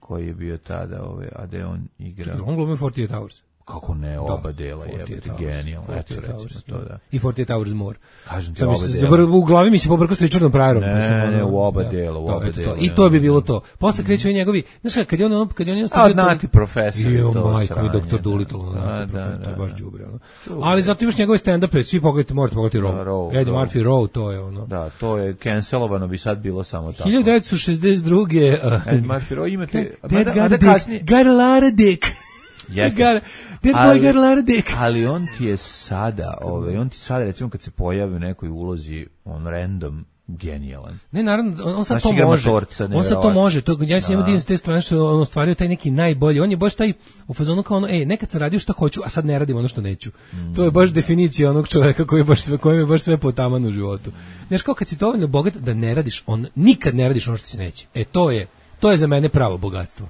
koji je bio tada, ovaj, a da je on igrao. On glumi forty-eight Hours. Kako ne, oba Da, dela, forty-eight jebate, Hours, genijalno, eto forty-eight recimo Hours, to, da. I forty-eight Hours More. Kažem ti, Sam mi oba se dela. zabr- u glavi mi se pobrkao sa Richardom Pryorom. Ne, pa sam ono- ne, u oba da, dela, u to, oba eto to. dela, I ne, to bi ne, bilo ne. to. Posle kreću i njegovi, znaš kada, kad je on, kad je on A, jednostavno... Nati profesor je Jo, to majko mi, sranje, doktor da. Dolittle, Da, Nati da, profesor, to je da, baš da. đubre, ono. Ali zato imaš njegove stand-upe, svi pogledajte, morate pogledati Da, Row. Row, Eddie Row. Murphy Row, to je ono. Da, to je cancelovano, bi sad bilo samo tako. hiljadu devetsto šezdeset druge. Uh, Ed Murphy, Row, imate... That mada- got mada a dick, kasnije- got a lot of dick. Jeste. Got a- That Ali- boy got a lot of dick. Ali on ti je sada, ovaj, on ti sada, recimo, kad se pojavi u nekoj ulozi, on random, genijalan. Ne, naravno, on, on sad Znaš, to igra može. matorca, On sad to nevjerovatno. može. To, ja se njemu Da. divim s te strane što on ostvario taj neki najbolji. On je baš taj u fazonu kao ono, ej, nekad sam radio šta hoću, a sad ne radim ono što neću. To je baš definicija onog čoveka koji je baš sve, kojem je baš sve potaman u životu. Znaš, kao kad si dovoljno bogat da ne radiš, on nikad ne radiš ono što ti se neće. E, to je, to je za mene pravo bogatstvo.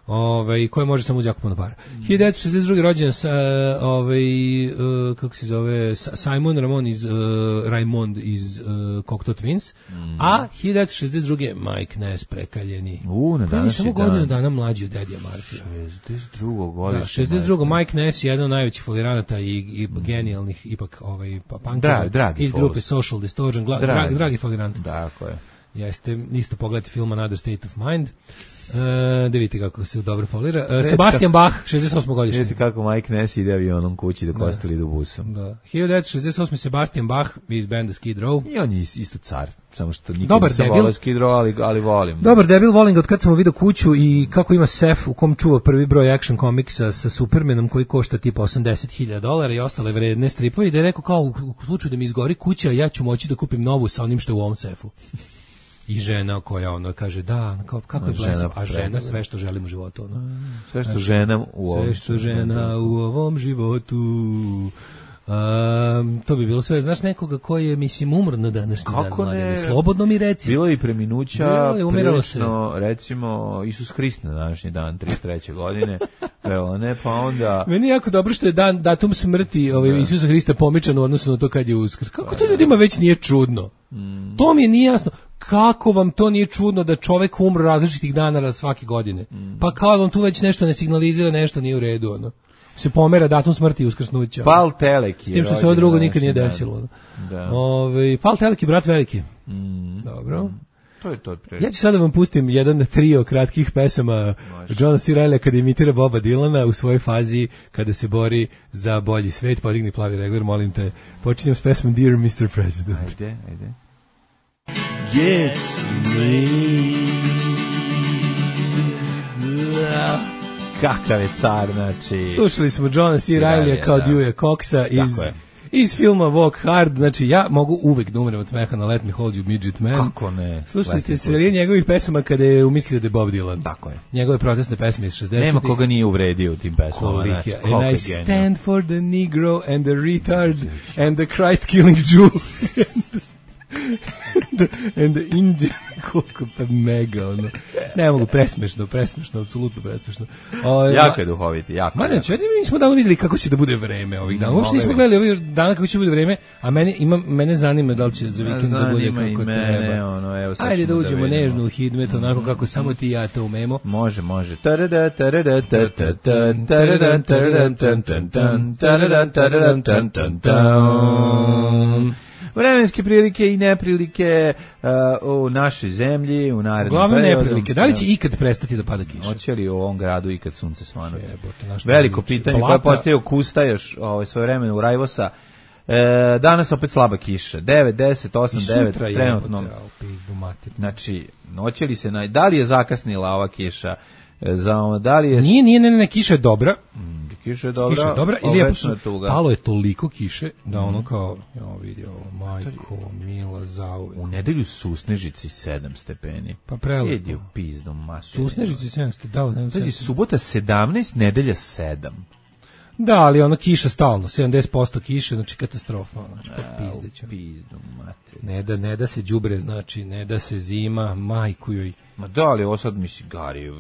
Ovaj, koje može samo uz jako puno para. hiljadu devetsto šezdeset druge rođen sa, ovaj, uh, kako se zove, Sa- Simon Ramon iz, uh, Raymond iz uh, Cocteau Twins, a hiljadu devetsto šezdeset druge Mike Ness, prekaljeni. U, na Koji je današnji samo dan. godinu dana mlađi od Eddija Murphy. šezdeset drugo Da, godište. šezdeset drugo Mike Ness, jedan od najvećih foliranata i, i genijalnih, ipak, ovaj, pa punkera Dragi- dragi iz grupe Fols. Social Distortion, gla, Dragi. dragi, dragi folirant. Tako je. Jeste, isto pogledajte film Another State of Mind. E, da vidite kako se dobro folira. E, Sebastian Bach, šezdeset osmo godište. Vidite kako Mike Ness ide avionom kući dok ostali idu busom. Da. hiljadu devetsto šezdeset osme Sebastian Bach iz benda Skid Row. I on je isto car, samo što nikad Dobar nisam debil. volao Skid Row, ali, ali volim. Dobar debil, volim ga od kad sam vidio kuću i kako ima sef u kom čuva prvi broj action komiksa sa Supermanom koji košta tipa osamdeset hiljada dolara i ostale vredne stripove i da je rekao kao u, u slučaju da mi izgori kuća ja ću moći da kupim novu sa onim što je u ovom sefu. I žena koja ono kaže da, kao, kako je Žena blesav, a žena predivna. sve što želim u životu. Ono. Sve što ženam u ovom. Sve što žena u ovom životu. Um, to bi bilo sve. Znaš nekoga koji je, mislim, umro na današnji Kako dan, ne? mladene? Slobodno mi reci. Bilo je i preminuća, Bilo je, umiralo se. prilično, recimo, Isus Hrist na današnji dan, trideset treće godine, evo ne, pa onda... Meni je jako dobro što je dan, datum smrti ovaj, Isusa Hrista pomičan u odnosu na to kad je uskrs. Kako to ljudima već nije čudno? Mm. To mi je nije jasno. Kako vam to nije čudno da čovek umre različitih dana svake godine? Mm. Pa kao vam tu već nešto ne signalizira, nešto nije u redu, ono. Se pomera datum smrti i uskrsnuća. Pal Telek je S tim što se rođen ovo drugo na nikad nije današnji desilo. dan. Da. Ove, Pal Telek je brat veliki. Mm. Dobro. To je to otprilike. Ja ću sada vam pustim jedan trio kratkih pesama Johna C. Reilly kada imitira Boba Dylana u svojoj fazi kada se bori za bolji svet. Podigni plavi regler, molim te. Počinjem s pesmom Dear mister President. Ajde, ajde. Gets me. Kakav je car, znači... Slušali smo Johna C. Reilly kao da. Dewey Coxa iz, Tako je. iz filma Walk Hard. Znači ja mogu uvek da umrem od smeha na Let Me Hold You Midget Man. Kako ne? Slušali ste Let me serije njegovih pesama kada je umislio da je Bob Dylan. Tako je. Njegove protestne pesme iz šezdesetih. Nema koga nije uvredio u tim pesmama. Koliki Znači, je. koliko And je I genijalno. stand for the Negro and the retard and the Christ killing Jew and the, and the Indian. Koliko pa mega ono. Ne mogu, presmešno, presmešno, apsolutno presmešno. O, Jako je duhoviti, jako. Ma ne, jako. čedi, mi smo davno vidjeli kako će da bude vreme ovih dana. Uopšte nismo Mogli bi. gledali ovih dana kako će da bude vreme, a mene, ima, mene zanima da li će za vikend da bude Zanima i kako mene, treba. ono, evo, sad Ajde da ćemo uđemo vidimo. nežno u hidmet, onako kako samo ti i ja to umemo. Može, može. Tarada, tarada, ta, ta, ta, tarada, tarada, tan, tan, tan, tarada, tarada, tan, tan, tan. Vremenske prilike i neprilike uh, u našoj zemlji, u narednom Uglavnom periodu. neprilike. Da li će ikad prestati da pada kiša? Hoće li u ovom gradu ikad sunce svanuti? Jebote, naš Veliko Pavlić. pitanje Blata. koje postaje Kusta još ovaj, svoje vremena u Rajvosa. E, danas opet slaba kiša. devet, deset, osam, I devet sutra je trenutno. jebote, a, u pizdu mater. Znači, hoće li se, na, da li je zakasnila ova kiša? E, za, da li je... Nije, nije, ne, ne, ne, kiša je dobra. kiša je dobra. Kiša je dobra i a lijepo večna su, tuga. palo je toliko kiše da ono kao, ja vidi ovo, majko, mila, zauvek. U nedelju Susnežici sedam stepeni. Pa prelepo. Jedi u pizdu, mater. Susnežici sedamsto, da, da, Pazi, subota sedamnaest, nedelja sedam. da, ali ono kiša stalno, sedamdeset posto kiše, znači katastrofa, znači pa pizdeću. Pizdu, mater. Ne da, ne da se đubre, znači, ne da se zima, majku joj. Ma da, ali ovo sad mi si gari.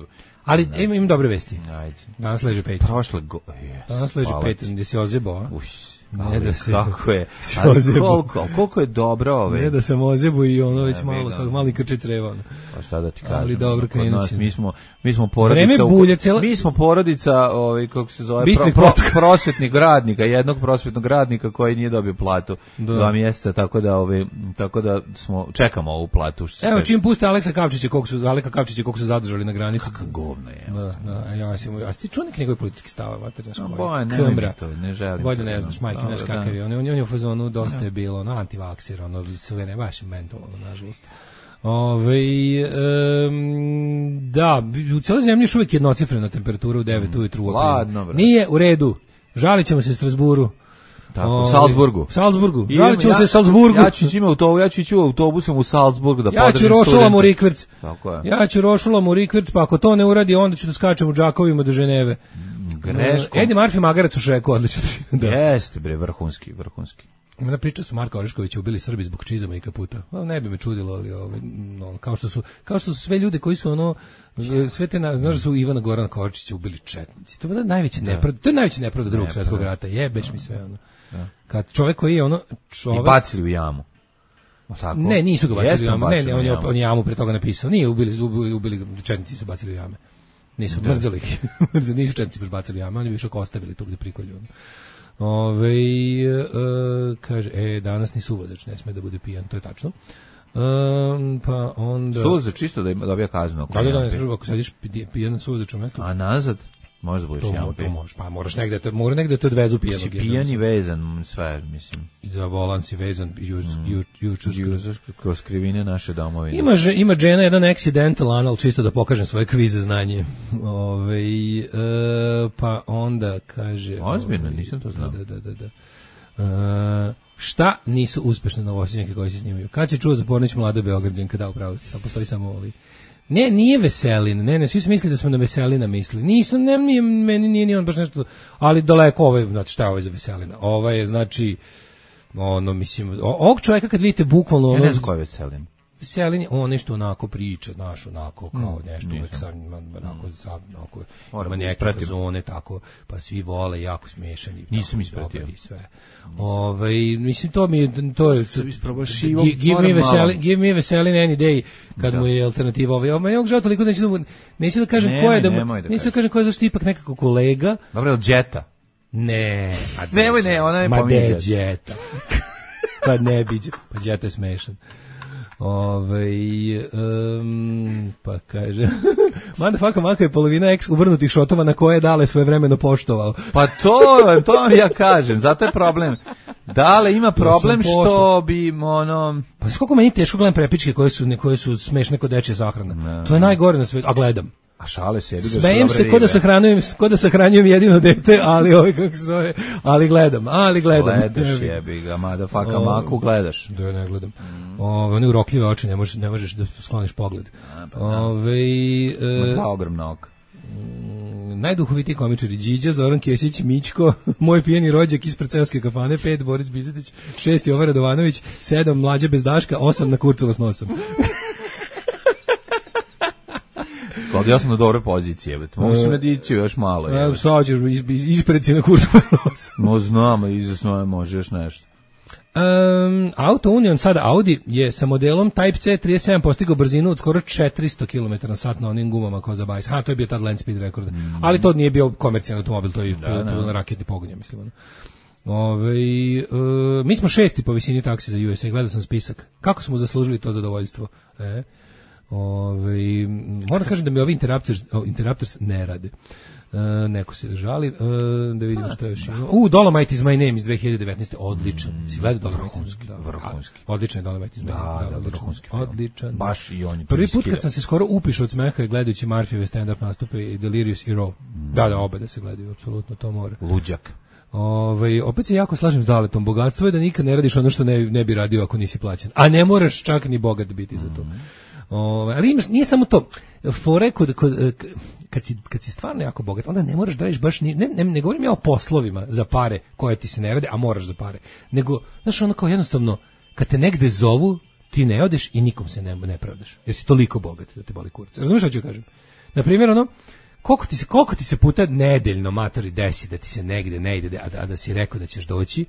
Ali imam, imam dobre vesti. Ajde. Danas leže Patreon. Prošle go... Yes, Danas leže hvala ti. Patreon, gdje si ozebo, a? Uš, Ne ali da se- kako je. se Ali ozebo. koliko, koliko je dobro ove. Ne da sam ozebo i ono već Ne, malo, vidim. kako mali krče creva. Ono. Pa šta da ti Ali kažem? dobro, kod krenut nas, će. mi smo mi smo porodica. Vreme u- bulje, cijela- Mi smo porodica, ovaj kako se zove, Bistrih pro, protoka. prosvetnih radnika, jednog prosvetnog radnika koji nije dobio platu Da. dva mjeseca, tako da ovaj tako da smo čekamo ovu platu. Što se Evo, kaže. čim puste Aleksa Kavčića, koliko su, Aleka Kavčića, koliko su zadržali na granici. govno je. Da, da, a ja sam, a ti čuo neki njegove politički stava, mater, znaš A, koji? boje, nemoj mi Kambra. to, ne želim Bolje to, ne da. znaš, majke, Dobro, znaš da. kakav je. On, je- on je u fazonu, dosta je bilo, ono, antivakser, ono, sve ne, baš mentalno, nažalost. Ove, um, da, u cijeloj zemlji još uvijek jednocifrena temperatura u devet ujutru u aprilu. Ladno, bre. Nije u redu. Žalit ćemo se Strasburu. Tako, u Ove, Salzburgu. Salzburgu. Idemo, Žalit ćemo ja- se Salzburgu. Ja ću ići u autobu, ja ću ići autobusom u Salzburg da Ja podržim ću rošulam u studente. rikverc. Tako je. Ja ću rošulam u rikverc, pa ako to ne uradi, onda ću da skačem u džakovima do Ženeve. Greškom. Eddie Murphy Magarac u Šreku, odlično. Da. Jeste, bre, vrhunski, vrhunski. Ima priča su Marka Oreškovića ubili Srbi zbog čizama i kaputa. Well, ne bi me čudilo, ali ovaj, no, kao što su kao što su sve ljude koji su ono sve te na, znaš da su Ivana Gorana Kovačića ubili četnici. To je najveća nepravda, to je najveća nepravda drugog svjetskog rata. Jebeš mi sve ono. Kad čovjek koji je ono I čovjek bacili u jamu. O, tako? Ne, nisu ga bacili Jeste u jamu. Ne, ne, u on je jamu. on je jamu pre toga napisao. Nije ubili ubili, ubili četnici su bacili u jame. Nisu mrzeli ih. Mrzeli, nisu četnici baš bacili u jame, oni bi više ostavili tu gde prikolju. Ove, e, kaže, e, danas ni suvodač ne sme da bude pijan, to je tačno. Um, pa onda... Suvozač čisto da ima dobija kaznu. ako Da, da, da, nema ne pi- služba, ako sediš pi- pijan na suvodačom mestu, A nazad? Možda budeš to, jamu mo- to pi. možeš, pa moraš negde, to, mora negde te odvezu pijanog. Si jednog. pijan i vezan, sve, mislim. I da volan si vezan, juč, juč, juč, juč, Juzaš kroz krivine naše domovine. Ima, že, ima žena jedan accidental anal, čisto da pokažem svoje kvize znanje. Ove, e, pa onda kaže... Ozbiljno, ovaj, nisam to znao. Da, da, da. da. E, šta nisu uspešne novosadnjake koji se snimaju? Kad će čuo za Pornić mlada Beograđanka, da, upravo ste, sam postoji samo ovi. Ne, nije Veselin, ne, ne, svi su mislili da smo na Veselina mislili. Nisam, ne, nije, meni nije ni on baš nešto, ali daleko ovaj, znači šta je ovaj za Veselina? Ovaj je, znači, ono, mislim, o- ovog čovjeka kad vidite bukvalno... Ja ono, ne znam ko je Veselin. Veselin je, on nešto onako priča, znaš, onako, kao Mm, nešto, nisam. uvek sam, onako, sam, onako, Moram ima da neke ispratim. fazone, tako, pa svi vole, jako smešan i Nisam tako, ispratio. dobar i sve. Ovaj, mislim, to mi je, to je, Sam isprobao šivom, Gi- give, moram me malo. veselin, give me Veselin any day, kad Da. mu je alternativa ovaj, ovaj, ja žao toliko, neću da, mu- neću da kažem Nemoj, ko je, da, mu- nemoj da neću da kažeš. kažem ko je, zašto je ipak nekako kolega, Dobro, je li Jetta? ne, a Nemoj, ne, ona je ma pominje de, Jetta. Jetta. Pa ne bi, pa Jetta je smešan. Ove, um, pa kaže mada faka maka je polovina eks uvrnutih šotova na koje je Dale svoje vremeno poštovao. Pa to, to vam ja kažem, zato je problem. Dale ima problem sam što pošao. bi, ono... Pa znaš koliko meni teško gledam prepičke koje su, koje su smešne kod dečje sahrana. Ne, To je najgore na svetu, a gledam. A šale se, jebi ga, su Smejem dobre se ko da ribe. sahranjujem, ko da sahranjujem jedino dete, ali ovaj kako se zove, ali gledam, ali gledam. Gledaš, Jebi. jebi ga, mada faka O, maku gledaš. Da ja ne gledam. Ove, one urokljive oči, ne možeš, ne možeš da skloniš pogled. Ove, Ima e, dva ogromna oka. najduhovitiji komičari Điđa, Zoran Kesić, Mićko, moj pijeni rođak ispred seoske kafane, pet Boris Bizetić, šest Jovan Radovanović, sedam Mlađa bez daška, osam na Kurcova s nosom. Kod ja sam na dobre pozicije, bet. Mogu se nadići još malo. Evo, Je. sad ćeš is- ispred si na Kurcova s nosom. No znam, izasno može još nešto. Um, Auto Union, sada Audi, je sa modelom Type C trideset sedam postigao brzinu od skoro četiristo kilometara na sat na onim gumama kao za bajs. Ha, to je bio tad land speed rekord. Ali to nije bio komercijalni automobil, to je Da, to, da. to na raketni pogon, ja mislim. Ono. Ove, e, mi smo šesti po visini taksi za U S A, gledao sam spisak. Kako smo zaslužili to zadovoljstvo? E? Ove, moram kažem da mi ovi Interrupters, o, Interrupters ne rade. Uh, neko se žali, uh, da vidimo što je još ima. U, Dolomite is my name iz dve hiljade devetnaeste. Odličan. Mm, si gledao Dolomite? Vrhunski, da, vrhunski. Odličan je Dolomite is my name. Da, da, vrhunski film. Odličan. Baš i on je prvi put kad sam se skoro upišao od smeha gledajući Murphyve stand-up nastupe i Delirious i Raw. Mm. Da, da, obe da se gledaju, apsolutno to mora. Luđak. Ove, opet se jako slažem s Daletom. Bogatstvo je da nikad ne radiš ono što ne, ne bi radio ako nisi plaćen. A ne moraš čak ni bogat biti za to. Ove, ali imaš, nije samo to. Fore kod, kod, kad, si, kad si stvarno jako bogat, onda ne moraš da radiš baš ni, ne, ne, ne govorim ja o poslovima za pare koje ti se ne rade, a moraš za pare. Nego, znaš, ono kao jednostavno, kad te negde zovu, ti ne odeš i nikom se ne, ne pravdaš. Jer si toliko bogat da te boli kurac. Razumiješ što ću kažem? Na primjer, ono, koliko ti se, koliko ti se puta nedeljno matori desi da ti se negde ne ide, a da, a da si rekao da ćeš doći,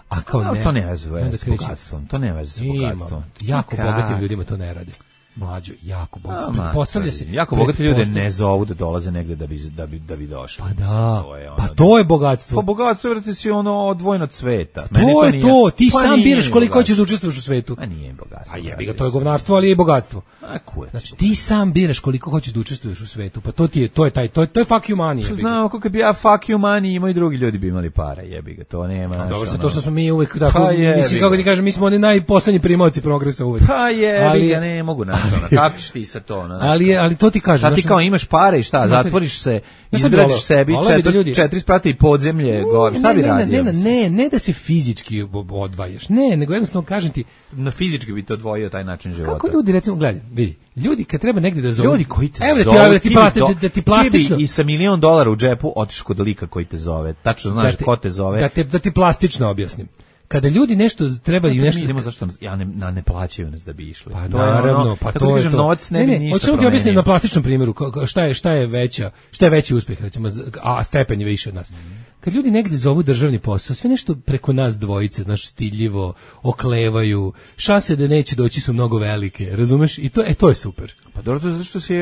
a kao no, ne. To ne veze s bogatstvom. To ne veze s bogatstvom. Jako bogatim ljudima to ne rade. Mlađo, jako bogato. Postavlja se. Jako bogati ljudi ne zovu da dolaze negde da bi da bi da bi došli. Pa da. To je ono, pa to je bogatstvo. Pa bogatstvo vrti si ono odvojeno od sveta. To, to je nije, to, ti pa sam biraš koliko hoćeš da učestvuješ u svetu. A nije bogatstvo. A jebi ga, to je govnarstvo, ali je i bogatstvo. A kurac. Znači ti sam biraš koliko hoćeš da učestvuješ u svetu. Pa to ti je, to je taj, to je, to je fuck you money. Znam, kako bi ja fuck you money imao i drugi ljudi bi imali para, jebi ga, to nema. A dobro, to što smo mi uvek tako, mislim kako ti kažem, mi smo oni najposlednji primaoci progresa uvek. Pa jebi ga, ne mogu naći ono. Kako ćeš ti sa to, no, ali je, ali to ti kažem. Šta ti kao imaš pare i šta, zatvoriš se, izgradiš sebi četiri, četiri sprata i podzemlje, gore, šta bi radio? Ne, ne, ne, ne da se fizički odvajaš, ne, nego jednostavno kažem ti, na fizički bi te odvojio taj način života. Kako ljudi, recimo, gledaj, vidi, ljudi kad treba negde da zovu, ljudi koji te evo zovu, da ti, plate, da, da ti plastično, ti bi i sa milion dolara u džepu otišao kod lika koji te zove, tačno znaš da te, ko te zove. Da, te, da ti plastično objasnim. Kada ljudi nešto trebaju nešto, mi idemo zašto ja ne na ne plaćaju nas da bi išli. Pa to naravno, ono, pa to je to. Novac ne, ne, bi ništa. Hoćemo ti objasniti na plastičnom primjeru šta je šta je veća, šta je veći uspeh recimo, a stepen je više od nas. Mm. Kad ljudi negde zovu državni posao, sve nešto preko nas dvojice, naš stiljivo, oklevaju, šanse da neće doći su mnogo velike, razumeš? I to e to je super. Pa dobro, to zato što si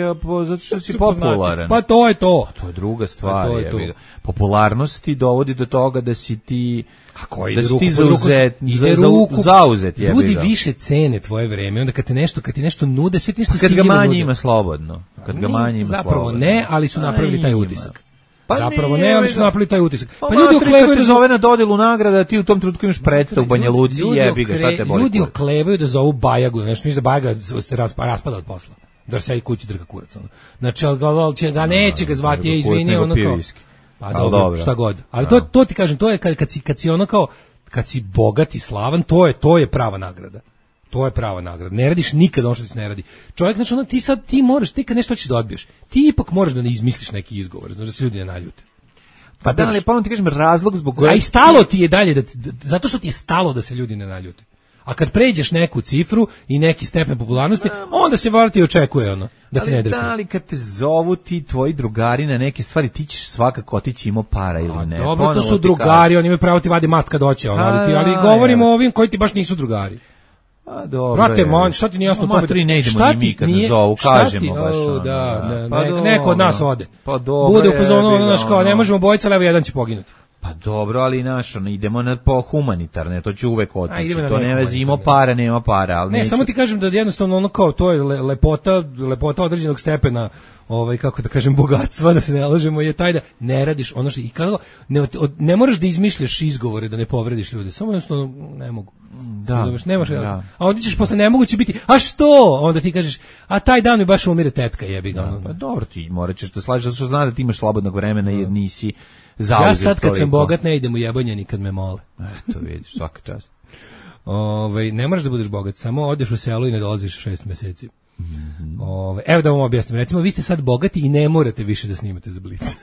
zato što si popularan. Pa to je to. Pa to je druga stvar, pa je to. Popularnost ti dovodi do toga da si ti a koji da si ti zauzet, za, za, zauzet je. Ljudi više cene tvoje vreme, onda kad te nešto, kad ti nešto nude, sve ti nešto kad ga manje ima slobodno. Kad ga manje ima zapravo slobodno. ne, ali su napravili taj utisak. Pa zapravo ne, ali su napravili taj utisak. Pa, pa ljudi oklevaju da zove na dodelu nagrada, ti u tom trenutku imaš predstav u Banja Luci, jebi ga, šta te boli. Ljudi oklevaju da zovu Bajagu, nešto misle da Bajaga se raspada od posla. Da se i kući drka kurac ono. Znači al će ga neće ga zvati, je izvini, ono kao. Pa dobro, šta god. Ali to to ti kažem, to je kad kad si kad si ono kao kad si bogat i slavan, to je to je prava nagrada. To je prava nagrada. Ne radiš nikad ono što ti se ne radi. Čovjek, znači ono, ti sad, ti moraš, ti kad nešto hoćeš da odbiješ, ti ipak moraš da ne izmisliš neki izgovor, znači da se ljudi ne naljute. Pa da, ali pa on ti kažem razlog zbog kojeg... A i stalo ti je dalje, da, da, zato što ti je stalo da se ljudi ne naljute. A kad pređeš neku cifru i neki stepen popularnosti, onda se valjda ti očekuje ono, da ti ne drka. Da, ali kad te zovu ti tvoji drugari na neke stvari, ti ćeš svakako otići imao para ili ne. A dobro, to su drugari, oni imaju pravo ti vadi mast kad doće, ono, ali, ti, ali govorimo o ovim koji ti baš nisu drugari. A dobro. Brate, man, šta ti nije jasno to? Matri ne idemo ni mi kad nas zovu, kažemo baš. O, da, ne, pa ne, neko od nas ode. Pa dobro. Bude u fazonu, ono, znaš, kao, ne možemo bojica, ali evo jedan će poginuti. Pa dobro, ali naš, ono, idemo na po humanitarne, to će uvek otići. To ne vezi, ima para, nema para, ali ne, neću... samo ti kažem da jednostavno ono kao, to je le, lepota, lepota određenog stepena, ovaj, kako da kažem, bogatstva, da se ne lažemo, je taj da ne radiš ono što, i kada, ne, ne moraš da izmišljaš izgovore da ne povrediš ljude, samo jednostavno ne mogu. Da, Zoveš, nemaš, da. A onda ćeš posle nemoguće biti, a što? Onda ti kažeš, a taj dan mi baš umire tetka, jebi ga. Da, pa dobro, ti morat ćeš da slažeš, zato što zna da ti imaš slobodnog vremena jer nisi zauzet. Ja sad kad toliko. Sam bogat ne idem u jebanje nikad me mole. Eto vidiš, svaka čast. Ove, ne moraš da budeš bogat, samo odeš u selo i ne dolaziš šest meseci. Mm-hmm. Ove, evo da vam objasnim, recimo vi ste sad bogati i ne morate više da snimate za Blic.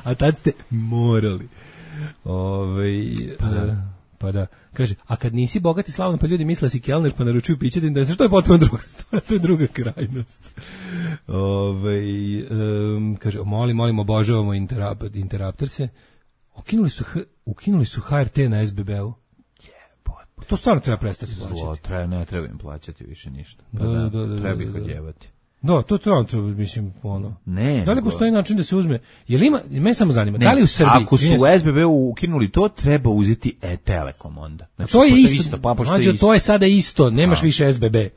A tad ste morali. Ove, pa da. Pa da, kaže, a kad nisi bogat i slavan, pa ljudi misle si kelner, pa naručuju piće da im da se, što je potpuno druga stvar, to je druga krajnost. Ove, um, kaže, molim, molim, obožavamo interap, interaptorse. Ukinuli su, ukinuli su H R T na S B B-u. Jebote. To stvarno treba prestati plaćati. Zlo, treba, ne treba im plaćati više ništa. Pa da, da, da, da, treba ih da, da. odjebati. Da, to treba, to, mislim, ono. Ne. Da li postoji način da se uzme? Je li ima, mene samo zanima, ne, da li u Srbiji... Ako su u S B B-u ukinuli to, treba uzeti e-Telekom onda. Znači, to je isto, isto pa, Mađo, isto. To je sada isto, nemaš A. više S B B.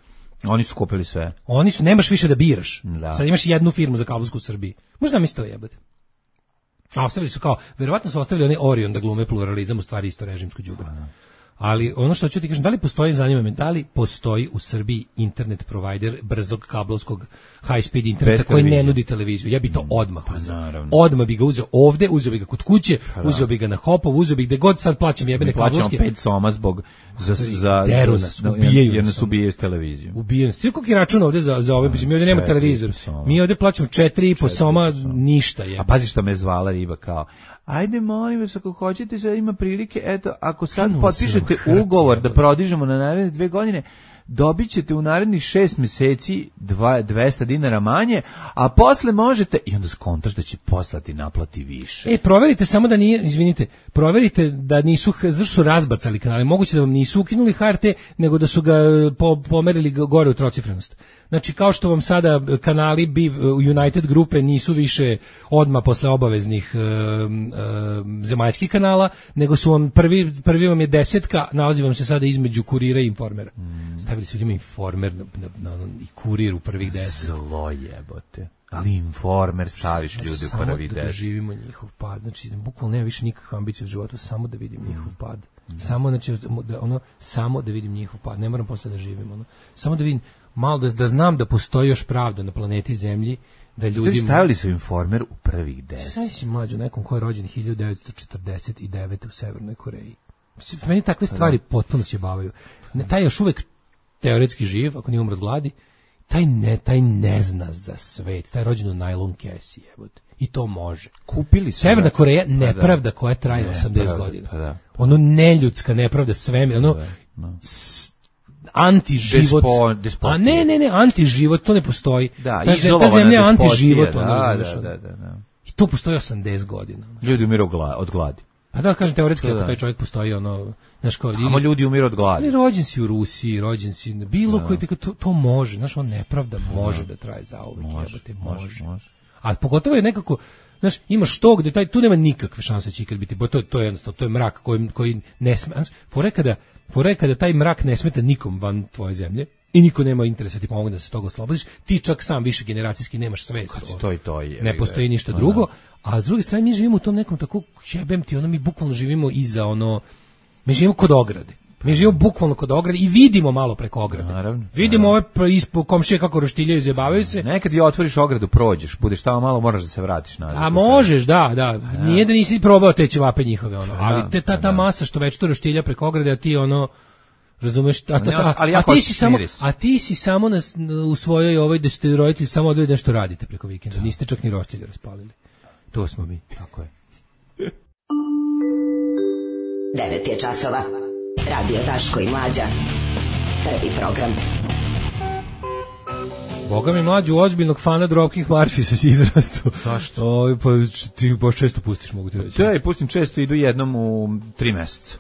Oni su kupili sve. Oni su, nemaš više da biraš. Da. Sad imaš jednu firmu za kablovsku u Srbiji. Možda mi se to jebate. A ostavili su kao, verovatno su ostavili oni Orion da glume pluralizam, u stvari isto režimsko đubre. Ali ono što ću ti kažem, da li postoji, zanima me, da li postoji u Srbiji internet provider brzog kablovskog high speed interneta koji ne nudi televiziju? Ja bi to odmah pa, uzeo. Naravno. Odmah bi ga uzeo ovde, uzeo bi ga kod kuće, pa, da. uzeo bi ga na Hopov, uzeo bi gde god sad plaćam jebene kablovske. Plaćam pet soma zbog za za Deru nas, ubijaju jer nas nas ubijaju s televizijom. Ubijaju. Svi koliki račun ovde za za ove, mi ovde nema televizor. Mi ovde plaćamo četiri i po soma, ništa je. A pazi što me zvala riba kao ajde, molim vas, ako hoćete, sad ima prilike, eto, ako sad Kanu potpišete ugovor da prodižemo na naredne dve godine, dobit ćete u narednih šest meseci dva, dvesta dinara manje, a posle možete, i onda skontaš da će poslati naplati više. E, proverite samo da nije, izvinite, proverite da nisu, zašto su razbacali kanale, moguće da vam nisu ukinuli H R T, nego da su ga po, pomerili gore u trocifrenost. Znači, kao što vam sada kanali Biv, United grupe nisu više odmah posle obaveznih e, e, zemaljskih kanala, nego su vam prvi, prvi vam je desetka, nalazi vam se sada između Kurira i Informera. Mm. Stavili su ljudima Informer na, na, na, i Kurir u prvih deset. Zlo jebote. Ali Informer staviš ljudi u prvi deset. Samo da živimo njihov pad. Znači, bukvalno nema više nikakve ambicije u životu, samo da vidim njihov pad. Mm. Samo, znači, da, ono, samo da vidim njihov pad. Ne moram posle da živim. Ono. Samo da vidim, malo da, da znam da postoji još pravda na planeti Zemlji, da ljudi... Stavili su Informer u prvih deset. Sada si mlađo, nekom ko je rođen hiljadu devetsto četrdeset devete u Severnoj Koreji. Meni takve stvari potpuno se bavaju. Ne, taj još uvek teoretski živ, ako nije umro od gladi, taj ne, taj ne zna za svet, taj rođen u najlon kesi, jebote. I to može. Kupili su. Severna Koreja, nepravda koja traje ne, osamdeset pravda, godina. Pa da. Ono neljudska nepravda, svemir, ono... Da, da. Antiživot. Despo, a ne, ne, ne, antiživot, to ne postoji. Da, ta, ta zemlja je antiživot. Da, ono, da, da, da, da. I to postoji osamdeset godina. Ljudi umiru od gladi. A da, kažem, teoretski, ako taj čovjek postoji, ono, znaš kao... Amo ljudi umiru od gladi. Ali rođen si u Rusiji, rođen si, bilo koji, to, to može, znaš, on nepravda može da traje zauvek, jebote, može. može. A pogotovo je nekako, znaš, imaš to gde taj, tu nema nikakve šanse će ikad biti, bo to, to je jednostavno, to je mrak koji, koji ne sme, fore kada, fore kada taj mrak ne smeta nikom van tvoje zemlje, i niko nema interesa ti pomogne da se toga oslobodiš, ti čak sam više generacijski nemaš svest. Stoji to je. Ne postoji ništa drugo, a s druge strane mi živimo u tom nekom tako, jebem ti, ono mi bukvalno živimo iza ono, mi živimo kod ograde. Mi živimo bukvalno kod ograde i vidimo malo preko ograde. Naravno. Vidimo naravno. Ove ispod komšije kako roštiljaju, zjebavaju se. Nekad je otvoriš ogradu, prođeš, budeš tamo malo, moraš da se vratiš nazad. A možeš, da, da. Nije da nisi probao te ćevape njihove, ono. Ali te, ta, ta masa što već to roštilja preko ograde, a ti ono... Razumeš, a, a, a, a ti si samo a ti si samo na, u svojoj ovoj da ste roditelji samo odredi nešto radite preko vikenda, niste čak ni roštilje raspalili. To smo mi. Tako je. devet je časova. Radio Daško i Mlađa. Prvi program. Boga mi mlađu ozbiljnog fana Dropkick Murphys si izrastu. Zašto? O, pa ti baš često pustiš, mogu ti reći. Da, i pustim često, idu jednom u tri meseca.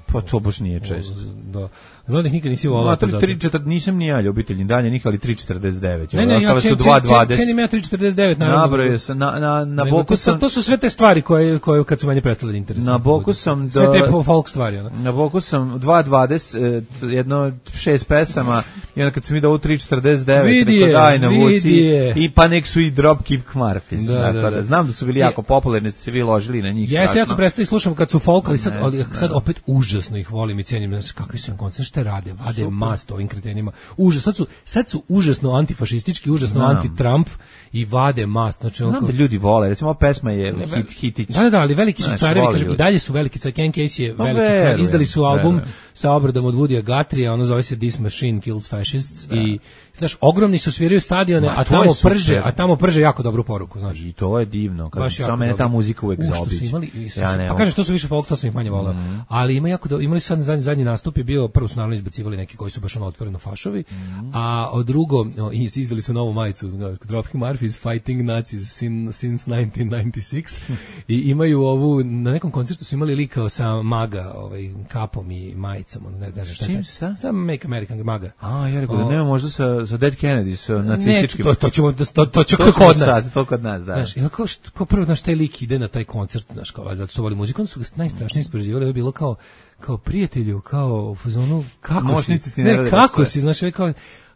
Pa to baš nije često. Da. Znam da nikad nisi volao. No, tri četrdeset nisam ni ja ljubitelj dalje nikad, ali tri četrdeset devet. Ne, ne, ja su dva dvadeset. Cenim ja tri četrdeset devet, naravno. Nabrojao sam, na, na, na boku sam... To su sve te stvari koje, koje kad su manje prestale da interesuju. Na boku sam... Da, sve te folk stvari, ono. Na boku sam dva dvadeset, jedno šest pesama, i onda kad sam vidio ovo tri četrdeset devet, vidi rekao daj na vuci, je. i pa nek su i Dropkick Murphys. Da, da, da. da, znam da su bili jako popularni, ste se vi ložili na njih. Jeste, ja sam prestao i slušam kad su folk, ali sad, ne, sad opet užasno ih volim i cijenim, znači kakvi su im koncerti, šta rade, vade mast ovim kretenima. Užas, sad su, sad su užasno antifašistički, užasno znam. Anti-Trump i vade mast. Znači, znam da ljudi vole, recimo ova pesma je ne, hit, hitić. Da, da, ali veliki su carevi, kažem, i dalje su veliki car, Ken Casey je veliki no, car, izdali su album verujem. Sa obradom od Woodya Guthrieja, ono zove se This Machine Kills Fascists da. I znaš, ogromni su, sviraju stadione, Ma, a tamo prže, a tamo prže jako dobru poruku, znaš. I to je divno, kad samo mene ta muzika uvek zaobiđe. Ja pa kažeš, to su više folk, to sam ih manje voleo. Mm. Ali ima jako do, imali su sad zadnji, zadnji nastup je bio, prvo su naravno izbacivali neki koji su baš ono otvoreno fašovi, mm. a od drugo, o, izdali su novu majicu, Dropkick Murphys Fighting Nazis since nineteen ninety-six i imaju ovu, na nekom koncertu su imali likao sa MAGA, ovaj, kapom i majicom, ne znam šta je. Sa? Sa Make American MAGA. A, ja rekao da nema možda sa, sa Dead Kennedy, sa nacističkim. Ne, to, to ćemo, to, to će to kod nas. Sad, to kod nas, da. Znaš, i kao, što, kao prvo, znaš, taj lik ide na taj koncert, znaš, kao, zato što voli muziku, onda su ga najstrašnije ispreživali, je bilo kao, kao prijatelju, kao u fazonu, kako Mošnici si, ne, ne kako si, znaš, kao,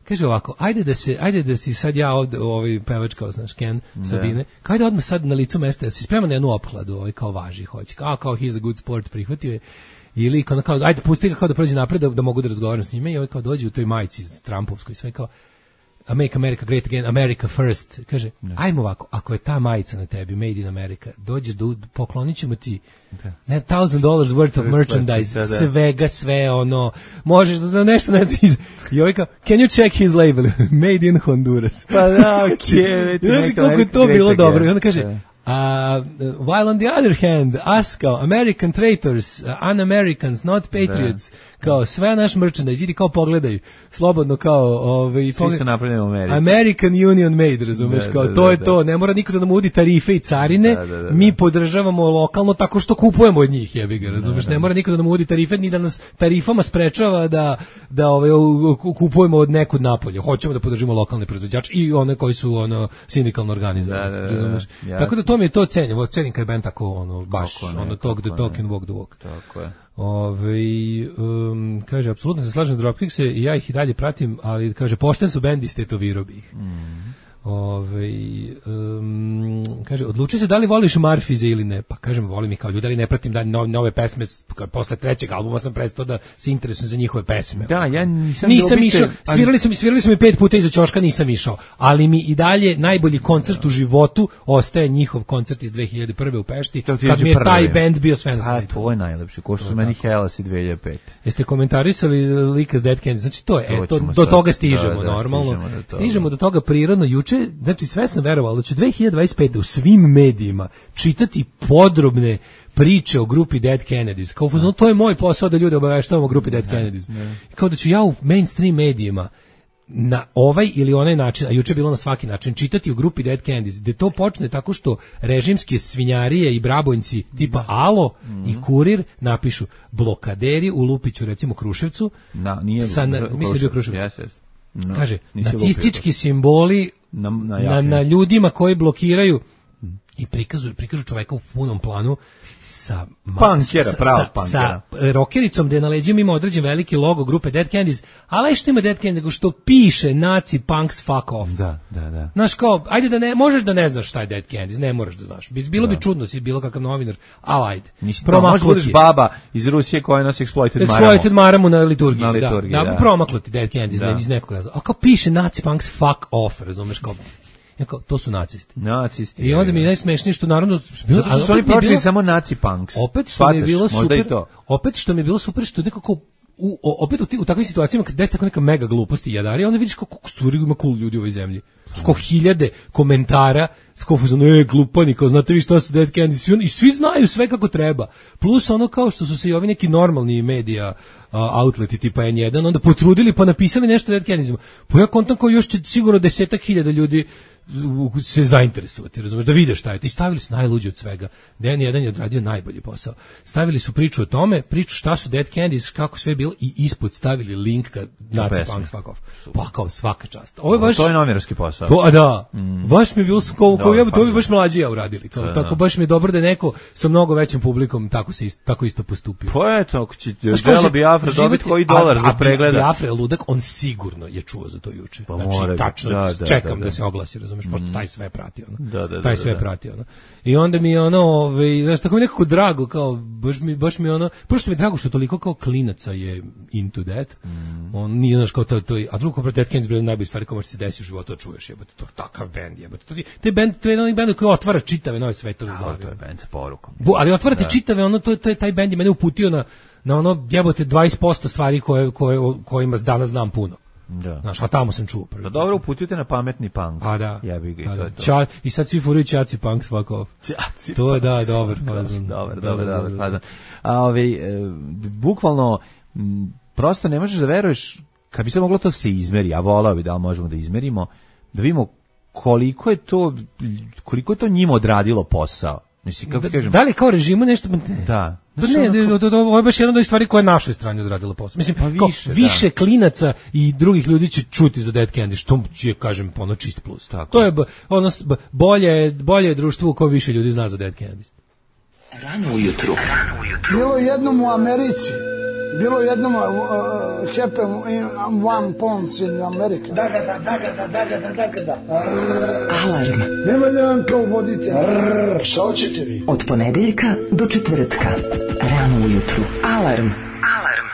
kaže ovako, ajde da se, ajde da si sad ja ovde, ovaj pevač kao, znaš, Ken, Sabine, kao ajde odmah sad na licu mesta, da si spreman na jednu opkladu, ovaj kao važi, hoće, kao, kao he's a good sport, prihvatio je, ili kao, kao ajde pusti ga kao da prođe napred, da, da mogu da razgovaram s njime, i ovaj kao dođe u toj majici Trumpovskoj, sve kao, Make America Great Again, America First, kaže, ne. Ajmo ovako, ako je ta majica na tebi, Made in America, dođeš da poklonit ćemo ti ne, thousand dollars worth of merchandise, da, da. svega, sve, ono, možeš da nešto ne iz... I ovaj kao, can you check his label? Made in Honduras. Pa da, okej. Znaš kako je to bilo dobro. I onda kaže, uh, while on the other hand, us kao American traitors, uh, un-Americans, not patriots, da. Kao sve naš merchandise, idi kao pogledaj, slobodno kao... Ovaj, svi su napravljeni u Americi. American Union Made, razumeš, da, kao da, to da, je da. To, ne mora niko da nam udi tarife i carine, da, da, da, da. Mi podržavamo lokalno tako što kupujemo od njih, jebi ga, razumeš, da, da. Ne mora niko da nam udi tarife, ni da nas tarifama sprečava da, da ovaj, kupujemo od nekud napolje, hoćemo da podržimo lokalne proizvođače i one koji su ono, sindikalno organizovani, da, da, da, razumeš, da, tako da to mi je to cenimo, cenim kad je band tako, ono, baš, kako ono, ne, talk the talk and walk the walk. Tako je. Ove, um, kaže, apsolutno se slažem Dropkickse i ja ih i dalje pratim, ali kaže, pošten su bendi, stetovirao bi ih. Mm. Ove, um, kaže, odluči se da li voliš Marfize ili ne, pa kažem, volim ih kao ljudi, ali ne pratim da nove, nove pesme, posle trećeg albuma sam prestao da se interesujem za njihove pesme. Da, ja nisam, nisam išao, svirali su mi, svirali su mi pet puta iza ćoška, nisam išao, ali mi i dalje najbolji koncert u životu ostaje njihov koncert iz dve hiljade prve u Pešti, kad mi je taj band bio sve na svetu. A, to je najlepše, ko što su meni Hellas i dve hiljade pete. Jeste komentarisali lika s Dead Candy, znači to je, to, e, to, do toga stižemo, da, da, normalno, stižemo do toga. Stižemo do toga prirodno, juče, znači sve sam verovao da će dve hiljade dvadeset pete u svim medijima čitati podrobne priče o grupi Dead Kennedys. Kao no, to je moj posao da ljude obaveštavam o grupi Dead Kennedys. Ne. Kao da ću ja u mainstream medijima na ovaj ili onaj način, a juče je bilo na svaki način, čitati o grupi Dead Kennedys, gde to počne tako što režimske svinjarije i brabojnci tipa Alo mm-hmm. i Kurir napišu blokaderi u Lupiću, recimo Kruševcu, na, nije, sa, na, mislim da je Kruševac. Yes, yes. No, kaže, nacistički simboli na, na, na, na ljudima koji blokiraju i prikazuju, prikažu čoveka u punom planu sa punkera, pravo punkera. Sa rokericom gde na leđima ima određen veliki logo grupe Dead Kennedys, ali što ima Dead Kennedys, nego što piše Nazi punks fuck off. Da, da, da. Znaš kao, ajde da ne, možeš da ne znaš šta je Dead Kennedys, ne moraš da znaš. Bilo da. Bi čudno si bilo kakav novinar, ali ajde. Možeš budeš baba iz Rusije koja nosi exploited maramu. Exploited maramu na liturgiji, na liturgiji da. Da, da. Promaklo ti Dead Kennedys da. Iz nekog razloga. A kao piše Nazi punks fuck off, razumeš kao. Jako, to su nacisti. Nacisti. I onda mi je najsmešnije što naravno zato što su oni pročili samo naci punks. Opet što mi je bilo super. Opet što mi je bilo super što nekako u, opet u, u takvim situacijama kad desi tako neka mega glupost i jadari, onda vidiš kako stvari ima cool ljudi u ovoj zemlji. Kako hiljade komentara s kofuzom, e, glupani, kao znate vi šta su Dead Kennedys, i svi znaju sve kako treba. Plus ono kao što su se i ovi neki normalni medija uh, outleti tipa N jedan onda potrudili pa napisali nešto o Dead Kennedysima. Pa ja kontam kao još će sigurno desetak hiljada ljudi se zainteresovati, razumeš, da vide šta je. I stavili su najluđe od svega. N jedan je odradio najbolji posao. Stavili su priču o tome, priču šta su Dead Kennedys, kako sve je bilo i ispod stavili link ka Nazi punks fuck off. Pa kao svaka čast. Ovo je baš to je novinarski posao. To, a da. Mm. Baš mi je bilo kao kao ja to bi baš mlađi ja uradili. Kao, da, tako baš mi je dobro da je neko sa mnogo većim publikom tako se isto, tako isto postupio. Pa eto, ako će Delo Biafra dobiti koji dolar za pregleda. Biafra je ludak, on sigurno je čuo za to juče. Pa znači mora, tačno da, da, čekam da, da. da se oglasi, razumeš, pošto mm. taj sve prati ono. Da, da, taj da, sve da, da. prati ono. I onda mi je ono, ovaj, znaš, tako mi je nekako drago, kao baš mi baš mi je ono, prvo što mi je drago što toliko kao klinaca je into that. Mm. On nije znaš kao to, to a drugo Dead Kennedys bilo najbolje stvari koje može se desiti u životu, čuješ, jebote, to takav bend, jebote. To te bend, to je jedan bend koji otvara čitave nove svetove. Da, to je bend sa porukom. Bu, ali otvarate da. Čitave, ono to, to je taj bend je mene uputio na na ono jebote dvadeset posto stvari koje koje kojima danas znam puno. Da. Znaš, a tamo sam čuo prvi. Da dobro uputite na pametni punk. A da. Ja bih ga i to. to, to. Ča, i sad svi furaju Čaci punks fuck off. Čaci. To je da, dobar fazon. Dobar, dobar, dobar fazon. A ovaj e, bukvalno m, prosto ne možeš da veruješ kad bi se moglo to se izmeri, a volao bi da možemo da izmerimo, da vidimo koliko je to koliko je to njima odradilo posao. Mislim, kako da, kažem. Da li kao režimu nešto? Da. Pa ne, onako... ovo je baš jedna od stvari koja je našoj strani odradila posao. Mislim, pa više, kao, više klinaca i drugih ljudi će čuti za Dead Candy, što će, kažem, ono čist plus. Tako. To je ono, bolje, bolje je društvo u kojem više ljudi zna za Dead Candy. Rano ujutru. Bilo jednom u Americi Bilo jednom uh, happen in one pounds in America. Da, da, da, da, da, da, da, da, da. Alarm. Nema da vam kao vodite. Šta hoćete vi? Od ponedeljka do četvrtka. Rano ujutru. Alarm. Alarm.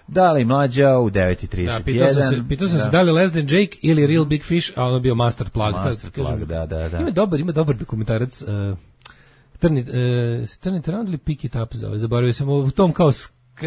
Dali Mlađa u devet i trideset jedan. Da, pitao sam se, pitao sam da. se da li Less Than Jake ili Real Big Fish, a ono bio Master Plug. Master ta, Plug, da, da, da. Ima dobar, ima dobar dokumentarac. Uh, Trni, uh, Trni Tarant ili Pick It Up zove, zaboravio sam u tom kao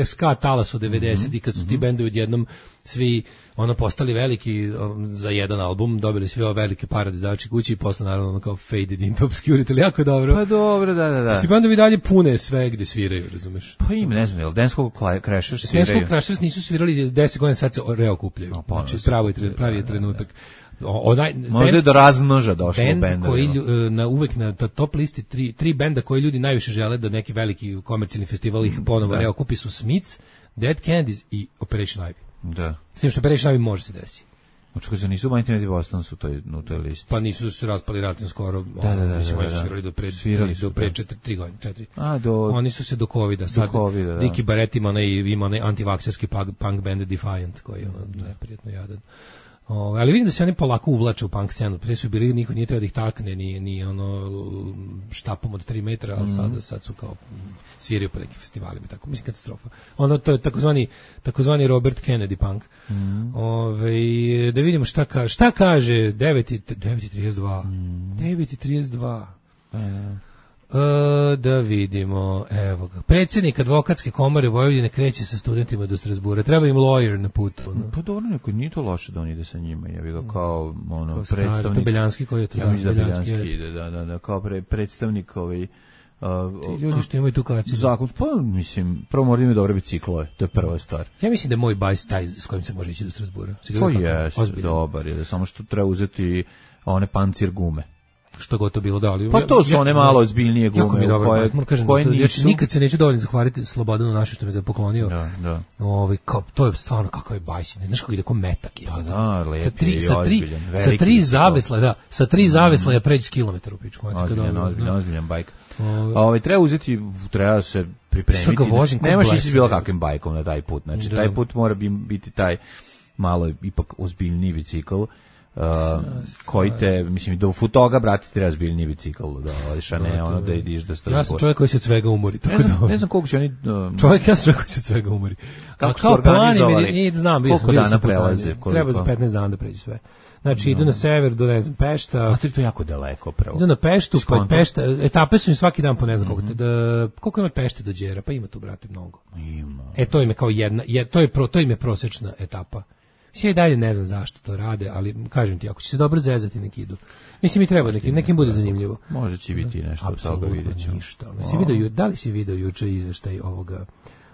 ska talasu devedesetih, kad su ti bendovi odjednom svi ono postali veliki um, za jedan album, dobili svi ove velike pare da dači kući i posle naravno ono kao faded into obscurity, ali jako je dobro. Pa dobro, da, da, da. Ti bendovi dalje pune sve gde sviraju, razumeš? Pa im, ne znam, jel Dance Hall Crashers sviraju? Dance Hall Crashers nisu svirali deset godina, sad se reokupljaju. No, znači, pravo je, pravi je trenutak. Onaj, možda je do razmnoža došlo band benda, koji na uvek na top listi tri, tri benda koji ljudi najviše žele da neki veliki komercijalni festival ih ponovo reokupi su Smiths, Dead Kennedys i Operation Ivy. Da. S tim što Operation Ivy može se desiti. Očekaj se nisu Mighty Mighty Boston su toj, u toj listi. Pa nisu se raspali ratom skoro. Da, da, da. Mislim, da, oni da. su svirali do pre, Svirali do pre četiri, tri godine, četiri. A, do... Oni su se do covida. Sad, do covida, da. Diki Barrett ima onaj, ima onaj antivakserski punk, punk band Defiant, koji je ono neprijatno jadan. O, ali vidim da se oni polako uvlače u punk scenu. Prije su bili, niko nije teo da ih takne, ni, ni ono štapom od tri metra, ali sada, sad su kao sviraju po nekim festivalima, tako, mislim, katastrofa. Ono, to je takozvani, takozvani Robert Kennedy punk. Mm. Ove, da vidimo šta, ka, šta kaže devet i trideset dva. Mm. devet i trideset dva. Mm. E, da vidimo, evo ga. Predsjednik advokatske komore Vojvodine kreće sa studentima do Strasbura. Treba im lawyer na putu. No. Pa dobro, neko, nije to loše da on ide sa njima. Ja bih ga kao ono, kao predstavnik. To Beljanski koji je to. Ja mislim da Beljanski ide, da, da, da, kao pre, predstavnik ovaj... Uh, ti ljudi što imaju tu kaciju. Zakon, pa mislim, prvo mora imati dobre biciklove, to je prva stvar. Ja mislim da je moj bajs taj s kojim se može ići do Strasbura. To je, dobar je, da samo što treba uzeti one pancir gume. Što god to bilo da li. Pa to su one malo ozbiljnije gume. Jako mi je dobro, koje, moram kažem, koje da nisu... nikad se neću dovoljno zahvaliti Slobodanu naše što mi ga je poklonio. Da, da. Ovaj kao to je stvarno kakav je bajs, ne znaš kako ide kao metak je. Pa da, lepo. Sa tri sa tri sa tri zavesla, da, sa tri zavesla ja pređi kilometar u pičku. Ozbiljan, ozbiljan, ozbiljan bajk. A ovaj treba uzeti, treba se pripremiti. Nemaš ići bilo kakvim bajkom na taj put. Znači taj put mora biti taj malo ipak ozbiljniji bicikl. Uh, koji te, mislim, do futoga, brati, treba zbiljni bicikl da odiš, a ne ono da idiš da Strasbourg. Ja sam čovjek koji se od svega umori. Ne znam, ne znam koliko će oni... Um, čovjek, ja sam čovjek koji se od svega umori. Kako su organizovali? Nije, znam, koliko sam, dana prelaze? Treba za petnaest dana da pređe sve. Znači, no. Idu na sever, do, ne znam, Pešta. A to je to jako daleko, pravo. Idu na Peštu, pa Pešta, etape su im svaki dan po ne znam koliko. Mm-hmm. Da, koliko ima Pešte do Đera? Pa ima tu, brate, mnogo. Ima. E, to im je kao jedna, je, to, je pro, to im je prosečna etapa. Sve i dalje ne znam zašto to rade, ali kažem ti, ako će se dobro zezati neki idu. Mislim, mi treba nekim, nekim bude zanimljivo. Može će biti nešto od toga, vidjet ćemo. Ništa. Si vidio, da li si vidio juče izveštaj ovoga?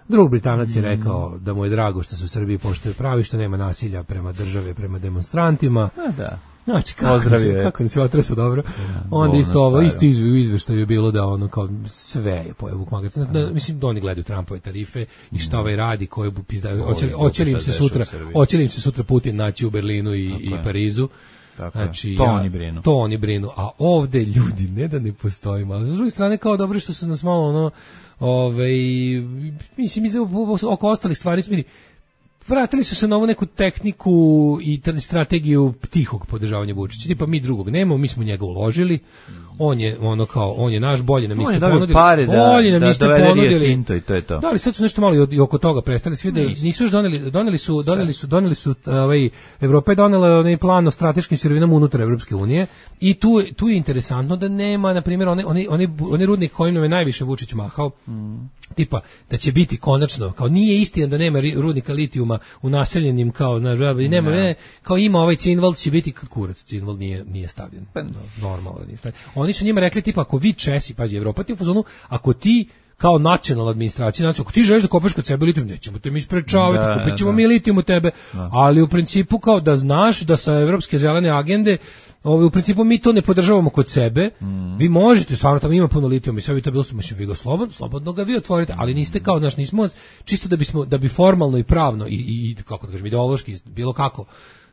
Drug Britanac je rekao da mu je drago što se u Srbiji poštuje pravi, što nema nasilja prema države, prema demonstrantima. A da. Znači, kako se, kako se otresu dobro. Ja, onda isto ovo, isto u izveštaju je bilo da ono kao sve je pojeo Vuk Magac. Da, mislim da oni gledaju Trumpove tarife i šta ovaj radi, koje bu pizdaju. Hoće li im se sutra, hoće li im se sutra Putin naći u Berlinu i, i Parizu. Tako znači, to ja, oni brinu. To oni brinu. A ovde ljudi ne da ne postojimo. Ali s druge strane kao dobro što su nas malo ono, ovaj, mislim, oko ostalih stvari su, vidi, vratili su se na ovu neku tehniku i strategiju tihog podržavanja Vučića. Tipa mi drugog nemamo, mi smo njega uložili. On je ono kao on je naš, bolje nam niste ponudili. Pare da, bolje nam da, niste da ponudili. Tinto i to je to. Da, ali sad su nešto malo i oko toga prestali svi da nisu još doneli, doneli su, doneli su, doneli su ovaj Evropa je donela onaj plan o strateškim sirovinama unutar Evropske unije i tu tu je interesantno da nema na primjer oni oni oni oni rudnik kojim nam je najviše Vučić mahao. Mm. Tipa da će biti konačno kao nije istina da nema rudnika litijuma u naseljenim kao na i nema ne. Kao ima ovaj Cinvald će biti kurac Cinvald nije nije stavljen. Pa, normalno nije stavljen. Oni su njima rekli tipa ako vi Česi, pazi Evropa ti u fazonu, ako ti kao nacionalna administracija, znači, ako ti želiš da kopaš kod sebe litijum, nećemo te mi sprečavati, kupit ćemo mi litijum u tebe, da. Ali u principu kao da znaš da sa evropske zelene agende Ovi, u principu mi to ne podržavamo kod sebe. Mm. Vi možete, stvarno tamo ima puno litijuma i sve bi to bilo su, mislim, vi ga slobodno, slobodno ga vi otvorite, ali niste kao, znaš, nismo, čisto da bismo, da bi formalno i pravno i, i kako da kažem, ideološki, bilo kako,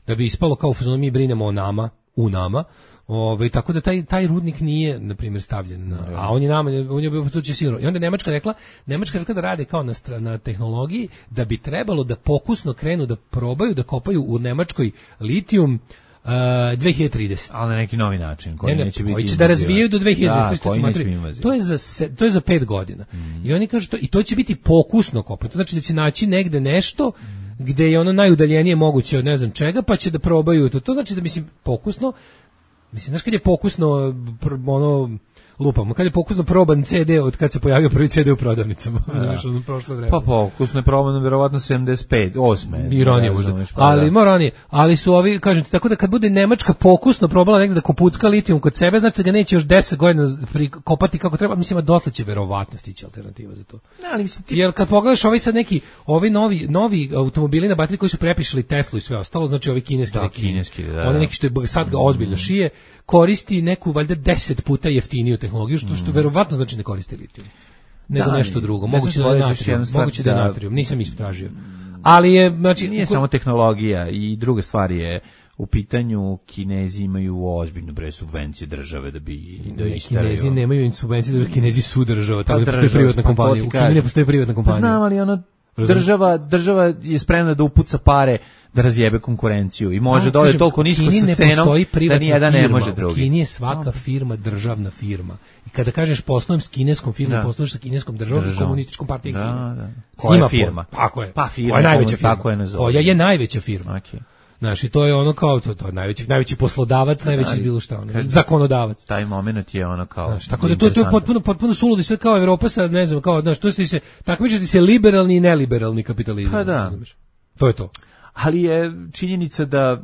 da bi ispalo kao u fazonu mi brinemo o nama, u nama. Ove, tako da taj taj rudnik nije na primjer stavljen na, a on je nama on je bio to će sigurno. I onda Nemačka rekla, Nemačka rekla da rade kao na, na tehnologiji da bi trebalo da pokusno krenu da probaju da kopaju u Nemačkoj litijum Uh, dve hiljade tridesete. Ali na neki novi način koji ne, ne, neće biti koji će da razvijaju do dve hiljade trideset. Da, to je za se, to je za pet godina. Mm. I oni kažu to i to će biti pokusno kopanje. To znači da će naći negde nešto gde je ono najudaljenije moguće od ne znam čega, pa će da probaju to. To znači da mislim pokusno, mislim znaš kad je pokusno ono lupamo, kad je pokusno proban ce de od kad se pojavio prvi ce de u prodavnicama, znaš, ono prošlo vreme. Pa pokusno je proban verovatno sedamdeset pet, osme. I ranije možda. Ali mora ranije, ali su ovi, kažem ti, tako da kad bude Nemačka pokusno probala negde da kopucka litijum kod sebe, znači da ga neće još deset godina kopati kako treba, mislim da dotle će verovatno stići alternativa za to. Ne, ali mislim ti... Jer kad pogledaš ovaj sad neki, ovi novi novi automobili na bateriji koji su prepišali Teslu i sve ostalo, znači ovi kineski da, neki, kineski, da, oni neki što je sad ga ozbiljno šije, koristi neku valjda deset puta jeftiniju tehnologiju, što što verovatno znači ne koristi litijum, nego da, nešto drugo, ne moguće da je natrijum, moguće da je natrijum, nisam istražio. Ali je, znači nije samo tehnologija i druga stvar je u pitanju Kinezi imaju ozbiljnu bre subvencije države da bi da isteraju. Kinezi nemaju subvencije, da Kinezi su država, tamo pa postoji privatna pa kompanija. U Kini ne postoji privatna kompanija. Pa znam, ali ono država država je spremna da upuca pare da razjebe konkurenciju i može da ode toliko nisko sa cenom da nijedan ne može drugi. U Kini je svaka firma državna firma. I kada kažeš poslujem s kineskom firmom, posluješ sa kineskom državom, komunističkom partijom Kine. Da, da. Koja je firma? Tako je. Pa firma. Koja je najveća firma? Tako je nazove. Koja je najveća firma? Okay. Znaš, i to je ono kao, to, to je najveći, najveći poslodavac, najveći bilo šta, ono, zakonodavac. Taj moment je ono kao... Znaš, tako da to, to je potpuno, potpuno suludo i sve kao Evropa sa, ne znam, kao, znaš, to se, takmičiti se liberalni i neliberalni kapitalizam. Pa da. Znaš, to je to. Ali je činjenica da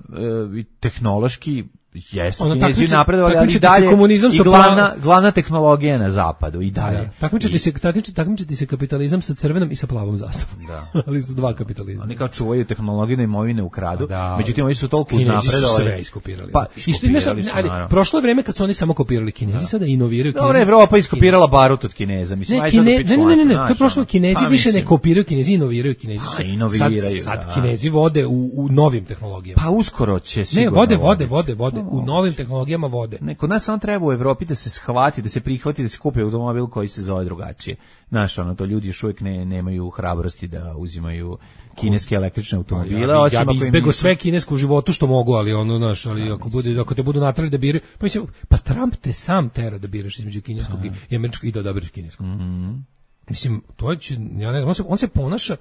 e, tehnološki jesu Kinezi napredovali, ali dalje i glavna, glavna tehnologija na zapadu i dalje. Da, takmičiti se, takmičiti se kapitalizam sa crvenom i sa plavom zastavom. Da. Ali su dva kapitalizma. Oni kao čuvaju tehnologiju da imovine ukradu, da, međutim oni su toliko uznapredovali. Kinezi su sve iskopirali. Pa, iskopirali su, ali, prošlo je vreme kad su oni samo kopirali, Kinezi da. Sada inoviraju. Dobro, Evropa iskopirala barut od Kineza. Mislim, ne, Kine, ne, ne, ne, ne, to je prošlo, Kinezi pa, više ne kopiraju, Kinezi inoviraju, Kinezi su. Inoviraju, sad, sad Kinezi vode u, u novim tehnologijama. Pa uskoro će sigurno. Ne, vode, vode, vode, vode, u novim tehnologijama vode. Ne, kod nas samo treba u Evropi da se shvati, da se prihvati, da se kupi automobil koji se zove drugačije. Znaš, ono, to ljudi još uvijek ne, nemaju hrabrosti da uzimaju kineske električne automobile. Ja, ja bi izbegao nisu... sve kinesko u životu što mogu, ali ono, znaš, ali ja, ako, bude, ako te budu natrali da biraju, pa, mislim, pa Trump te sam tera da biraš između kineskog Aha. i američkog i da odabiraš kineskog. Mm-hmm. Mislim, to će, ja ne znam, on se, on se ponaša,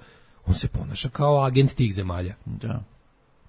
on se ponaša kao agent tih zemalja. Da.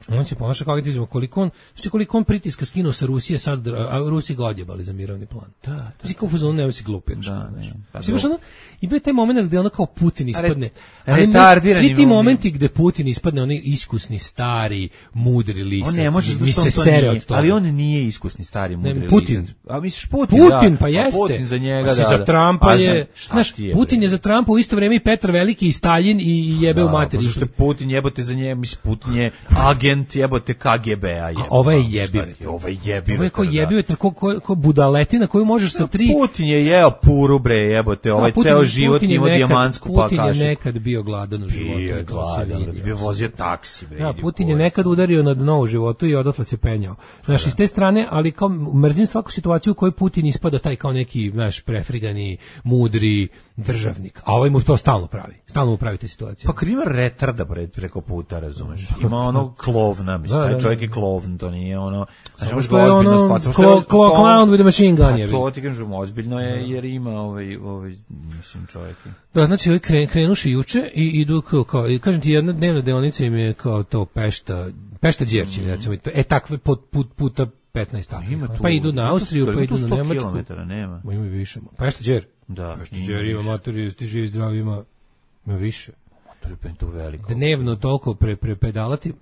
On se ponaša kao agent, koliko on, znači koliko on pritiska skinuo sa Rusije, sad, a Rusi ga odjebali za mirovni plan. Da, da. Znači, kao fuzon, nema si glupi. Da, ne. Mislim, ono, ima taj moment gde ono kao Putin ispadne. Retardirani svi ti momenti gde Putin ispadne, onaj iskusni, stari, mudri lisac. On ne može, mi se sere od toga. Ali on nije iskusni, stari, mudri lisac. Putin. A misliš Putin, Putin, da. pa jeste. Putin za njega, da. Za Trumpa je, znaš, Putin je za Trumpa u isto vreme i Petar Veliki i Stalin i jebe u materi. Što je Putin jebote za njega, mislim, Putin je agent jebote K G B-a je. A ovo je jebive. Ovo je jebive. Ovo je kao jebive, ko, ko, ko budaletina koju možeš sa tri... Putin je jeo puru, bre, jebote, ovaj Putin, ceo život Putin imao dijamantsku pa kašiku. Putin je nekad bio gladan u životu. Bio je gladan, bio vozio taksi, bre. Ja, Putin je nekad udario na dno u životu i odatle se penjao. Znaš, iz te strane, ali kao mrzim svaku situaciju u kojoj Putin ispada taj kao neki, znaš, prefrigani, mudri državnik. A ovaj mu to stalno pravi. Stalno mu pravi te situacije. Pa kad ima retarda preko puta, razumeš. Ima ono klovna, mislim, taj čovjek je klovn, to nije ono... Znači, što je ono clown with a machine gun je. To ti kažem, ozbiljno je, jer ima ovaj, ovaj mislim, čovjek. Da, znači, kren, krenuši juče i idu kao, kao i kažem ti, jedna dnevna deonica im je kao to Pešta, Pešta Đerći, mm. recimo, e takve put, put, puta petnaest takvih. Pa idu na Austriju, pa idu na Nemačku. Nema. Ma ima i više. Pešta Đer. Da, Pešta Đer ima materi, ti živi zdravi, ima, ima više. Materi, to veliko. Dnevno toliko pre, pre pedalati.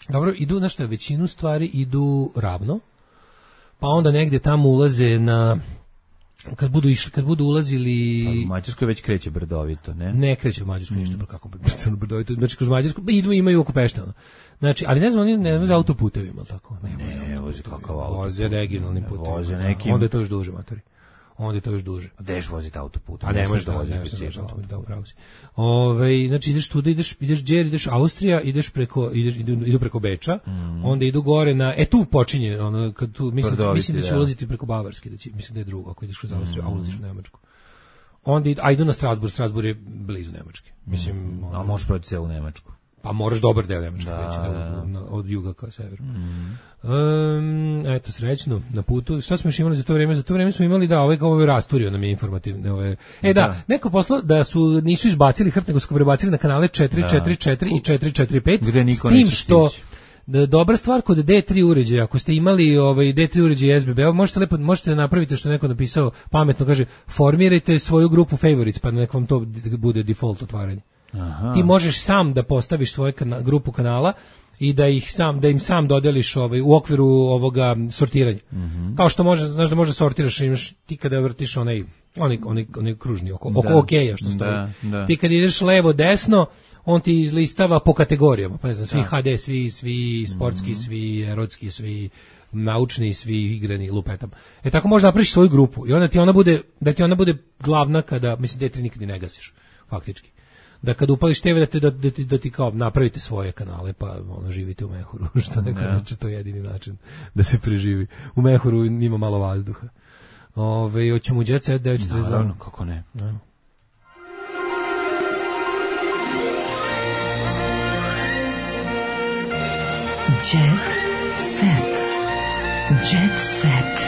Dobro, idu, znaš šta, većinu stvari idu ravno, pa onda negdje tamo ulaze na, kad budu išli, kad budu ulazili... A u Mađarskoj već kreće brdovito, ne? Ne kreće u Mađarskoj, ništa, mm. kako brdovito, znači kroz Mađarsku, idu, imaju oko Peštana. Znači, ali ne znam, oni ne voze autoputevima, tako? Ne, ne voze kakav auto. Voze regionalnim putevima. Voze nekim... Onda je to još duže, matori. onda je to još duže. Gdeš voziti autoputom? A ne možeš da voziš bicikl. Da, upravo si. Ove, znači ideš tu, ideš, ideš Đer, ideš Austrija, ideš preko, ideš, idu, idu preko Beča, mm. onda idu gore na, e tu počinje, ono, kad tu, mislim, Prdoviti, mislim da će da. ulaziti preko Bavarske, da će, mislim da je drugo, ako ideš kroz Austriju, mm. a ulaziš u Nemačku. Onda idu, a idu na Strasbourg, Strasbourg je blizu Nemačke. Mislim, mm. a možeš proći celu Nemačku. Pa moraš dobar deo Nemačke da, preći, da, da. Na, od juga ka severu. Mm. Um, eto, srećno, na putu. Šta smo još imali za to vreme? Za to vreme smo imali, da, ovaj kao ovaj rasturio nam je informativne. Ove. E da, da, neko poslao da su, nisu izbacili hrt, nego su prebacili na kanale četiri četiri četiri i četiri četiri pet. Gde niko s tim što da, dobra stvar kod D tri uređaja, ako ste imali ovaj D tri uređaj S B B, možete lepo možete da napravite što neko napisao pametno, kaže formirajte svoju grupu favorites, pa nek vam to bude default otvaranje. Aha. Ti možeš sam da postaviš svoju kana, grupu kanala i da ih sam da im sam dodeliš ovaj u okviru ovoga sortiranja. Mm-hmm. Kao što može, znaš da može sortiraš, imaš ti kada vrtiš onaj onaj onaj onaj kružni oko oko da. Okeja što stoji. Da, da. Ti kad ideš levo desno, on ti izlistava po kategorijama, pa ne znam, svi da. H D, svi svi sportski, mm-hmm. svi erotski, svi naučni, svi igrani, lupetam. E tako možeš napraviš svoju grupu i onda ti ona bude da ti ona bude glavna kada mislim D tri nikad ne gasiš faktički. Da kad upališ te ve da, te, da, da, ti, da ti kao napravite svoje kanale pa ono živite u mehuru, što neko reče, to je jedini način da se preživi. U mehuru ima malo vazduha. Ove, hoćemo u Jet Set devet četrdeset dva. Naravno, kako ne. Ajmo. Jet Set. Jet Set.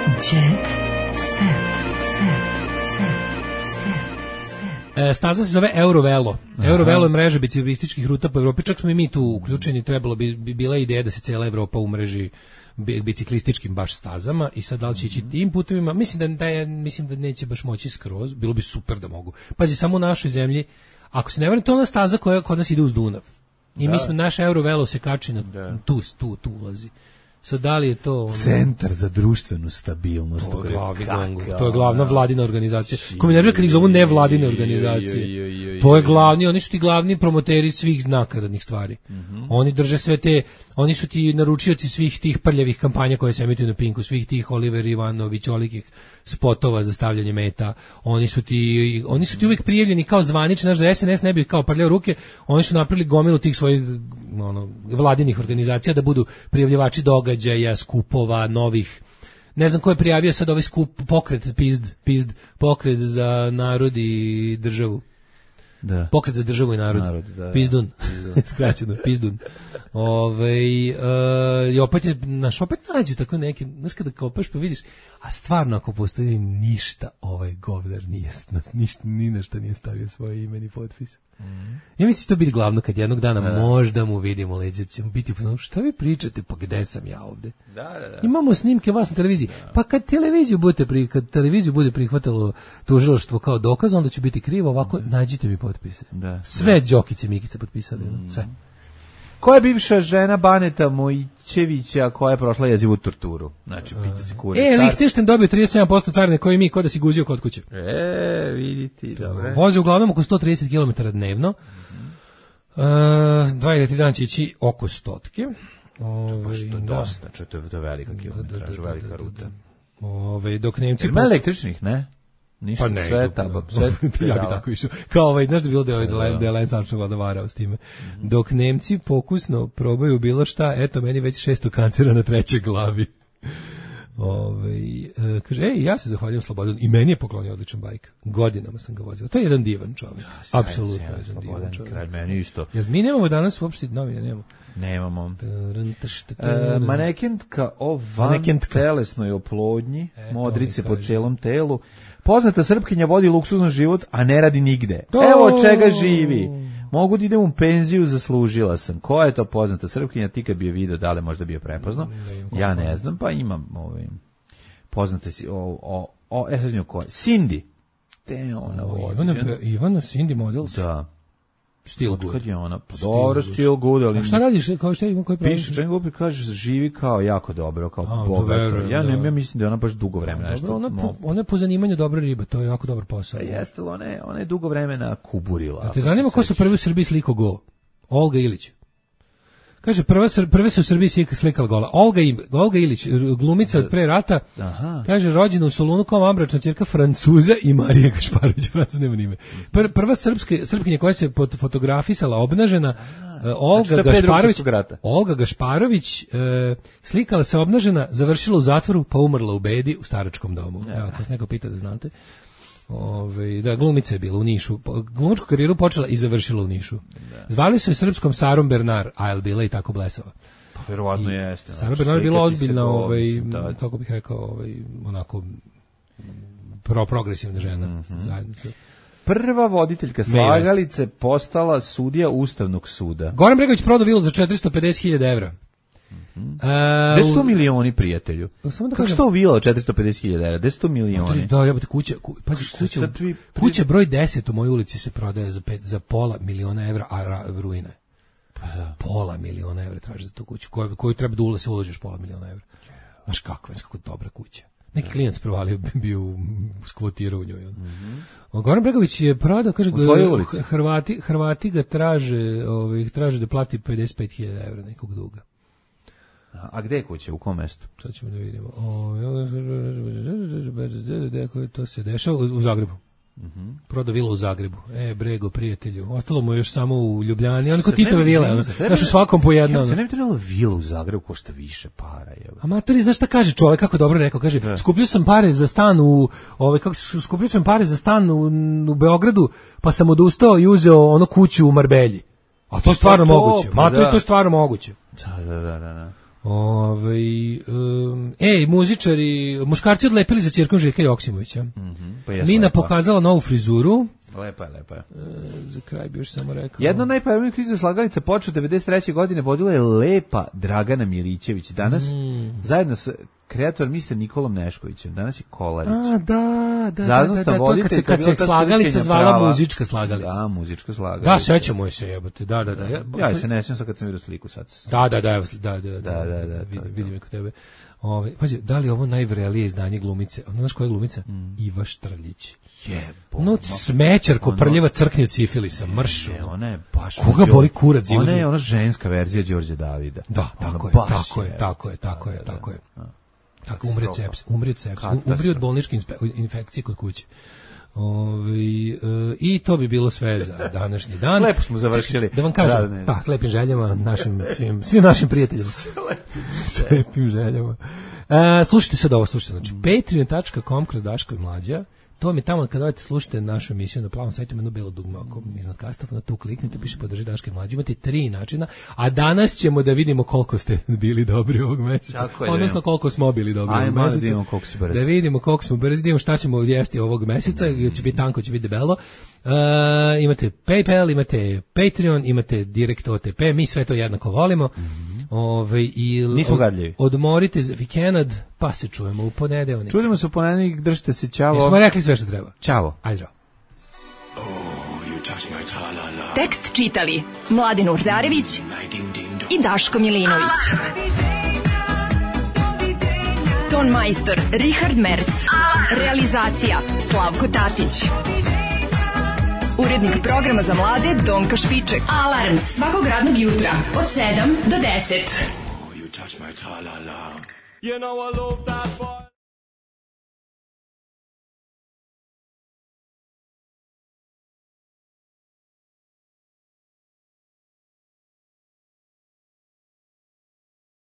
Jet Set. Set. E, staza se zove Eurovelo. Eurovelo je mreža biciklističkih ruta po Evropi. Čak smo i mi tu uključeni. Trebalo bi, bi bila ideja da se cijela Evropa umreži biciklističkim baš stazama i sad da li će ići tim putevima. Mislim da, da je, mislim da neće baš moći skroz. Bilo bi super da mogu. Pazi, samo u našoj zemlji, ako se ne vrne, to je ona staza koja kod nas ide uz Dunav. I da. Mi smo, naš Eurovelo se kači na da. tu, tu, tu ulazi. Sad da li je to ono... Centar za društvenu stabilnost. To je, glavni gongu, to je glavna vladina organizacija. Ko mi nervira kad ih zovu nevladine organizacije. To je glavni, oni su ti glavni promoteri svih nakaradnih stvari. Mm-hmm. Oni drže sve te, oni su ti naručioci svih tih prljavih kampanja koje se emituju na Pinku, svih tih Oliver Ivanović, olikih spotova za stavljanje meta. Oni su ti, oni su ti uvijek prijavljeni kao zvanični, znaš da S N S ne bi kao prljao ruke, oni su napravili gomilu tih svojih ono, vladinih organizacija da budu prijavljivači događaja, skupova, novih. Ne znam ko je prijavio sad ovaj skup, pokret, pizd, pizd, pokret za narod i državu. Da. Pokret za državu i narod. narod da, Pizdun. Pizdun. Skraćeno, Pizdun. Ove, uh, i opet je, naš opet nađu tako neki, znaš kada kopaš pa vidiš, a stvarno ako postoji ništa, ovaj govnar nije, ništa, ni na što nije stavio svoje ime ni potpis. Mm. Ja mislim to biti glavno kad jednog dana da. Možda mu vidimo leđe, ćemo biti, šta vi pričate, pa gde sam ja ovde? Da, da, da. Imamo snimke vas na televiziji, da. Pa kad televiziju budete pri, kad televiziju bude prihvatalo tužilaštvo kao dokaz, onda će biti krivo, ovako da. Nađite mi potpise. Da, sve da. Đokice Mikice potpisali, mm. sve. Ko je bivša žena Baneta Mojčevića koja je prošla jezivu torturu? Znači, pita se kuri. E, Lichtenstein dobio trideset sedam posto carine koji mi, ko da si guzio kod kuće. E, vidite. Vozi uglavnom oko sto trideset kilometara dnevno. Mm-hmm. Uh, dva ili tri dana će ići oko stotke. Ove, što je dosta, čo to je to velika kilometraža, velika ruta. Ove, dok Nemci... Ima električnih, ne? Ništa, pa ne, sve tamo, sve ja bi tako išao. Kao ovaj, znaš da bilo da je ovaj da je Lance Armstrong vlada varao s time. Mm-hmm. Dok Nemci pokusno probaju bilo šta, eto meni već šesto kancera na trećoj glavi. Ove, e, kaže, ej, ja se zahvaljujem Slobodan i meni je poklonio odličan bajk. Godinama sam ga vozio. To je jedan divan čovjek. Da, apsolutno je jedan divan čovjek. Kralj, meni isto. Jer mi nemamo danas uopšte novine, nemamo. Nemamo. E, manekentka o van telesnoj oplodnji, e, modrice po celom telu. Poznata Srpkinja vodi luksuzan život, a ne radi nigde. To... Evo od čega živi. Mogu da idem u penziju, zaslužila sam. Koja je to poznata Srpkinja? Ti kad bi je video, da li možda bi je prepoznao? Ja ne znam, pa imam ovaj, poznate si, o, o, o, e sad nju koja? Cindy. Te ona vodi. Ivana, Ivana Cindy model? Da. Still good. Kad je ona? Pa dobro, still good, ali... A šta radiš? Kao šta ima koji pravi? Piše, čem glupi kaže, živi kao jako dobro, kao a, bogato. Ja, ne, ja mislim da je ona baš dugo vremena nešto... Dobro, ona, po, ona je po zanimanju dobra riba, to je jako dobar posao. Pa jeste, ona je, ona je dugo vremena kuburila. A te zanima ko su prvi u Srbiji sliko go? Olga Ilić. Kaže, prva, prve se u Srbiji slikala gola. Olga, Olga Ilić, glumica od pre rata, aha. Kaže, rođena u Solunu kao ambračna ćerka Francuza i Marija Gašparović, Francuz nema nime. Pr, prva srpske, srpkinja koja se fotografisala obnažena, uh, Olga, znači, Gašparović, Olga Gašparović uh, slikala se obnažena, završila u zatvoru, pa umrla u bedi u staračkom domu. Ja. Evo, ako se neko pita da znate. Ove, da, glumica je bila u Nišu. Glumačku karijeru počela i završila u Nišu. Da. Zvali su je srpskom Sarom Bernard, a je bila i tako blesava. Pa verovatno jeste. Sara Bernard je bila ozbiljna, ovaj, kako bih rekao, ovaj, onako pro progresivna žena. Mm-hmm. Zajednicu. Prva voditeljka slagalice postala sudija Ustavnog suda. Goran Bregović prodao vilu za četiristo pedeset hiljada evra. Mm. Gde su to milioni, prijatelju? Samo da kako što vila četiristo pedeset hiljada evra? Gde su to milioni? Da, jebote, kuća, ku, pazi, kuća, kuća broj deset u mojoj ulici se prodaje za, pet, za pola miliona evra, a ra, ruina je. Pa da. Pola miliona evra traži za tu kuću, koju, koju treba da ula se uložiš pola miliona evra. Znaš kako, već kako dobra kuća. Neki klijent provalio, bio skvotirao u njoj. Mm-hmm. Goran Bregović je prodao, kaže, Hrvati, Hrvati ga traže, ovaj, traže da plati pedeset pet hiljada evra nekog duga. A gde je kuća, u kom mestu? Sad ćemo da vidimo. Gde to se dešava? U Zagrebu. Mm-hmm. Prodao vilu u Zagrebu. E, Brego, prijatelju. Ostalo mu još samo u Ljubljani. Ono ko Titove vile. Znaš, u svakom po jednom. Se ne bi trebalo vilu u Zagrebu, košta više para. Amatori, znaš šta kaže čovjek, kako dobro rekao? Kaže, da. skupio sam pare za stan u, ovaj, kako, skupio sam pare za stan u, u Beogradu, pa sam odustao i uzeo ono kuću u Marbelji. A to je stvarno to, moguće. Pa, Matori, da. to je stvarno moguće. Da, da, da, da. Ove, um, ej, muzičari, muškarci odlepili za ćerkom Željka Joksimovića. Mm-hmm, pa Mina lepa. pokazala novu frizuru. Lepa je, lepa je. E, za kraj bi još samo rekao. Jedna od najpojavnijih kriza slagalica počeo devedeset treće godine vodila je lepa Dragana Milićević. Danas mm. zajedno sa kreator mister Nikolom Neškovićem. Danas je Kolarić. A, da, da, Zajedno da, da, da, to kad se, kad se slagalica zvala prava. muzička slagalica. Da, muzička slagalica. Da, sećamo je se, jebote, da, da, da. Ja, ja se ne sjećam sad kad sam vidio sliku sad. Da, da, da, da, da, da, da, da, da vidim, vidim je kod tebe. Ove, pazi, da li ovo najvrelije izdanje glumice? Ono, znaš koja je glumica? Mm. Iva Štrljić. Jebo. No, smećar ko prljava crknje od sifilisa, mršu. Je, ona je baš... Koga boli kurac? Ona je ona ženska verzija Đorđe Davida. Da, tako je, tako je, tako je, tako je, tako je. Tako, umri od sepsa, umri od sepsa, umri od bolničke infekcije kod kuće. Ovi, e, i to bi bilo sve za današnji dan. Lepo smo završili. Da vam kažem, da, pa, lepim željama našim, svim, svim našim prijateljima. S lepim željama. E, slušajte sad ovo, slušajte, znači, patreon dot com kroz Daško i Mlađa. To mi tamo kad dojete slušate našu emisiju na plavom sajtu, ima jedno belo dugme oko iznad kastofona, tu kliknite, piše podrži Daške i Mlađe. Imate tri načina, a danas ćemo da vidimo koliko ste bili dobri ovog meseca. Odnosno koliko smo bili dobri ovog meseca. Da vidimo koliko si brzi. Da vidimo koliko smo brzi, da vidimo šta ćemo jesti ovog meseca, će biti tanko, će biti debelo. Uh, imate PayPal, imate Patreon, imate Direct O T P, mi sve to jednako volimo. Mm-hmm. Ove, i Nismo gadljivi. Odmorite za vikend, pa se čujemo u ponedeljak. Čujemo se u ponedeljak, držite se, ćao. Jesmo rekli sve što treba. Ćao. Ajde, zdravo. Oh, tekst čitali Mladin Urdarević i Daško Milinović. Ton majstor Richard Merc. Realizacija Slavko Tatić. Urednik programa za mlade Donka Špiček. Alarms svakog radnog jutra od sedam do deset. Oh, you touch my tra-la-la. You know I love that boy.